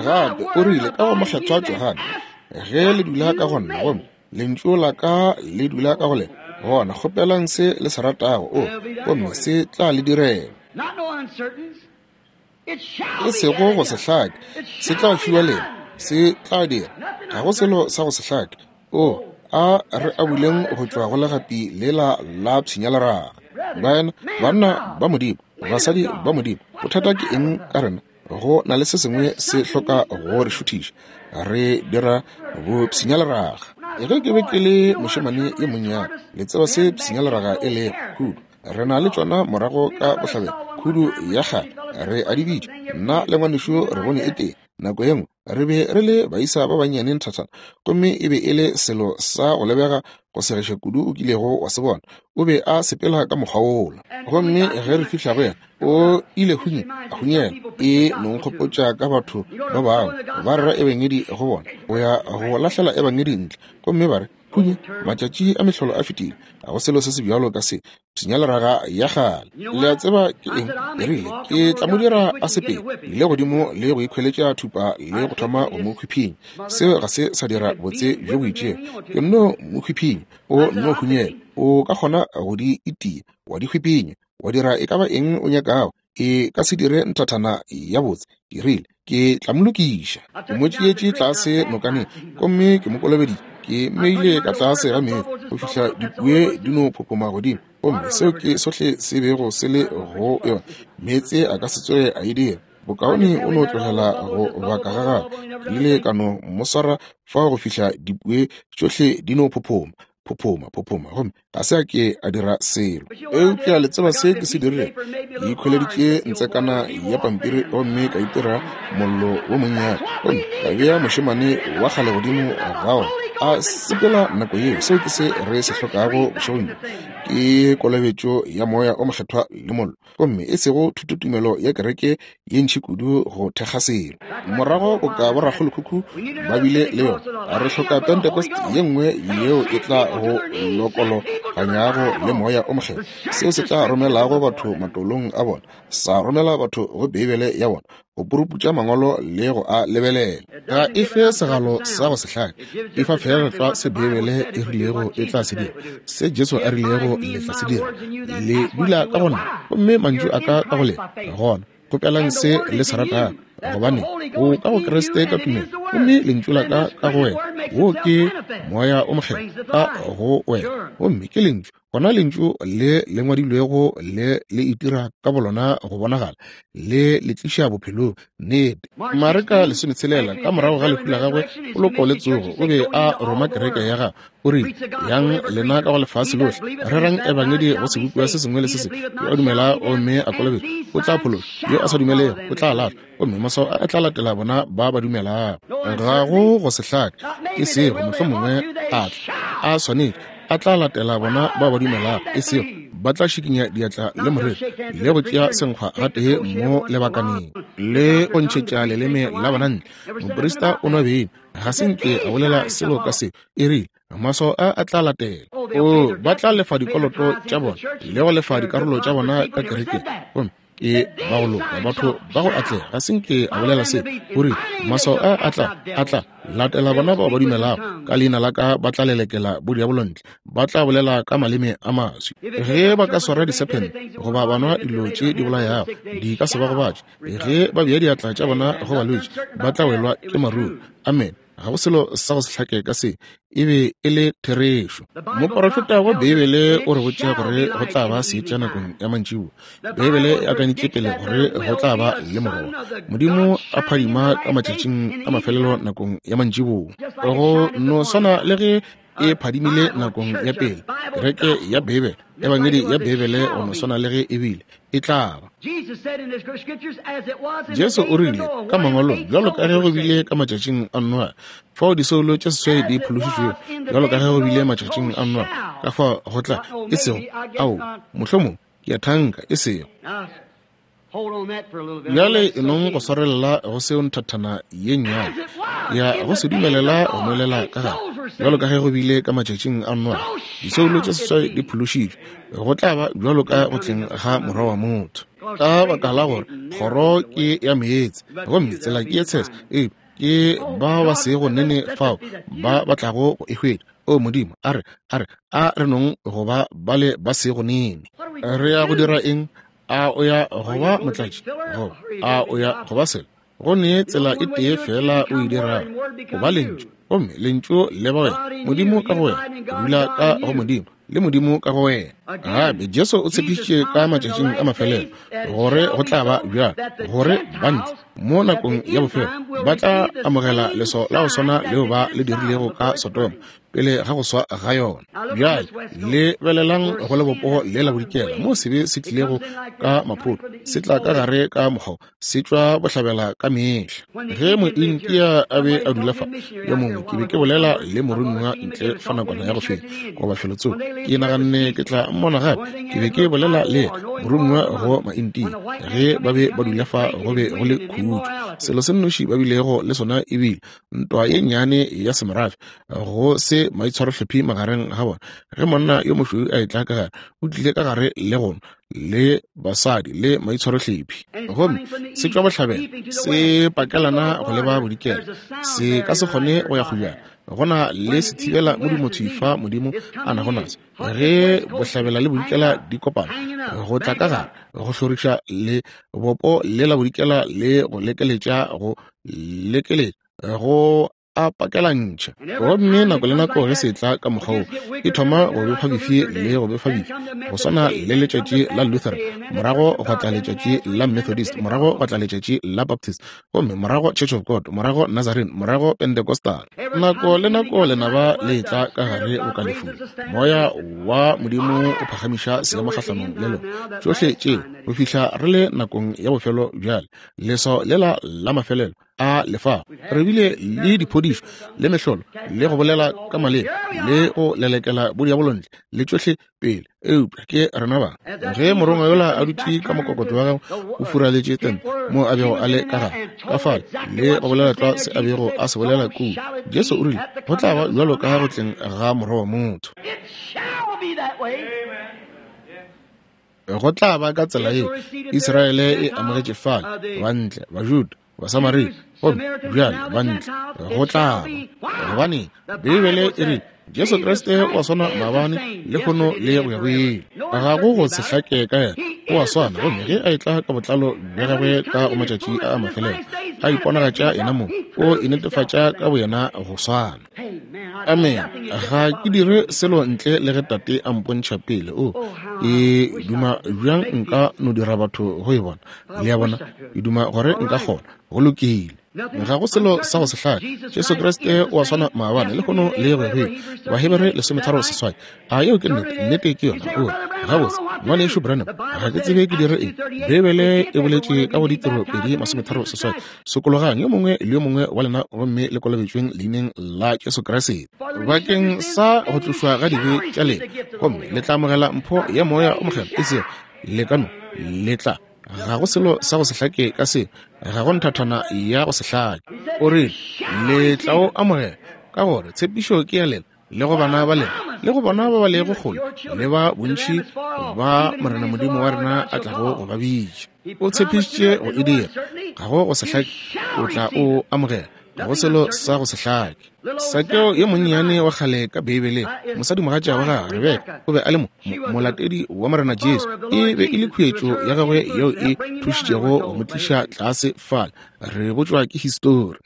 Gape o rile ka go Mokgethwa Johane, Ge le dula ka go nna, gomme lentšu la ka le dula ka go lena, gona kgopelang se le se ratago, o, gomme se tla le direla. E sego go se hlake, se tla fiwa lena, se tla dira. Ga go selo sa go se hlake. O, a re abuleng go tšwa go legapi lela la pshinyaleraga. Baena, banna ba Modimo, basadi ba Modimo, bothata ke eng ka rena? Go na le se sengwe se hloka go re šuthiša. Re dira bopshinyaleraga. Ge ke be ke le mošemane yo monnyane, le tseba se pshinyaleraga e lego, khudu. Re na le tšona morago ka bohlabela, khudu ya kgale, re a di bitša. Nna le ngwanešu re bone e tee nako ye nngwe. Re be re le baisa ba bannyane nthathana, gomme e be e le selo sa go lebega go segiša kudu o kilego wa se bona. O be a sepela ka mokgwa wola. Gomme ge re fihla go yena, o ile hunye, a hunyela. E no nkgopotša ka batho ba bangwe ba rera ebangedi go bona, o ya go lahlela ebangedi ntle, gomme ba re, Hunye, matšatši a mehlolo a fetile, ga go selo se se bjalo ka se, pshinyaleraga ya kgale. Le a tseba ke eng? E rile, Ke tla mo dira a sepele le godimo le go ikhweletša thupa le go thoma go mo hwiphinya. Seo ga se sa dira botse bjo bo itšego. Ke nno mo hwiphinya, o nno hunyela. O ka kgona go di itia, wa di hwiphinya, wa dira e ka ba eng o nyakago, e ka se dire nthathana ya botse. Ke rile, Ke tla mo lokiša. Ke mo tšeetše tlase nokaneng gomme ke mo kolobeditše. Ke mmeile ka tlase ga meetse go fihla dipue di no phophoma godimo, gomme seo ke sohle se bego se le go yona. Meetse a ka se tsoge a e dira. Bokaone o no tlogela go baka ga gagwe. Ke ile ka no mo swara fao go fihla dipue tšohle di no phophoma, phophoma, phophoma, gomme ga se a ke a dira selo. Eupša le tseba se ke se dirilego? Ke ikhweleditše ntsekana ya pampiri gomme ka itira mollo wo monnyane, gomme ka bea mošemane wa kgale godimo ga ona a sepela nako yeo. Seo ke se re se hlokago bošegong bjo, ke kolobetšo ya Moya o Mokgethwa le mollo, gomme e sego thutotumelo ya kereke ye ntši kudu go thekga selo. Morago boka borakgolokhukhu ba bile le yona, re hloka Pentecost ye nngwe yeo e tla go lokologanyago le Moya o Mokgethwa, seo se tla romelago batho matolong a bona, sa romela batho go Beibele ya bona, go puruputša Mangwalo le go a lebelela. Ga e fe segalo sa go se hlake, e fa feela tlwa se Beibele e rilego e tla se dira, se Jesu a rilego le tla se dira. Le dula ka go nna, gomme mantšu a ka ka go lena, gona kgopelang se le se ratago, gobane o ka go Kriste ka tumelo, gomme lentšu la ka ka go wena, wo ke Moya o Mokgethwa ka go wena, gomme ke lentšu. Gona lentšu le le ngwadilwego le le itira ka bolona go bonagala, le le tliša bophelong. Nnete. Mareka 16, ka morago ga lehu la gagwe, poloko le tsogo, o be a roma kereke ya gagwe. O rile, Yang lena ka go lefase lohle, rerang ebangedi go sebopiwa se sengwe le se sengwe. Yo a dumela gomme a kolobetšwa o tla phološwa, yo a sa dumelego o tla lahlwa, gomme maswao a tla latela bona ba ba dumelago. Ga go go se hlake, e sego mohlomongwe a tla, a swanetše, a tla latela bona ba ba dumelago, e sego ba tla šikinya diatla le moreri le go tšea senkgwa gatee mo lebakaneng le go ntšhetša leleme la bona ntle. Moprista o nwa beine, ga se nke a bolela selo ka se. E rile, Maswao a a tla latela. O, ba tla lefa dikoloto tša bona le go lefa dikarolo tša bona ka kerekeng. Gomme ke ba go loka, batho ba go atlega. Ga se nke a bolela se. O rile, Maswao a a tla, a tla latela bona bao ba dumelago. Ka leina la ka ba tla lelekela bodiabolo ntle, ba tla bolela ka maleme a maswi. Ge ba ka swara disephente goba ba nwa dilo tše di bolayago, di ka se ba gobatše. Ge ba bea diatla tša bona go balwetši, ba tla welwa ke maruru. Amene. Ga go selo sa go se hlake ka se. E be e le therešo. Moporofeta wa Beibele o re botša gore go tla ba seetša nakong ya mantšiboa. Beibele e akantše pele gore go tla ba le Morwa Modimo a phadima ka matšatšing a mafelelo nakong ya mantšiboa. Go no swana le ge e phadimile nakong ya pele. Kereke ya Beibele, Ebangedi ya Beibele, go no swana le ge e bile, e tla ba. Jesu o rile ka Mangwalong, bjalo ka ge go bile ka matšatšing a Noa, fao disoulo tše seswai di phološitšwego, bjalo ka ge go bile matšatšing a Noa, ka fao go tla, e sego, ao, mohlomong, ke a thanka, e sego. Bjale e nong go swarelela go seo nthathana ye nnyane ya go se dumelela go nwelela ka gare, bjalo ka ge go bile ka matšatšing a Noa, disoulo tše seswai di phološitšwe, go tla ba bjalo ka go tleng ga Morwa wa motho. Ka baka la gore kgoro ke ya meetse, gomme tsela ke ye tshese, ee, ke ba ba sego nene fao ba ba tlago go e hwetša. O Modimo, a re, a re, a re nong go ba bale ba sego nene. Re ya go dira eng? A o ya go ba motlatši goba a o ya go ba selo? Go ne tsela e tee feela o e dirago, go ba Lentšu, gomme Lentšu le ba wena, Modimo ka go wena, o dula ka go Modimo, le Modimo ka go wena. Gape Jesu o tshepišitše ka matšatšing a mafelelo gore go tla ba bjalo, gore bantle mo nakong ya bofelo ba tla amogela leswao la go swana leo ba le dirilego ka Sodoma. pele ga go swa ga yona. Bjale lebelelang go lebopo le la bodikela moo sebe se tlilego ka maphoto, se tla ka gare ka mokgwa, se tšwa bohlabela ka mehla. Ge Mointia a be a dula fa, yo mongwe, ke be ke bolela le moromiwa ntle fa nakwana ya go feta goba felotsoko, ke naganne ke tla mmona gape. Ke be ke bolela le moromiwa go Maintia ge ba be ba dula fa, go be go le khutšo. Selo se nnoši ba bilego le sona ebile ntwa ye nnyane ya semorafe, go se maitshwarohlephi magareng ga bona. Ge monna yo mošweu a etla ka gare, o tlile ka gare le gona le basadi le maitshwarohlephi, gomme se tšwa bohlabela se pakelana go leba bodikela, se ka se kgone go ya kgojana. Go na le sethibela modumo thwi fa Modimo a nago naso. Ge bohlabela le bodikela di kopana, go tla ka gare go hloriša le bopo le la bodikela le go lekeletša, go lekeletša, go a pakelantšha. Gomme nako le nako ge se tla ka mokgwa wo, e thoma go befa bifi le go befa bifi, go swana le letšatši la Lutheran, morago gwa tla letšatši la Methodist, morago gwa tla letšatši la Baptist, gomme morago Church of God, morago Nazarene, morago Pentecostal. Nako le nako lenaba le tla ka gare go ka lefung, moya wa Modimo o phagamiša seemo kgahlanong le lona. Tšohle tšeo go fihla re le nakong ya bofelo bjale, leswao lela la mafelelo a lefa. Re bile le diphodišo le mehlolo le go bolela ka maleme le go lelekela bodiabolontle le tšohle pele, eupša ke rena ba. Ge morongwa yola a dutše ka mokokotlo wa gagwe o furaletše tente moo a bego a le ka gare ka fale le go bolela tlwa se a bego a se bolela kua, Jesu o rile go tla ba bjalo ka go tleng ga Morwa wa motho. Go tla ba ka tsela yeo Israele e amogetše fale, bantle, Bajuda, Basamaria, gomme bjale bantle go tla ba. Gobane Beibele e rile Jesu Kriste o a swana maabane, lehono le go ya go ile. Ga go go se hlake ka yena, o a swana. Gomme ge a etla ka botlalo bja gagwe ka go matšatši a mafelelo, a iponagatša yena mong, o inetefatša ka boyena go swana. Amen. Ga ke dire selo ntle le ge Tate a mpontšha pele. O, ke duma bjang nka no dira batho go e bona. Le a bona, ke duma gore nka kgona. Go lokile. Ga go selo sa go se hlake. Jesu Kriste o a swana maabane, lehono le go ya go ile. Bahebere 13:8. A yeo ke nnete? Nnete ke yona. O re, gabotse, Ngwanešu Branham, ga ke tsebe ke dire eng. Beibele e boletše ka go Ditiro 2:38, sokologang yo mongwe le yo mongwe wa lena gomme le kolobetšweng leineng la Jesu Kriste bakeng sa go tlošwa ga dibe tša lena, gomme le tla amogela mpho ya Moya o Mokgethwa. E sego le ka no le tla. Ga go selo sa go se hlake ka seo, ga go nthathana ya go se hlake. O rile le tla o amogela, ka gore tshepišo ke ya lena le go bana ba lena le go bona ba ba lego kgole le ba bontši ba Morena Modimo wa rena a tlago go ba bitša. O tshepišitše go e dira. Ga go go se hlake, o tla o amogela. Ga go selo sa go se hlake. Sakeo yo monnyane wa kgale ka Beibeleng, mosadimogatša wa gagwe Rebeka o be a le molatedi wa Morena Jesu. E be e le khuetšo ya gagwe yeo e thušitšego go mo tliša tlase fale. Re botšwa ke histori.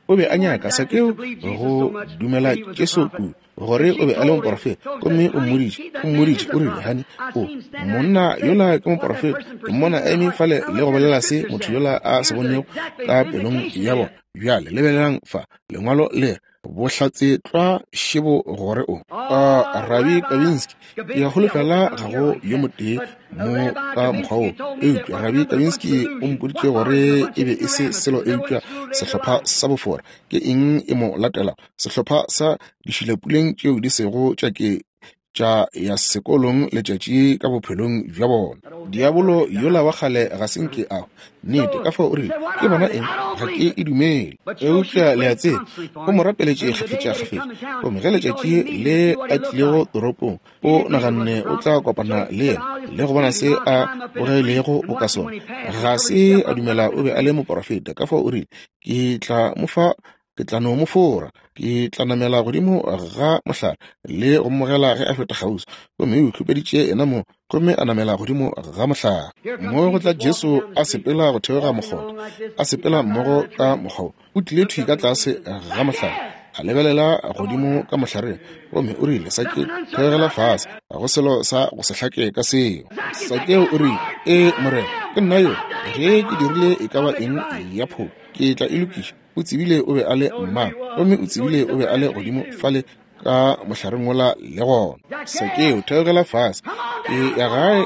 O be a nyaka Sakeo go dumela Jesu kudu gore o be a le moporofeta, gomme o mmoditše, o rile, Hani, o monna yola ke moporofeta, ke mmona a eme fale le go bolela se motho yola a se bonego ka pelong ya bona. Bjale lebelelang fa, lengwalo le re, bohlatse tlwa šebo gore o Rabi Kabinski. Ke a holofela ga go yo motee mo ka mokgwa wo, eupša Rabi Kabinski o mpoditše gore e be e se selo eupša sehlopha sa bofora. Ke eng e mo latelago? Sehlopha sa dišilapuleng tšeo di sego tša ke tša ya sekolong letšatši ka bophelong bja bona. Diabolo yola wa kgale ga se nke a nnete ka fao o rile, ke bona eng, ga ke e dumele. Eupša le a tseba, o mo rapeletše kgafetšakgafetša, gomme ge letšatši le a tlilego toropong, o naganne o tla kopana le yena le go bona se a bogilego boka sona. Ga se a dumela o be a le moporofeta, ka fao o rile, ke tla mo fa, ke tla no mo fora, ke tla namela godimo ga mohlare le go mmogela ge a feta kgauswi. Gomme o ikhupeditše yena mo, gomme a namela godimo ga mohlare. Mo go tla Jesu a sepela go theoga mokgotha, a sepela mmogo ka mokgwa wo. O tlile thwi ka tlase ga mohlare, a lebelela godimo ka mohlareng, gomme o rile, Sakeo, theogela fase, ga go selo sa go se hlake ka seo. Sakeo o rile, Ee, Morena, ke nna yo, ge ke dirile e ka ba eng ya phošo, ke tla e lokiša. O tsebile o be a le mang, gomme o tsebile o be a le godimo fale ka mohlareng wola le gona. Sakeo, theogela fase, ke ya gae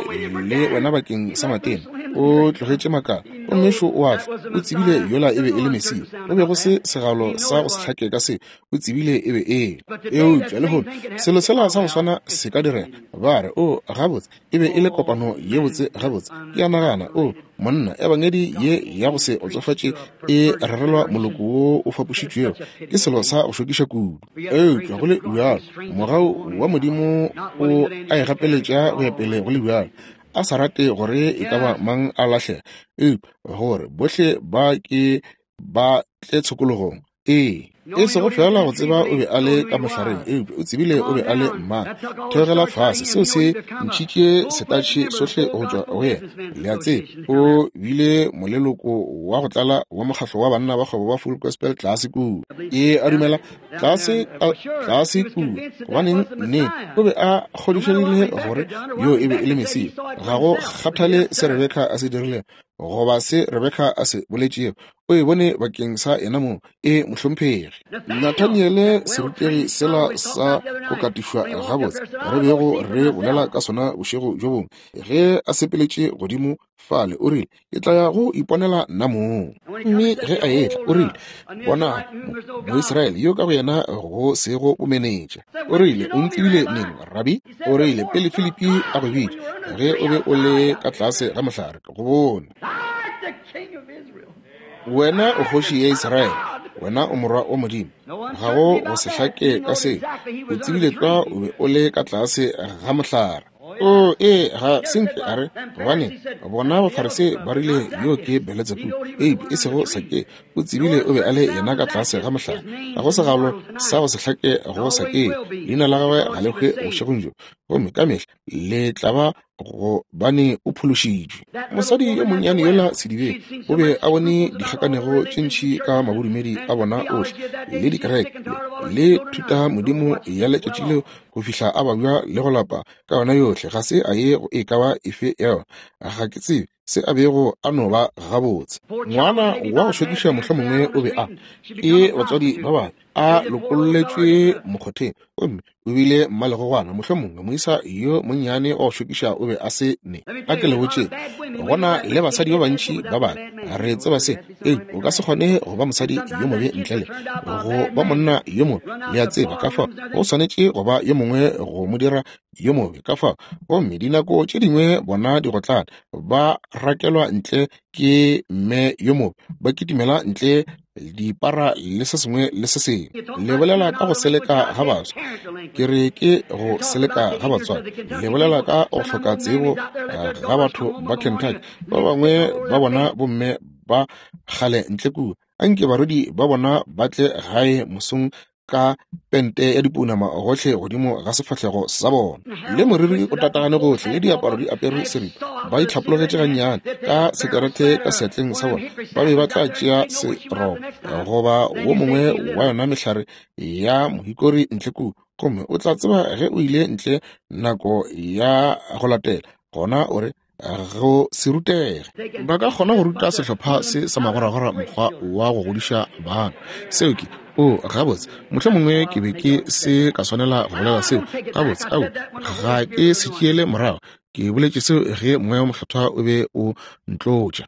le wena bakeng sa matena. O tlogetše makala, gomme šo o a tla. O tsebile yola e be e le Mesia. Go be go se segalo sa go se hlake ka se, o tsebile e be e le. Eupša lehono selo sela sa go swana se ka direga. Ba re, O, gabotse, e be e le kopano ye botse gabotse. Ke a nagana, o, monna, ebangedi ye ya go se otsofatše e rerelwa moloko wo o fapošitšwego, ke selo sa go šokiša kudu. Eupša go le bjalo, mogau wa Modimo o a e gapeletša go ya pele go le bjalo, a sa rate gore e ka ba mang a lahlega, eupša gore bohle ba ke ba tle tshokologong. Ee, e sego feela go tseba o be a le ka mohlareng, eupša o tsebile o be a le mang. Theogela fase, seo se ntšhitše setatšhe sohle go tšwa go yena. Le a tseba, o bile moleloko wa go tlala wa mokgahlo wa banna ba kgwebo ba Full Gospel tlase kua. Ke a dumela tlase, tlase kua. Gobaneng, nnete, o be a kgodišegile gore yo e be e le Mesia. Ga go kgathale se Rebeka a se dirilego goba se Rebeka a se boletšego, o e bone bakeng sa yena mong. E, mohlomphegi. Nathaniele, serutegi sela sa go katišwa gabotse re bego re bolela ka sona bošego bjo bongwe, ge a sepeletše godimo fale, o rile, Ke tla ya go iponela nna mong. Mme ge a etla, o rile, Bona Moisraele yo ka go yena go sego bomenetša. O rile, O ntsebile neng, Rabi? O rile, Pele Filipi a go bitša, ge o be o le ka tlase ga mohlare, ke go bone. Wena o kgoši ya Israele, wena o morwa wa Modimo. Ga go go se hlake ka se. O tsebile tlwa o be o le ka tlase ga mohlare. O, ee, ga se nke a re, gobane bona Bafarisei ba rile yo ke Beletsebubu, eupša e sego Sakeo. O tsebile o be a le yena ka tlase ga mohlare. Ga go segalo sa go se hlake go Sakeo. Leina la gagwe ga le hwe bošegong bjo, gomme ka mehla le tla ba, gobane o phološitšwe. Mosadi yo monnyane yola sedibeng o be a bone dikgakanego tše ntši ka mabodumedi a bona ohle le dikereke le thutamodimo ya letšatši leo go fihla a babja le go lapa ka yona yohle. Ga se a ye go e ka ba efe ya yona. Ga ke tsebe se a bego a no ba gabotse. Ngwana wa go šokiša mohlomongwe o be a ke batswadi ba babe, a lokolletšwe mokgotheng, gomme o bile mmalegogwana. Mohlomongwe moisa yo monnyane wa go šokiša o be a se ne. A ke le botšeng, go na le basadi ba bantši ba babe, re tseba se, eupša o ka se kgone go ba mosadi yo mobe ntle le go ba monna yo mobe. Le a tseba, ka fao go swanetše go ba yo mongwe go mo dira yo mobe. Ka fao, gomme dinako tše dingwe bona digotlane ba rakelwa ntle ke mme yo mobe, ba kitimela ntle dipara le se sengwe le se sengwe. Le bolela ka go seleka ga baswa, ke re ke go seleka ga batswadi. Le bolela ka go hloka tsebo ga batho ba Kentucky, ba bangwe ba bona bomme ba kgale ntle kua, anke barwedi ba bona ba tle gae mosong ka pente ya dipounama gohle godimo ga sefahlego sa bona, le moriri o tatagane gohle, le diaparo di apere seripa, ba itlhapologetše gannyane ka sekerete ka seatleng sa bona, ba be ba tla tšea serobo goba wo mongwe wa yona mehlare ya mohikori ntle kua, gomme o tla tseba ge o ile ntle nako ya go latela, gona o re, go se rutege. Ba ka kgona go ruta sehlopha se sa magoragora mokgwa wa go godiša bana. Seo ke, o, gabotse, mohlomongwe ke be ke se ka swanela go bolela seo. Gabotse, ao, ga ke se tšeele morago. Ke boletše seo ge Moya wo Mokgethwa o be o ntlotša.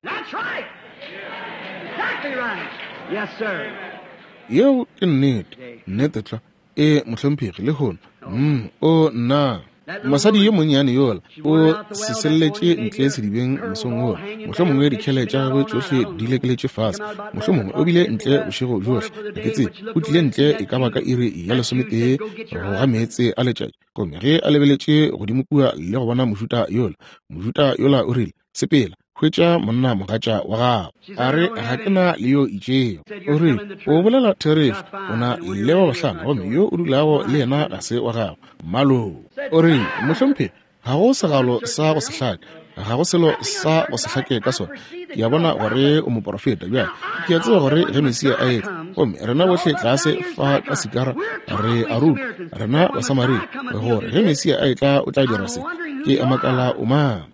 Yeo ke nnete, nnete tlwa. Ee, mohlomphegi, lehono. Mm, o, nna. Mosadi yo monnyane yola o seselletše ntle sedibeng mosong wola, mohlomongwe dikhele tša gagwe tšohle di lekeletše fase, mohlomongwe o bile ntle bošego bjohle, ga ke tsebe. O tlile ntle e ka ba ka iri ya lesometee go ga meetse a letšatši, gomme ge a lebeletše godimo kua le go bona Mojuda yola, Mojuda yola o rile, Sepela, hwetša monna mogatša wa gago. A re, Ga ke na le yo itšego. O rile, O bolela therešo, o na le ba bahlano, gomme yo o dulago le yena ga se wa gago. Mmaloo. O rile, Mohlomphegi, ga go segalo sa go se hlake, ga go selo sa go se hlake ka sona. Ke a bona gore o moporofeta. Bjale, ke a tseba gore ge Mesia a etla, gomme rena bohle tlase fa ka Sikara re a rutwa, rena Basamaria, gore ge Mesia a etla o tla dira se. Ke a makala o mang.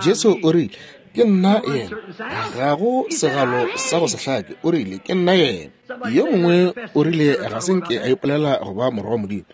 Jesu o rile, Ke nna yena. Ga go segalo sa go se hlake. O rile, Ke nna yena. Yo mongwe o rile ga se nke a ipolela go ba morwa wa Modimo.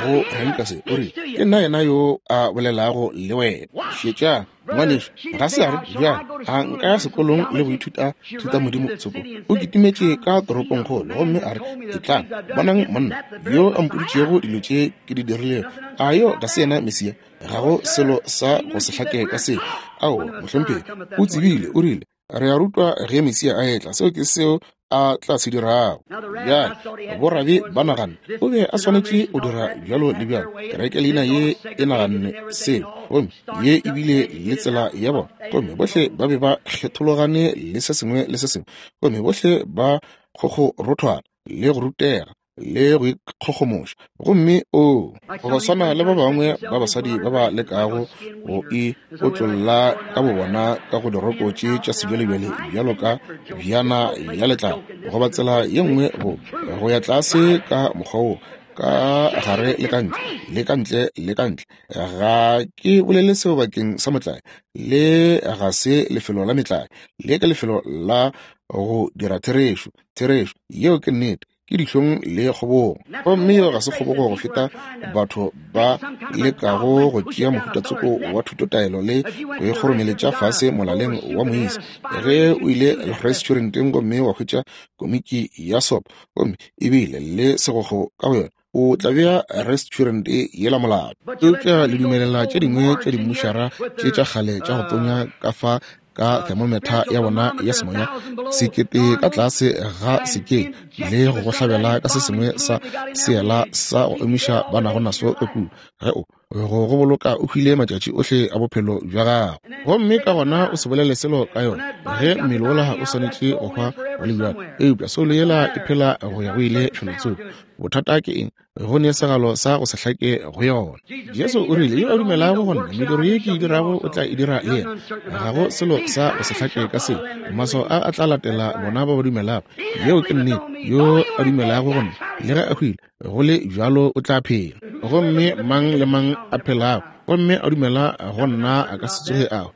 Go reng ka se? O rile, Ke nna yena yo a bolelago le wena. Šetšang, ngwanešu, ga se a re, Bjale, a nka ya sekolong le go ithuta thutamodimo tsoko. O kitimetše ka toropongkgolo gomme a re, Etlang, bonang monna yo a mpoditšego dilo tše ke di dirilego. A yo ga se yena Mesia? Ga go selo sa go se hlake ka seo. Aowa, mohlomphegi. O tsebile, o rile, Re a rutwa ge Mesia a etla, seo ke seo a tla se dirago. Bjale, borabi ba naganne o be a swanetše go dira bjalo le bjalo. Kereke leina ye e naganne seo, gomme ye e bile le tsela ya bona, gomme bohle ba be ba kgethologane le se sengwe le se sengwe, gomme bohle ba kgokgorothwana le go rutega le go ikgogomoša. Gomme o, go swana le ba bangwe ba basadi ba ba lekago go e otlolla ka bobona ka go diroko tše tša sebjalebjale bjalo ka bjana ya letlalo, goba tsela ye nngwe go, go ya tlase ka mokgwa wo, ka gare le ka ntle, le ka ntle le ka ntle. Ga ke bolele seo bakeng sa motlae. Le ga se lefelo la metlae. Le ke lefelo la go dira therešo. Therešo, yeo ke nnete. Ke dihlong le kgobogo. Gomme yeo ga se kgobogo go feta batho ba lekago go tšea mohutatsoko wa thutotaelo le go e kgoromeletša fase molaleng wa moisa. Ge o ile restauranteng gomme wa hwetša komiki ya sopo gomme ebile le segokgo ka go yona, o tla bea restaurant yela molato. Eupša le dumelela tše dingwe tša dimmušara tše tša kgale tša go tonya ka fa ka thermometer ya bona ya semoya sekete ka tlase ga sekeng le go go hlabela ka se sengwe sa seela sa go emiša ba nago naso ka kua, ge o go go boloka o hwile matšatši ohle a bophelo bja gago. Gomme ka gona o se bolele selo ka yona, ge mmele wola o swanetše go hwa go le bjalo, eupša soulo yela e phela go ya go ile felotsoko. Bothata ke eng? Go ne segalo sa go se hlake go yona. Jesu o rile, Yo a dumelago go nna, mediro ye ke e dirago o tla e dira le yena. Ga go selo sa go se hlake ka seo. Maswao a a tla latela bona ba ba dumelago. Yeo ke nnete. Yo a dumelago go nna, le ge a hwile, go le bjalo o tla phela. Gomme mang le mang a phelago gomme a dumela go nna a ka se tsoge a hwa.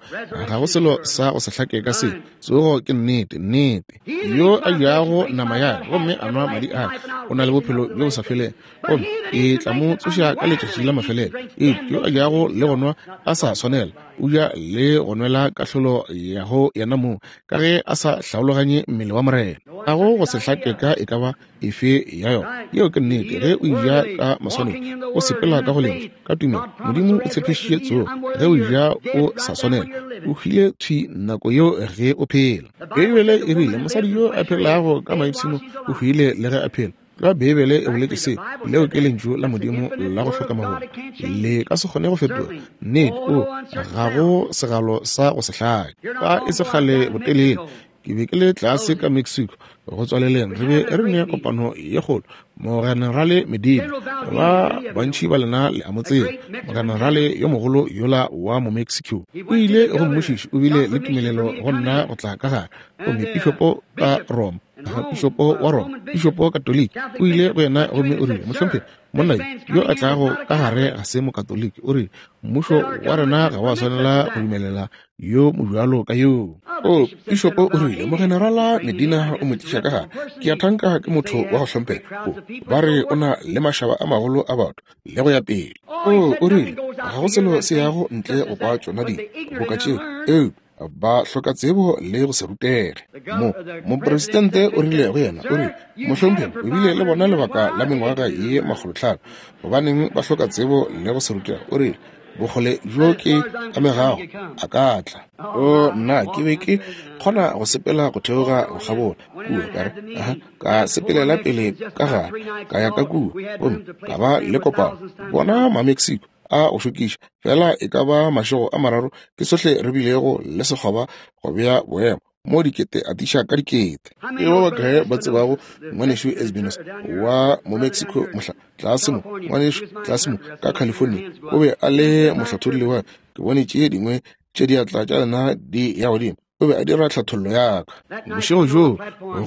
Ga go selo sa go se hlake ka seo. Tsogo ke nnete, nnete. Yo a jago nama ya ka gomme a nwa madi a ka o na le bophelo bjo bo sa felego, gomme ke tla mo tsoša ka letšatši la mafelelo. Eupša yo a jago le go nwa a sa swanela, o ja le go nwela kahlolo ya go yena mong, ka ge a sa hlaologanye mmele wa Morena. Ga go go se hlake ka e ka ba efe ya yona. Yeo ke nnete. Ge o eja ka maswanedi, o sepela ka go Lentšu, ka tumelo. Modimo o tshepišitše tsogo. Ge o eja o sa swanela, o hwile thwi nako yeo ge o phela. Beibele e rile, Mosadi yo a phelago ka maipshino o hwile le ge a phela. Tlwa Beibele e boletše seo. Leo ke Lentšu la Modimo la go hloka magomo. Le ka se kgone go fetoga. Nnete, o, ga go segalo sa go se hlake. Fa e se kgale botelele, Ke be ke le tlase ka Mexico go tswaleleng, re be re ne kopano ye kgolo. Mogenerale Medina, ba bantši ba lena le a mo tseba, mogenerale yo mogolo yola wa Momexico. O ile go mmušiši, o bile le tumelelo go nna go tla ka gare. Gomme pišopo ka Roma, pišopo wa Roma, pišopo Katoliki, o ile go yena gomme o rile, Mohlomphegi, monna yo a tlago ka gare ga se Mokatoliki. O rile, Mmušo wa rena ga wa swanela go dumelela yo mobjalo ka yoo. O, pišopo o rile, Mogenerala Medina o mo tliša ka gare. Ke a thanka ke motho wa go hlomphega. O, ba re o na le mašaba a magolo a batho, le go ya pele. O, o rile, ga go selo se yago ntle go kwa tšona dilo boka tšeo, eupša ba hloka tsebo le go se rutege. Mo, mopresidente o rile go yena, o rile, Mohlomphegi, o bile le bona lebaka la mengwaga ye makgolotlhano. Gobaneng ba hloka tsebo le go se rutege? O rile, Bokgole bjo ke amegago a ka tla. O, nna, ke be ke kgona go sepela go theoga go kgabola kua, ka re, aha, ka sepelela pele ka gare, ka ya ka kua, gomme ka ba le kopano. Bona Mamexico a go šokiša, feela e ka ba mašego a mararo ke sohle re bilego le sekgoba go bea boemo. mo dikete atiša ka dikete. Ke ba bakae ba tsebago Ngwanešu Esbinos wa mo Mexico mohla tlase mo, ngwanešu tlase mo ka California, o be a le mohlatholli wa. Ke bone tše dingwe tše diatla tša lena di ya godimo. O be a dira tlhathollo ya ka. Bošego bjoo,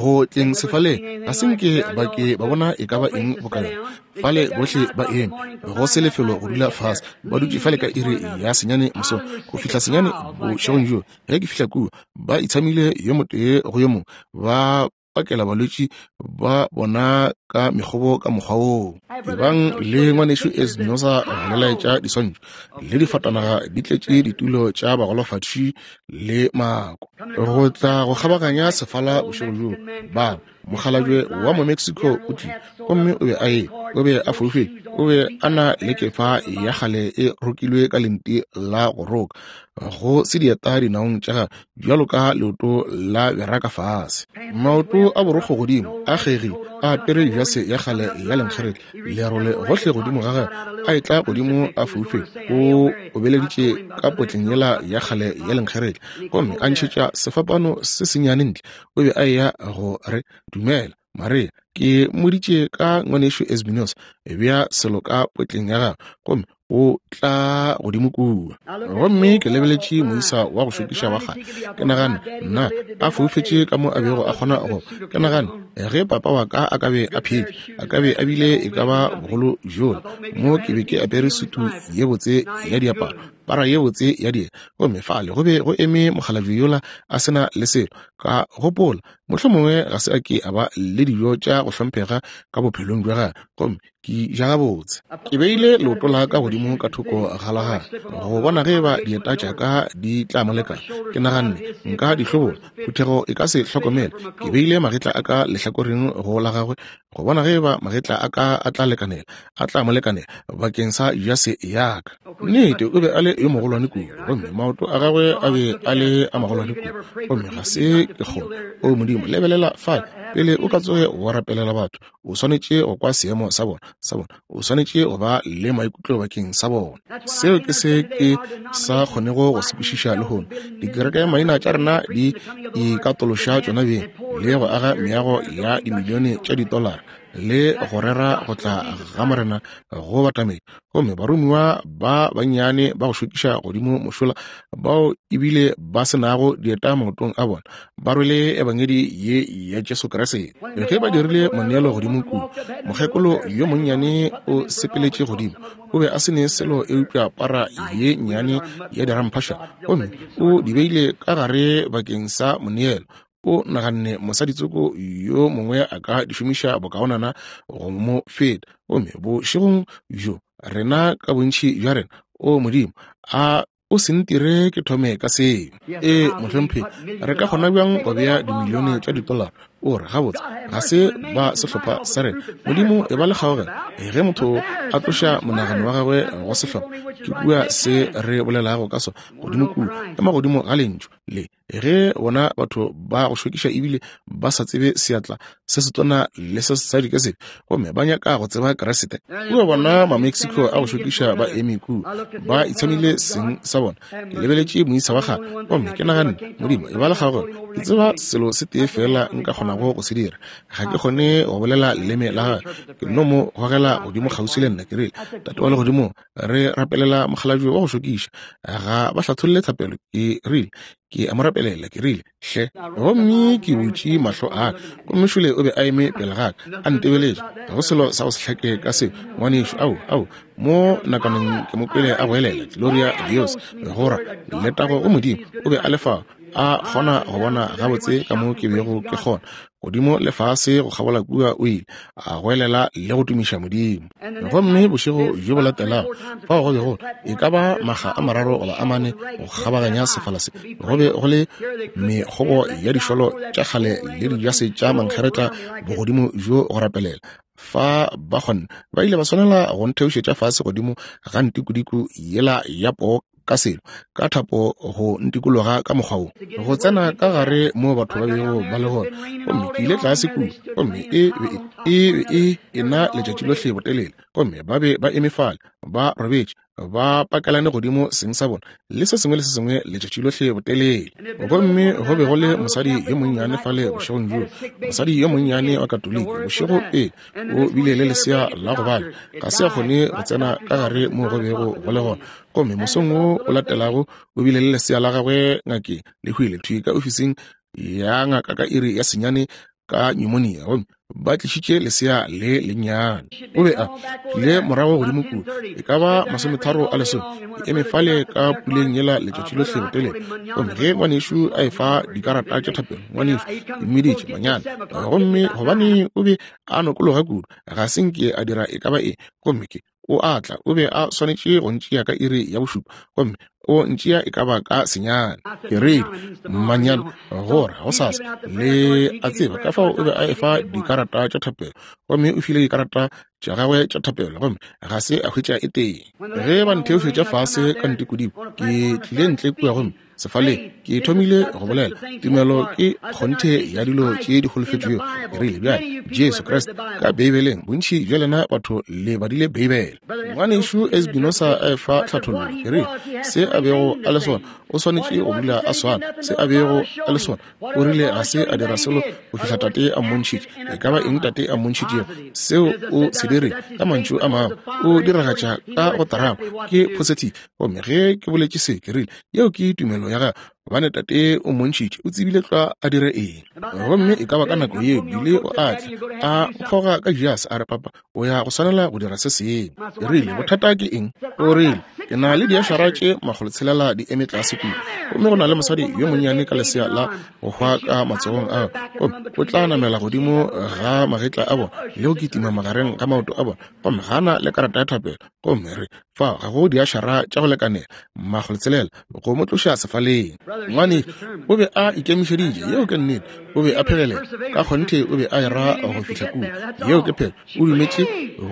go tleng sefaleng, ga se nke ba ke ba bona e ka ba eng boka yona. Fale bohle ba eme, go se lefelo go dula fase, ba dutše fale ka iri ya 9 mosong go fihla 9 bošegong bjoo. Ge ke fihla kua, ba itshamile yo motee go yo mongwe, ba pakela balwetši ba bona ka mekgobo ka mokgwa woo. Ebang le ngwanešu Espinosa go le laetša diswantšho, le difatanaga di tletše ditulo tša bagolofadi le mako. Go tla go kgabaganya sefala bošego bjoo, ba mokgalabje wa mo-Mexico o tlile, gomme o be a e, o be a foufetše, o be a na le kefa ya kgale e rokilwe ka lenti la go roka, go se dieta dinaong tša gagwe bjalo ka leoto la beraka fase, maoto a borokgo godimo a kgegile, a apere jase ya kgale ya lenkgeretla, lerole gohle godimo ga gagwe, a etla godimo a foufetše, o obeleditše ka potleng yela ya kgale ya lenkgeretla, gomme a ntšhetša sefapano se sennyane ntle. O be a eya go re, Dumela, Maria, ke mmoditše ka ngwanešu Espinosa, bea selo ka potleng ya gagwe, gomme o tla godimo kua. Gomme ke lebeletše moisa wa go šokiša wa kgale, ke nagane, nna, a foufetše ka mo a bego a kgona go. Ke nagane, ge papa wa ka a ka be a phetše, a ka be a bile e ka ba bogolo bjola. Mo ke be ke apere sutu ye botse ya diaparo, para ye botse ya dieta, gomme fale go be go eme mokgalabje yola a se na le selo. Ka gopola, mohlomongwe ga se a ke a ba le dijo tša go hlomphega ka bophelong bja gagwe, gomme ke ja gabotse. Ke beile leoto la ka godimo ka thoko ga la gagwe go bona ge eba dieta tša ka di tla mo lekana. Ke naganne nka di hlobola, phuthego e ka se hlokomele. Ke beile magetla a ka lehlakoreng go la gagwe go bona ge eba magetla a ka a tla lekanela, a tla mo lekanela bakeng sa jase ya ka. Nnete, o be a le yo mogolwane kudu, gomme maoto a gagwe a be a le a magolwane kudu, gomme ga se ke kgone. O Modimo, lebelela fale, pele o ka tsoge wa rapelela batho, o swanetše go kwa seemo sa bona, sa bona. O swanetše go ba le maikutlo bakeng sa bona. Seo ke se ke sa kgonego go se kwešiša lehono. Dikereke maina tša rena di ikatološa tšona beng le go aga meago ya dimilione tša ditolara le go rera go tla ga Morena go batamedi, gomme baromiwa ba bannyane ba go šokiša godimo mošola bao ebile ba se nago dieta maotong a bona, ba rwele ebangedi ye ya Jesu Kriste. Ge ba dirile moneelo godimo kua, mokgekolo yo monnyane o sepeletše godimo. O be a se ne selo eupša para ye nnyane ya diramphaša, gomme o di beile ka gare bakeng sa moneelo. O naganne mosaditsoko yo mongwe a ka di šomiša bokaonana go mo feta. Gomme bošegong bjo, rena ka bontši bja rena, o Modimo, a o se ntire ke thome ka seo. Ee, mohlomphegi, re ka kgona bjang go bea dimilione tša ditolara? O re, gabotse, ga se ba sehlopha sa rena. Modimo, e ba le kgaogelo. Ge motho a tloša monagano wa gagwe go sehlopha, ke kua se re bolelago ka sona, godimo kua, ema godimo ga Lentšu le. Ge bona batho ba go šokiša ebile ba sa tsebe seatla se setona le se sesadi ke sefe, gomme ba nyaka go tseba Kriste, kua bona ma-Mexico a go šokiša ba eme kua, ba itshamile seng sa bona. Ke lebeletše moisa wa kgale, gomme ke naganne, Modimo, e ba le kgaogelo. Ke tseba selo se tee feela nka kgonago go se dira. Ga ke kgone go bolela leleme la gagwe. Ke nno mo gogela godimo kgauswi le nna. Ke rile, Tate wa Legodimong, re rapelela mokgalabje wa go šokiša. Ga ba hlatholle thapelo. Ke rile, ke a mo rapelela. Ke rile, hle. Gomme ke butše mahlo a ka, gomme šole o be a eme pele ga ka, a ntebeletše. Ga go selo sa go se hlake ka seo, ngwanešu. Ao, ao, mo nakaneng ke mo kwele a goelela, Gloria a Dios, go ra, letago go Modimo. O be a le fao, a kgona go bona gabotse ka mo ke bego ke kgona. Godimo le fase go kgabola kua o ile a goelela le go tumiša Modimo. Gomme bošego bjo bo latelago, fao go bego e ka ba makga a mararo goba a mane go kgabaganya sefala se, go be go le mekgobo ya dišolo tša kgale le dijase tša mankgeretla bogodimo bjo go rapelela. Fa ba kgonne, ba ile ba swanela go ntheošetša fase godimo ga ntikodiko yela ya poo ka selo, ka thapo go ntikologa ka mokgwa wo, go tsena ka gare mo batho ba bego ba le gona. Gomme ke ile tlase kua, gomme e be e ena letšatši lohle botelele, gomme ba be ba eme fale ba robetše. Ba pakelane godimo seng sa bona le se sengwe le se sengwe letšatši lohle botelele. Gomme go be go le mosadi yo monnyane fale bošegong bjoo, mosadi yo monnyane wa Katoliki, bošego pele o bile le lesea la go bala, ga se a kgone go tsena ka gare moo go bego go le gona. Gomme mosong wo o latelago o bile le lesea la gagwe ngakeng, le hwile thwi ka ofising ya ngaka ka iri ya 9 ka pneumonia, gomme ba tlišitše lesea le lennyane. O be a tlile morago godimo kua, e ka ba 9:30, ke eme fale ka puleng yela letšatši lohle botelele. Gomme ge ngwanešu a efa dikarata tša thapelo, ngwanešu, ke mmiditše manyana, gomme gobane o be a nokologa kudu, ga se nke a dira e ka ba eng. Gomme ke o a tla, o be a swanetše go ntšea ka iri ya 7, gomme o ntšea e ka ba ka 9. Ke rile, Manyana, gore gosasa, le a tseba. Ka fao o be a efa dikarata tša thapelo, gomme o file dikarata tša gagwe tša thapelo, gomme ga se a hwetša e tee. Ge ba ntheošetša fase ka ntikodimo, ke tlile ntle kua gomme sefaleng ke thomile go bolela. Tumelo ke kgonthe ya dilo tše di holofetšwego. Ke rile, Bjale, Jesu Kriste ka Beibeleng, bontši bja lena batho le badile Beibele. Ngwanešu Espinosa a efa tlhathollo. Ke rile, Se a bego a le sona, o swanetše go dula a swana. Se a bego a le sona, o rile ga se a dira selo go fihla Tate a mmontšhitše. E ka ba eng Tate a mmontšhitšego, seo o se dire. Ka mantšu a mangwe, o diragatša ka go terama, ke positive. Gomme ge ke boletše se, ke rile, Yeo ke tumelo ya gagwe, gobane Tate o mmontšhitše, o tsebile tlwa a dire eng. Gomme e ka ba ka nako yeo Billy o a tla, a nkgoga ka jase, a re, Papa, o ya go swanela go dira se sengwe. Ke rile, Bothata ke eng? O rile, Ke na le diašara tše 600 di eme tlase kua, gomme go na le mosadi yo monnyane ka lesea la go hwa ka matsogong a gagwe, gomme o tla namela godimo ga magetla a bona le go kitima magareng ga maoto a bona, gomme ga a na le karata ya thapelo. Gomme re fa ga go diašara tša go lekanela 600 go mo tloša sefaleng. Ngwane o be a ikemišeditše, yeo ke nnete, o be a phegelela ka kgonthe, o be a era go fihla kua, yeo ke phelo. O dumetše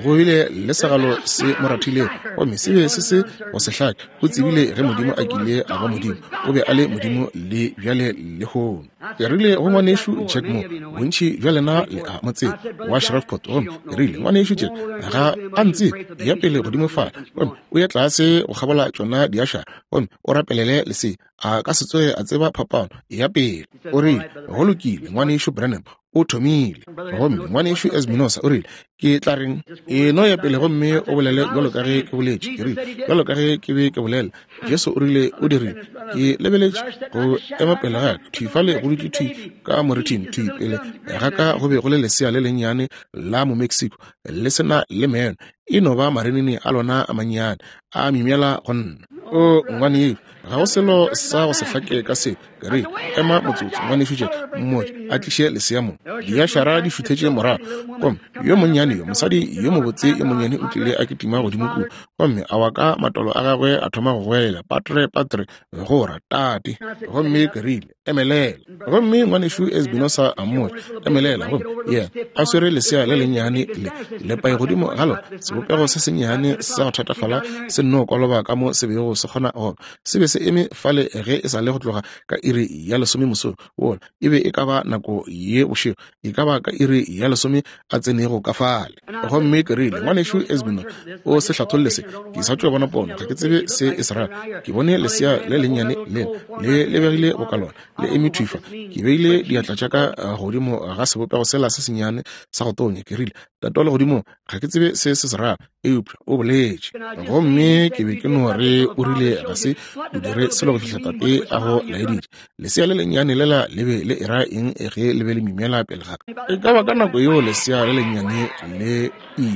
go bile le segalo se mo rathilego, gomme se be se se go se hlake. O tsebile ge Modimo a kile a ba Modimo, o be a le Modimo le bjale lehono. Ke rile go ngwanešu Jack Moore, bontši bja lena le a mo tseba, wa Shreveport, gomme ke rile, Ngwanešu Jack, ga a ntsebe, eya pele godimo fale, gomme o ye tlase go kgabola tšona diašara, gomme o rapelele lesea. A ka se tsoge a tseba phapano. Eya pele. O rile, Go lokile, Ngwanešu Branham, o thomile. Gomme Ngwanešu Espinosa o rile, Ke tla reng? E no ya pele gomme o bolele bjalo ka ge ke boletše. Ke rile, Bjalo ka ge ke be ke bolela, Jesu o rile o dirile. Ke lebeletše go ema pele ga ka, thwi fale go dutše thwi ka morithing, thwi pele ga ka go be go le lesea le lennyane la Momexico, le se na le meno, e no ba marinini a lona a mannyane, a myemyela go nna. O ngwanešu, ga go selo sa go se hlake ka seo. Ke rile, Ema motsotso, ngwanešu Jack, mmotše a tliše lesea mo. Diašara di šuthetše morago, gomme yo monnyane yo, mosadi yo mobotse yo monnyane o tlile a kitima godimo kua, gomme a wa ka matolo a gagwe, a thoma go goelela, Patre, patre, go ra, tate. Gomme ke rile, Emelela. Gomme ngwanešu Espinosa a mmotša, Emelela. Gomme yena a swere lesea le lennyane le lepai godimo ga lona, sebopego se sennyane sa go thatafala se nno koloba ka mo se bego se kgona go ba. Se be se eme fale ge e sa le go tloga ka iri ya 10 mosong wola, e be e ka ba nako ye bošego, e ka ba ka iri ya 10 a tsenego ka fale. Gomme ke rile, Ngwanešu Espinosa, o se hlatholle se. Ke sa tšo bona pono, ga ke tsebe se e se rago. Ke bone lesea le lennyane lela, le lebegile boka lona, le eme thwi fa. Ke beile diatla tša ka godimo ga sebopego sela se sennyane sa go tonya. Ke rile, Tate wa Legodimong, ga ke tsebe se se se rago, eupša o boletše. Gomme ke be ke no re o rile ga se o dire selo go fihla Tate a go laeditše. Lesea le lennyane lela le be le era eng ge le be le mimela pele ga ka? E ka ba ka nako yeo lesea le lennyane le i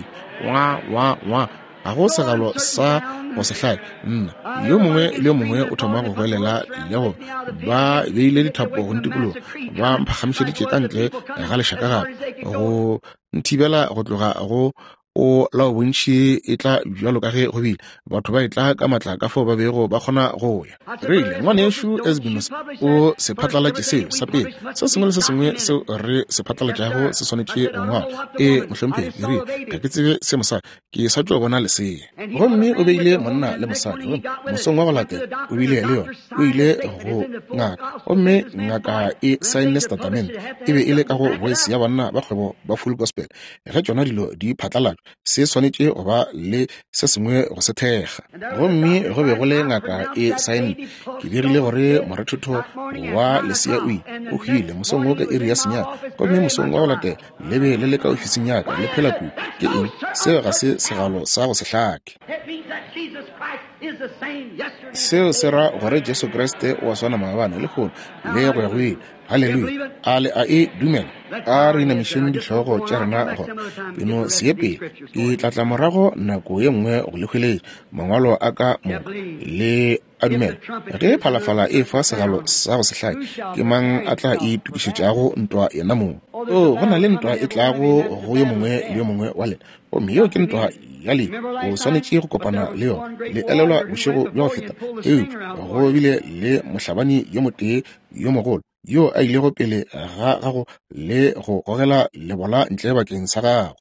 wa wa wa ga go segalo sa go se hlake. Nna, yo mongwe le yo mongwe o thoma go goelela le go ba beile dithapo go ntikologa, ba mphagamišeditše ka ntle ga lešaka gape go nthibela go tloga go o lao bontši e tla bjalo ka ge go bile batho ba etla ka matla ka fao ba bego ba kgona go ya. Rile, Ngwanešu Espinosa, o se phatlalatše seo sa pele. Se sengwe le se sengwe seo re se phatlalatšago se swanetše go ngwalwa. Ee, mohlomphegi. Ke rile, Ga ke tsebe se mosadi, ke sa tšo bona lesea. Gomme o beile monna le mosadi, gomme mosong wa go latela o bile le yona. O ile go ngaka, gomme ngaka e saenne setatamente. E be e le ka go Voice ya Banna ba Kgwebo ba Full Gospel. Ge tšona dilo di phatlalatšwa, Se swanetše go ba le se sengwe go se thekga. Gomme go be go le ngaka e saenne. Ke begile gore morethetho wa lesea o ile, o hwile mosong wo ka iri ya senyane. Gomme mosong wa go latela le be le le ka ofising ya ka, le phela kudu. Ke eng? Seo ga se segalo sa go se hlake. Seo se ra gore Jesu Kriste o a swana maabane, lehono, le go ya go ile. Haleluya! A le a e dumela? A re inamišeng dihlogo tša rena gona. Ke no se ye pele. Ke tla tla morago nako ye nngwe go le hweletša Mangwalo a ka moka. Le a dumela? Ge phalafala e fa segalo sa go se hlake, ke mang a tla itokišetšago ntwa yena mong? Oo, go na le ntwa e tlago go yo mongwe le yo mongwe wa lena, gomme yeo ke ntwa ya lehu. O swanetše go kopana le yona. Le elelwa bošego bja go feta, eupša go bile le mohlabani yo motee yo mogolo yo a ilego pele ga gago le go gogela lebola ntle bakeng sa gago.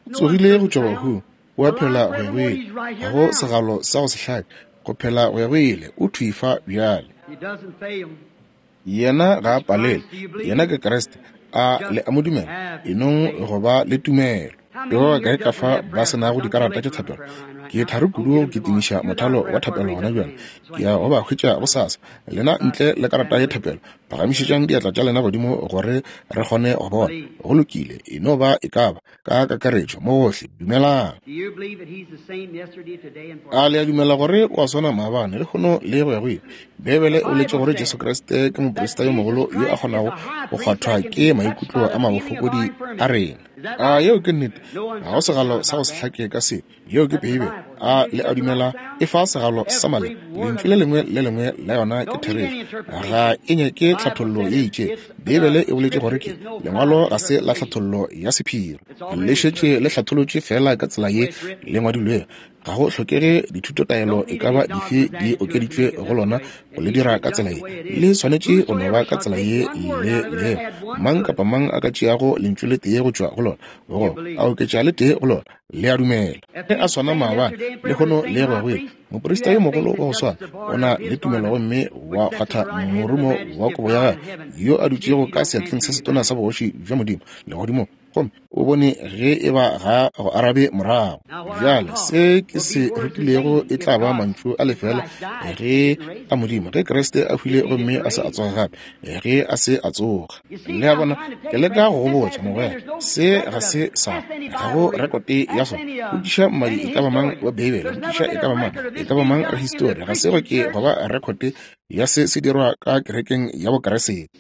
O tsogile go tšwa bahung, o a phela go ya go ile. Ga go segalo sa go se hlake, go phela go ya go ile. O thwi fa bjale. Yena ga a palelwe. Yena ke Kriste. A le a mo dumela? E nong go ba le tumelo. Ke ba bakae ka fa ba se nago dikarata tša thapelo? Ke thari kudu go kitimiša mothalo wa thapelo gona bjale. Ke ya go ba hwetša gosasa. Lena ntle le karata ya thapelo, phagamišetšang diatla tša lena godimo gore re kgone go bona. Go lokile, e no ba e ka ba ka kakaretšo mo gohle. Dumelang. A le a dumela gore o a swana maabane, lehono le go ya go ile? Beibele e boletše gore Jesu Kriste ke moprista yo mogolo yo a kgonago go kgwathwa ke maikutlo a mabofokodi a rena. A yeo ke nnete? Ga go segalo sa go se hlake ka se. Yeo ke Beibele. A le a dumela e fa segalo sa maleba? Lentšu le lengwe le lengwe la yona ke therešo. Ga e nyake tlhathollo ye itšego. Beibele e boletše gore ke Lengwalo ga se la tlhathollo ya sephiri. Le šetše le hlatholotšwe feela ka tsela ye le ngwadilwego. Ga go hlokege dithutotaelo e ka ba dife di okeditšwe go lona go le dira ka tsela ye. Le swanetše go no ba ka tsela ye le lego. Mang kapa mang a ka tšeago lentšu le tee go tšwa go lona, goba a oketša le tee go lona, le a dumela. Ge a swana maabane, lehono le go ya go ile, moprista yo mogolo wa go swana o na le tumelo gomme wa kgwatha morumo wa kobo ya gagwe, yo a dutšego ka seatleng se setona sa bogoši bja Modimo legodimong. Gomme o bone ge e ba ga go arabe morago. Bjale se ke se rutilego e tla ba mantšu a lefela ge a Modimo, ge Kriste a hwile gomme a se a tsoga gape, ge a se a tsoga. Le a bona, ke leka go go botša, mogwera, se ga se sa, ga go rekote ya sona. Botšiša mmadi e ka ba mang wa Beibele, botšiša e ka ba mang, e ka ba mang rahistori, ga se go ke go ba rekote ya se se dirwa ka kerekeng ya Bokeresete.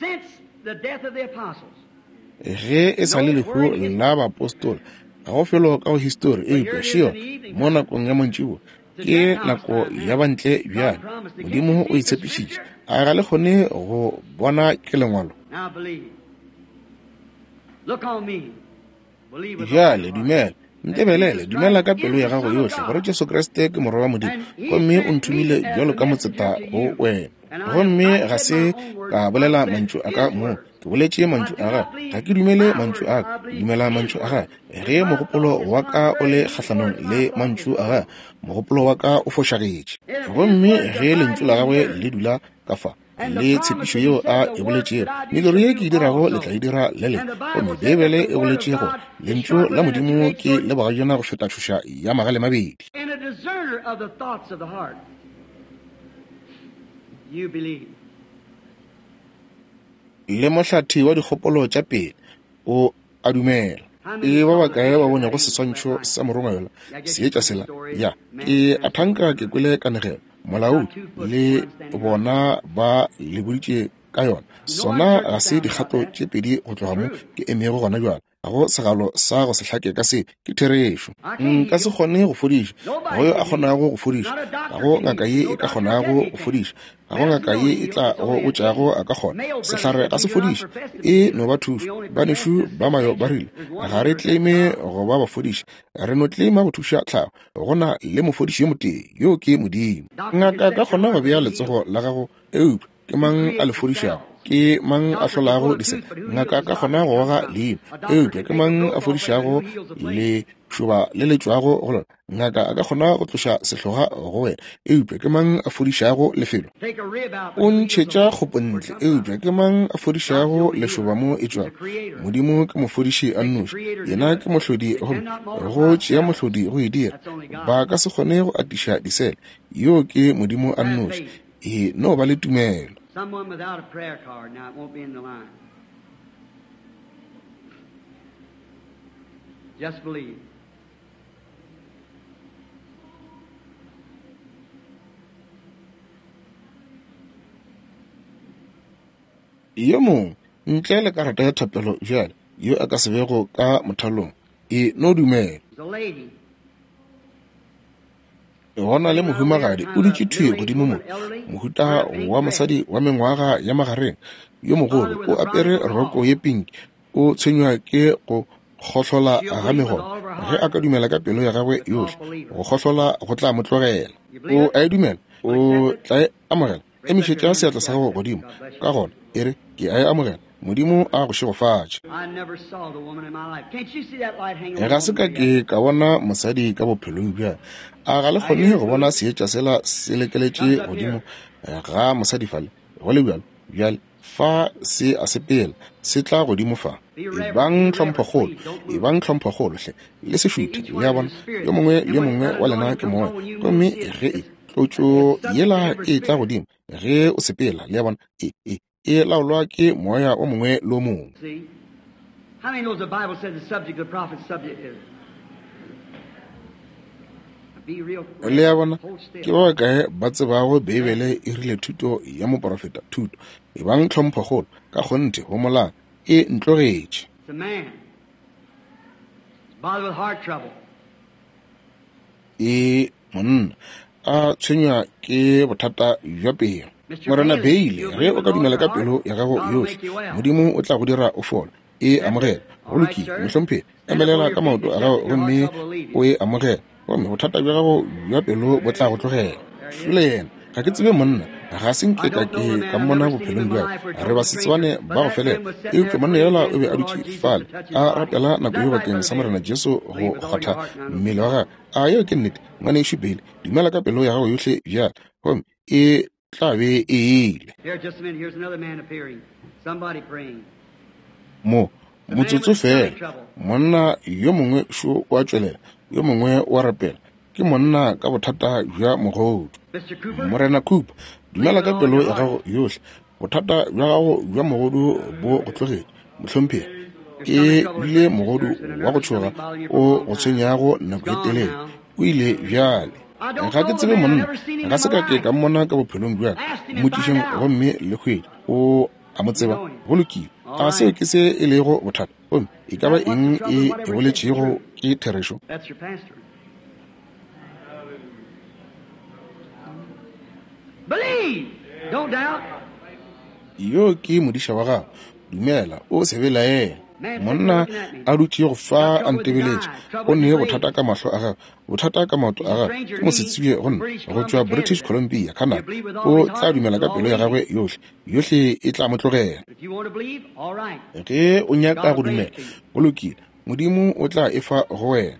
Ge e sa le lehu la baapostola, ga go felo ka go histori, eupša šeo mo nakong ya mantšiboa ke nako ya bantle bjale. Modimo o e tshepišitše. A ga le kgone go bona ke Lengwalo? Bjale dumela. Ntebelele, dumela ka pelo ya gago yohle gore Jesu Kriste ke Morwa wa Modimo, gomme o nthomile bjalo ka motseta go wena. Gomme ga se ka bolela mantšu a ka mong, ke boletše mantšu a gagwe. Ga ke dumele mantšu a ka, ke dumela mantšu a gagwe. Ge mogopolo wa ka o le kgahlanong le mantšu a gagwe, mogopolo wa ka o fošagetše. Gomme ge lentšu la gagwe le dula ka fa, le tshepišo yeo a e boletšego, mediro ye ke e dirago le tla e dira le lena. Gomme Beibele e boletše gore lentšu la Modimo ke le bogajana go feta tšhoša ya magale mabedi. Le mohlathi wa dikgopolo tša pele, o a dumela. E ba bakae ba bonego seswantšho sa morongwa yola, seetša sela? Ya, ke a thanka ke kwele kanegelo. Molaodi le bona ba le boditše ka yona. Sona ga se dikgato tše pedi go tloga mo ke emego gona bjale. Ga go segalo sa go se hlake ka se. Ke therešo. Nka se kgone go fodiša. Ga go yo a kgonago go fodiša. Ga go ngaka ye e ka kgonago go fodiša. Ga go ngaka ye e tla go botšago a ka kgona. Sehlare ga se fodiše. E no ba thušo. Banešu ba Mayo ba rile, Ga re tleme go ba bafodiši. Re no tlema go thuša tlhago. Go na le mofodiši yo motee, yoo ke Modimo. Ngaka ka kgona go bea letsogo la gago, eupša ke mang a le fodišago? Ke mang a hlolago disele? Ngaka a ka kgona go goga leino, eupša ke mang a fodišago lešoba le le tšwago go lona? Ngaka a ka kgona go tloša sehloga go wena, eupša ke mang a fodišago lefelo? O ntšhetša kgopo ntle, eupša ke mang a fodišago lešoba mo e tšwago? Modimo ke mofodiši a nnoši. Yena ke mohlodi, gomme go tšea mohlodi go e dira. Ba ka se kgone go atiša disele. Yoo ke Modimo a nnoši. E no ba le tumelo. Someone without a prayer card. Now, it won't be in the line. Just believe. Yo mongwe ntle le karata ya thapelo bjale, yo a ka se bego ka mothalong, e no dumela. Gona le mohumagadi o dutše thwi godimo mo, mohuta wa mosadi wa mengwaga ya magareng, yo mogolo, o apere roko ye pinki, o tshwenywa ke go kgohlola ga megolo. Ge a ka dumela ka pelo ya gagwe yohle, go kgohlola go tla mo tlogela. O a e dumela? O tla e amogela? Emišetša seatla sa gago godimo, ka gona e re, ke a e amogela. Modimo a go šegofatše. Ga se ka ke ka bona mosadi ka bophelong bja. A ga le kgone go bona seetša sela se lekeletše godimo ga mosadi fale? Go le bjalo, bjale fa se a sepela, se tla godimo fa. Ebang tlhomphokgolo, ebang tlhomphokgolo hle, le se šuthe. Le a bona, yo mongwe le yo mongwe wa lena ke moya, gomme ge e tlotšo yela e tla godimo ge o sepela, le a bona, e e e laolwa ke moya o mongwe le o mongwe. Le a bona, ke ba bakae ba tsebago Beibele e rile thuto ya moprofeta, thuto, ebang tlhomphokgolo, ka kgonthe, homolang, e ntlogetše. E monna a tshwenywa ke bothata bja pelo. Morena Bailey, ge o ka dumela ka pelo ya gago yohle, Modimo o tla go dira o fole. E amogela. Go lokile, mohlomphegi. Emelela ka maoto a gago gomme o e amogela, gomme bothata bja gago bja pelo bo tla go tlogela. Šole yena. Ga ke tsebe monna, ga se nke ka ke ka mmona bophelong bja ka. Re basetsebane ba go felela. Eupša monna yola o be a dutše fale a rapela nako yeo bakeng sa Morena Jesu go kgwatha mmele wa gagwe. A yeo ke nnete, ngwanešu Bailey? Dumela ka pelo ya gago yohle bjale, gomme e tla be e ile. Mo motsotso fela, monna yo mongwe šo o a tšwelela, yo mongwe o a rapela. Ke monna ka bothata bja mogodu. Morena Cooper, dumela ka pelo ya gago yohle. Bothata bja gago bja mogodu bo go tlogetše, mohlomphegi. Ke bile mogodu wa go tšhoga o go tshwenyago nako e telele. O ile bjale. Ga ke tsebe monna, ga se ka ke ka mmona ka bophelong bja ka. Mmotšišeng gomme le hwetše. O a mo tseba. Go lokile. A seo ke se e lego bothata? Gomme e ka ba eng e e boletšego ke therešo? Yo ke modiša wa gago. Dumela, o se belaele. Monna a dutšego fa a ntebeletše, o ne bothata ka mahlo a gagwe, bothata ka maoto a gagwe, ke mosetsebje go nna, go tšwa British Columbia, Canada. O tla dumela ka pelo ya gagwe yohle, yohle e tla mo tlogela. Ge o nyaka go dumela, go lokile, Modimo o tla e fa go wena.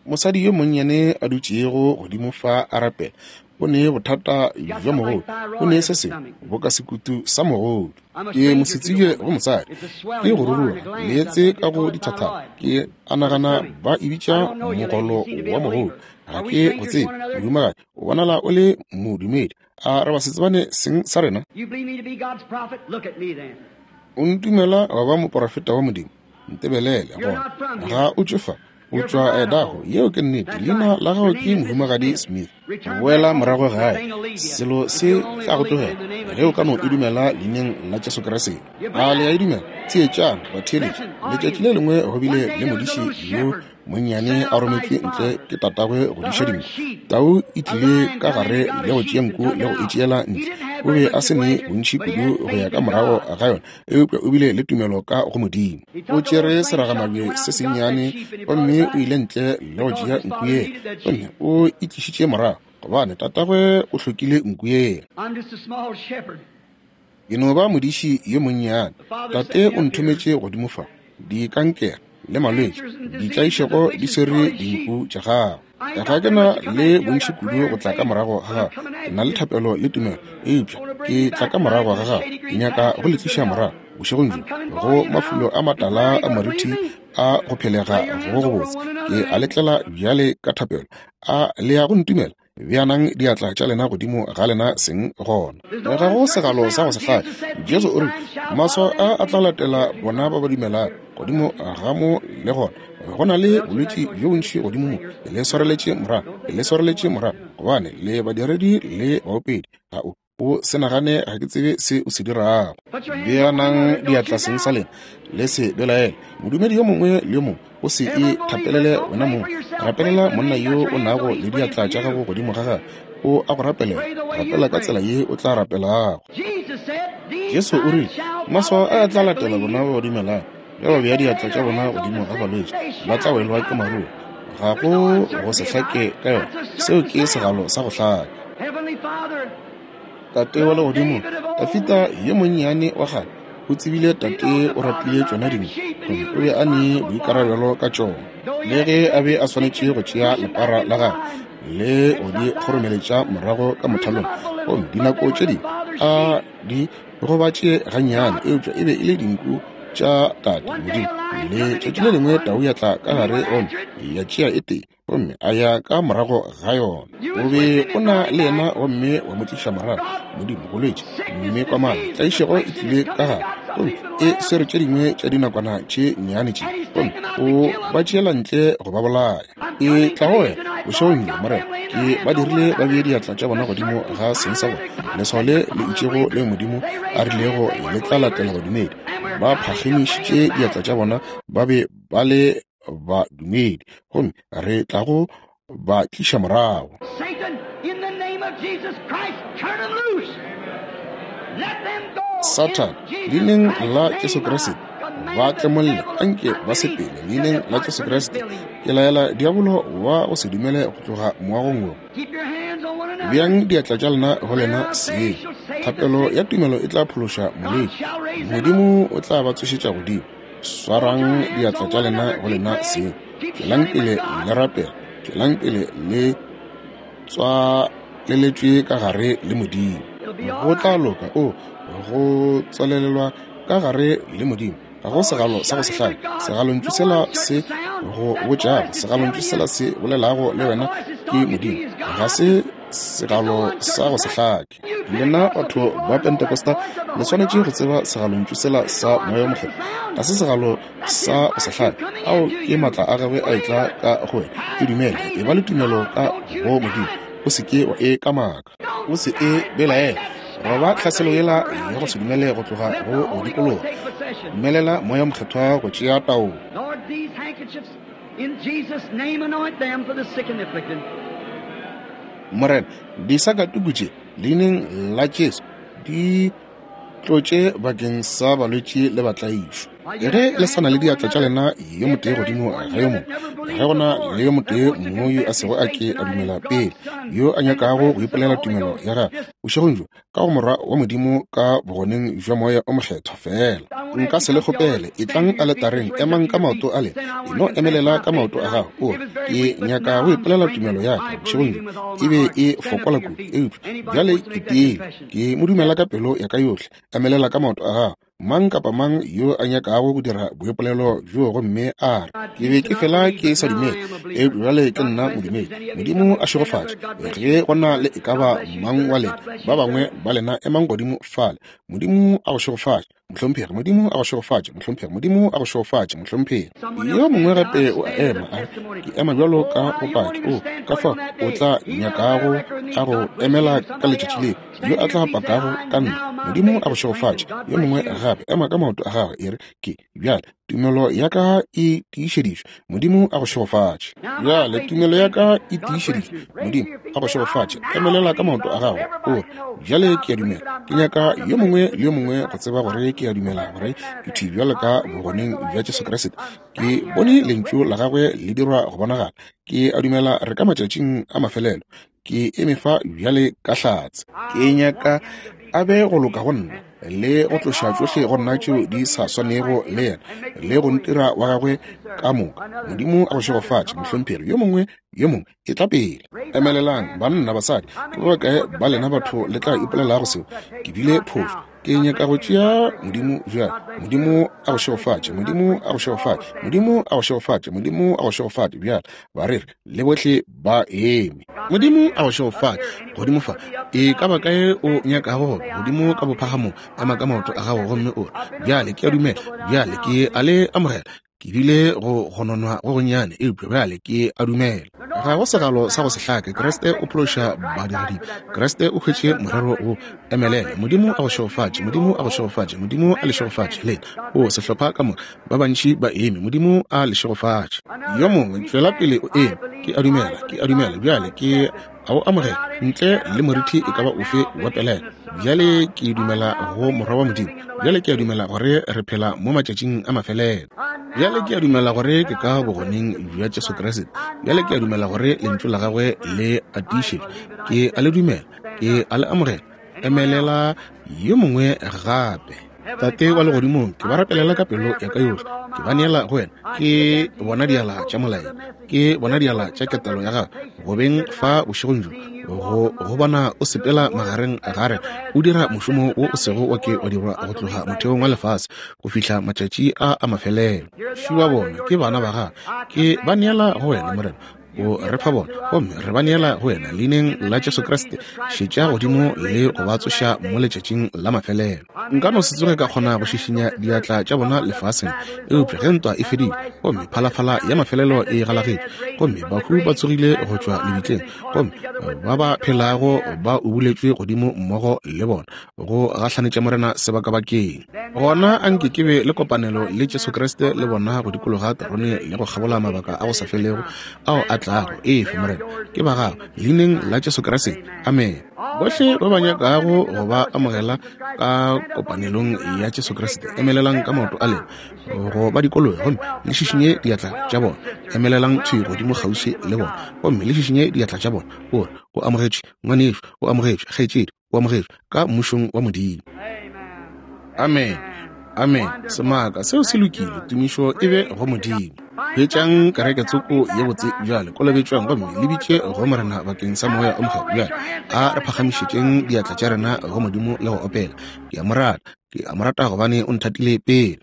Mosadi yo monnyane a dutšego godimo fa a rapela, o ne bothata bja mogodu, o ne se sengwe boka sekutu sa mogodu. Ke mosetsebje go mosadi, ke go ruruga meetse ka go dithathana, ke a nagana ba e bitša mogolo wa mogodu. Ga ke go tsebe, mohumagadi, o bonala o le modumedi. A re basetsebane seng sa rena? O ntumela wa ba moporofeta wa Modimo? Ntebelele gona. Ga o tšwe fa, o tšwa Idaho. Yeo ke nnete. Leina la gago ke Mohumagadi Smith. Boela morago gae, selo se tla go tlogela ge o ka no e dumela leineng la Jesu Kriste. A le a e dumela? Theetšang, batheeletši. Letšatši le lengwe go bile le modiši yo monnyane a rometšwe ntle ke tatagwe go diša dinku. Tau e tlile ka gare le go tšea nku le go e tšeela ntle. O be a se ne bontši kudu go ya ka morago ga yona, eupša o bile le tumelo ka go Modimo. O tšere seragamabje se sennyane gomme o ile ntle le go tšea nku yela, gomme o e tlišitše morago. gobane tatagwe o hlokile nku yela. Ke no ba modiši yo monnyane. Tate o nthometše godimo fa. Dikankere le malwetši, ditlaišego di swere dinku tša gagwe. Ga ke na le bontši kudu go tla ka morago ga gago. Ke na le thapelo le tumelo, eupša ke tla ka morago ga gago. Ke nyaka go le tliša morago bošegong bjo go mafulo a matala a moriti a go phelega go gobotse. Ke a le tlela bjale ka thapelo. A le ya go ntumela? Beanang diatla tša lena godimo ga lena seng gona. Ga go segalo sa go se hlake. Jesu o rile, Maswao a a tla latela bona ba ba dumelago. Godimo ga mo le gona go na le bolwetši bjo bontši godimo mo. Le swareletše morago, le swareletše morago, gobane le badiredi le baopedi. Ga o O se nagane ga ke tsebe se o se dirago. Beanang diatla seng sa lena, le se belaele. Modumedi yo mongwe le yo mongwe, o se e thapelele wena mong. Rapelela monna yo o nago le diatla tša gago godimo ga gagwe. O a go rapelela. Rapela ka tsela ye o tla rapelago. Jesu o rile, Maswao a a tla latela bona ba ba dumelago. Ge ba bea diatla tša bona godimo ga balwetši, ba tla welwa ke maruo. Ga go go se hlake ka yona. Seo ke segalo sa go hlaka. Tate wa Legodimo, Dafida yo monnyane wa kgale o tsebile tate o ratile tšona dinku, gomme o be a ne boikarabelo ka tšona. Le ge a be a swanetše go tšea lepara la gagwe le go di kgoromeletša morago ka mothalong, gomme dinako tše dingwe a di gobatše gannyane, eupša e be e le dinku tša tate Modimo. Letšatši le lengwe tau ya tla ka gare gomme ya tšea e tee, gomme a ya ka morago ga yona. O be o na le yena gomme wa mo tliša morago. Modimo, bolwetši, mme kwamana, tlaišego e tlile ka gare, gomme e swere tše dingwe tša dinakwana tše nnyane tše, gomme o ba tšeela ntle go ba bolaya. E tla go wena bošegong bjo, Morena. Ke ba dirile ba bee diatla tša bona godimo ga seng sa bona, leswao le le itšego leo Modimo a rilego le tla latela badumedi. Ba phagamišitše diatla tša bona, ba be ba le badumedi, gomme re tla go ba tliša morago. Sathane, leineng la Jesu Kriste, ba tlemolle, anke ba sepele, leineng la Jesu Kriste. Ke laela diabolo wa go se dumele go tloga moagong wo. Beang diatla tša lena go lena seng. Thapelo ya tumelo e tla phološa molwetši. Modimo o tla ba tsošetša godimo. Swarang diatla tša lena go lena seng. Tšwelang pele le rapela. Tšwelang pele le tswaleletšwe ka gare le Modimo. Go tla loka. O, go tswalelelwa ka gare le Modimo. Ga go segalo sa go se hlake. Segalontšu sela se go botšago, segalontšu sela se bolelago le wena ke Modimo. Ga se segalo sa go se hlake. Lena batho ba Pentekosta le swanetše go tseba segalontšu sela sa Moya wo Mokgethwa. Ga se segalo sa go se hlake. Ao ke maatla a gagwe a etla ka go wena. E dumele. E ba le tumelo ka go Modimo. O se ke wa e kamaka. O se e belaela. Roba tlhaselo yela ya go se dumele go tloga go go dikologa. Dumelela Moya wo Mokgethwa go tšea taolo. In Jesus' name anoint them for the sick and afflicted. Morena, disakatuku tše, leineng la Jesu, di tlotše bakeng sa balwetši le batlaišwa. Ge le sa na le diatla tša lena yo motee godimo ga yo mongwe, ge go na le yo motee mo yo a sego a ke a dumela pele, yo a nyakago go ipolela tumelo ya gagwe bošegong bjo, ka go Morwa wa Modimo ka bogoneng bja Moya o Mokgethwa feela. Nka se le kgopele, etlang aletareng, emang ka maoto a lena, e no emelela ka maoto a gago, o re, Ke nyaka go ipolela tumelo ya ka bošegong bjo. E be e fokola kudu, eupša bjale ke tiile. Ke mo dumela ka pelo ya ka yohle. Emelela ka maoto a gago. Mang kapa mang yo a nyakago go dira boipolelo bjo gomme a re, Ke be ke fela ke sa dumele, eupša bjale ke nna modumedi. Modimo a šegofatše. Ge go na le e ka ba mang wa lena, ba bangwe ba lena emang godimo fale. Modimo a go šegofatše, mohlomphegi. Modimo a go šegofatše, mohlomphegi. Modimo a go šegofatše, mohlomphegi. Yo mongwe gape o a ema, a re, Ke ema bjalo ka bopaki. O, ka fao o tla nyakago a go emela ka letšatši leo. yo a tla pakago ka nna. Modimo a go šegofatše. Yo mongwe gape, ema ka maoto a gagwe, e re, Ke, bjale, tumelo ya ka e tiišeditšwe. Modimo a go šegofatše. Bjale, tumelo ya ka e tiišeditšwe. Modimo a go šegofatše. Emelela ka maoto a gago, o re, Bjale ke a dumela. Ke nyaka yo mongwe le yo mongwe go tseba gore ke a dumela gore ke thwi bjale ka Bogoneng bja Jesu Kriste. Ke bone Lentšu la Gagwe le dirwa go bonagala. Ke a dumela re ka matšatšing a mafelelo. Ke eme fa bjale ka hlatse. Ke nyaka a be go loka go nna, le go tloša tšohle go nna tšeo di sa swanego le yena, le go ntira wa gagwe ka moka. Modimo a go šegofatše, mohlomphegi. Yo mongwe, yo mongwe, etla pele. Emelelang, banna, basadi. Ke ba bakae ba lena batho le tla ipolelago seo? Ke bile phošo. Ke nyaka go tšea Modimo bjale. Modimo a go šegofatše. Modimo a go šegofatše. Modimo a go šegofatše. Modimo a go šegofatše bjale. Bareri le bohle ba eme. Modimo a go šegofatše. Godimo fa, e ka ba kae o nyakago go ba, godimo ka bophagamong, ema ka maoto a gago gomme o re, Bjale ke a dumela. Bjale ke a le amogela. Ke bile go gononwa go gonnyane, eupša bjale ke a dumela. Ga go segalo sa go se hlake. Kriste o phološa badiradibe. Kriste o hwetše morero wo. Emelela. Modimo a go šegofatše. Modimo a go šegofatše. Modimo a le šegofatše. Lena, o sehlopha ka moka, ba bantši ba eme. Modimo a le šegofatše. Yo mongwe, tšwela pele o eme. Ke a dumela. Ke a dumela. Bjale ke a o amogela ntle le morithi e ka ba ofe wa pelaelo. Bjale ke dumela go Morwa wa Modimo. Bjale ke a dumela gore re phela mo matšatšing a mafelelo. Bjale ke a dumela gore ke ka bogoneng bja Jesu Kriste. Bjale ke a dumela gore Lentšu la Gagwe le a tiišetšwa. Ke a le dumela. Ke a le amogela. Emelela yo mongwe gape. Tate wa Legodimong, ke ba rapelela ka pelo ya ka yohle. Ke ba neela go Wena. Ke bona diala tša molaetša. Ke bona diala tša ketelo ya Gago go beng fa bošegong bjo, go go bona o sepela magareng ga rena, o dira mošomo wo o sego wa ke wa dirwa go tloga motheong wa lefase go fihla matšatši a a mafelelo. Šua bona, ke bana ba Gago. Ke ba neela go Wena, Morena. O re fa bona, gomme re ba neela go Wena, Leineng la Jesu Kriste. Šetša godimo le go ba tsoša mo letšatšing la mafelelo. Nka no se tsoge ka kgona go šišinya diatla tša bona lefaseng, eupša ge ntwa e fedile, gomme phalafala ya mafelelo e galagetšwe, gomme bahu ba tsogile go tšwa lebitleng, gomme ba ba phelago ba ubuletšwe godimo mmogo le bona, go gahlanetša Morena sebakabakeng. Gona a nke ke be le kopanelo le Jesu Kriste le bona go dikologa terone le go kgabola mabaka a go sa felego ao a tlago. Efe, Morena, ke ba Gago, Leineng la Jesu Kriste. Amene. Bohle ba ba nyakago go ba amogela ka kopanelong ya Jesu Kriste, emelelang ka maoto a lena go ba dikologa gomme le šišinye diatla tša bona. Emelelang thwi godimo kgauswi le bona gomme le šišinye diatla tša bona. O re, O amogetšwe, ngwanešu. O amogetšwe, kgaetšedi. O amogetšwe ka Mmušong wa Modimo. Amen. Amen. Semaka, seo se lokile. Tumišo e be go Modimo. Hwetšang kereke tsoko ye botse bjale, kolobetšwang gomme le bitše go Morena bakeng sa Moya o Mokgethwa. Bjale a re phagamišetšeng diatla tša rena go Modimo le go opela. Ke a Mo rata. Ke a Mo rata gobane O nthatile pele.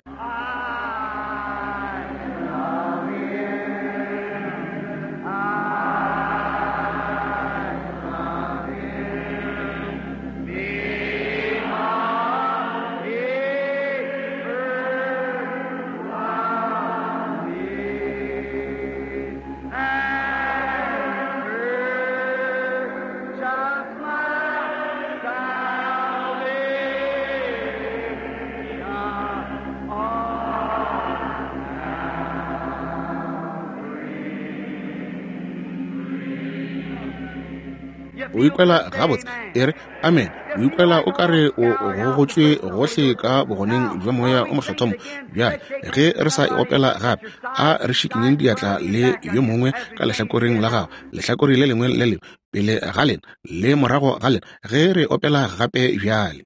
O ikwela gabotse? E re, Amene. O ikwela o ka re o gogotšwe gohle ka bogoneng bja Moya o Mokgethwa mo. Bjale, ge re sa e opela gape, a re šikinyeng diatla le yo mongwe ka lehlakoreng la gago, lehlakore le lengwe le lengwe, pele ga lena le morago ga lena, ge re opela gape bjale.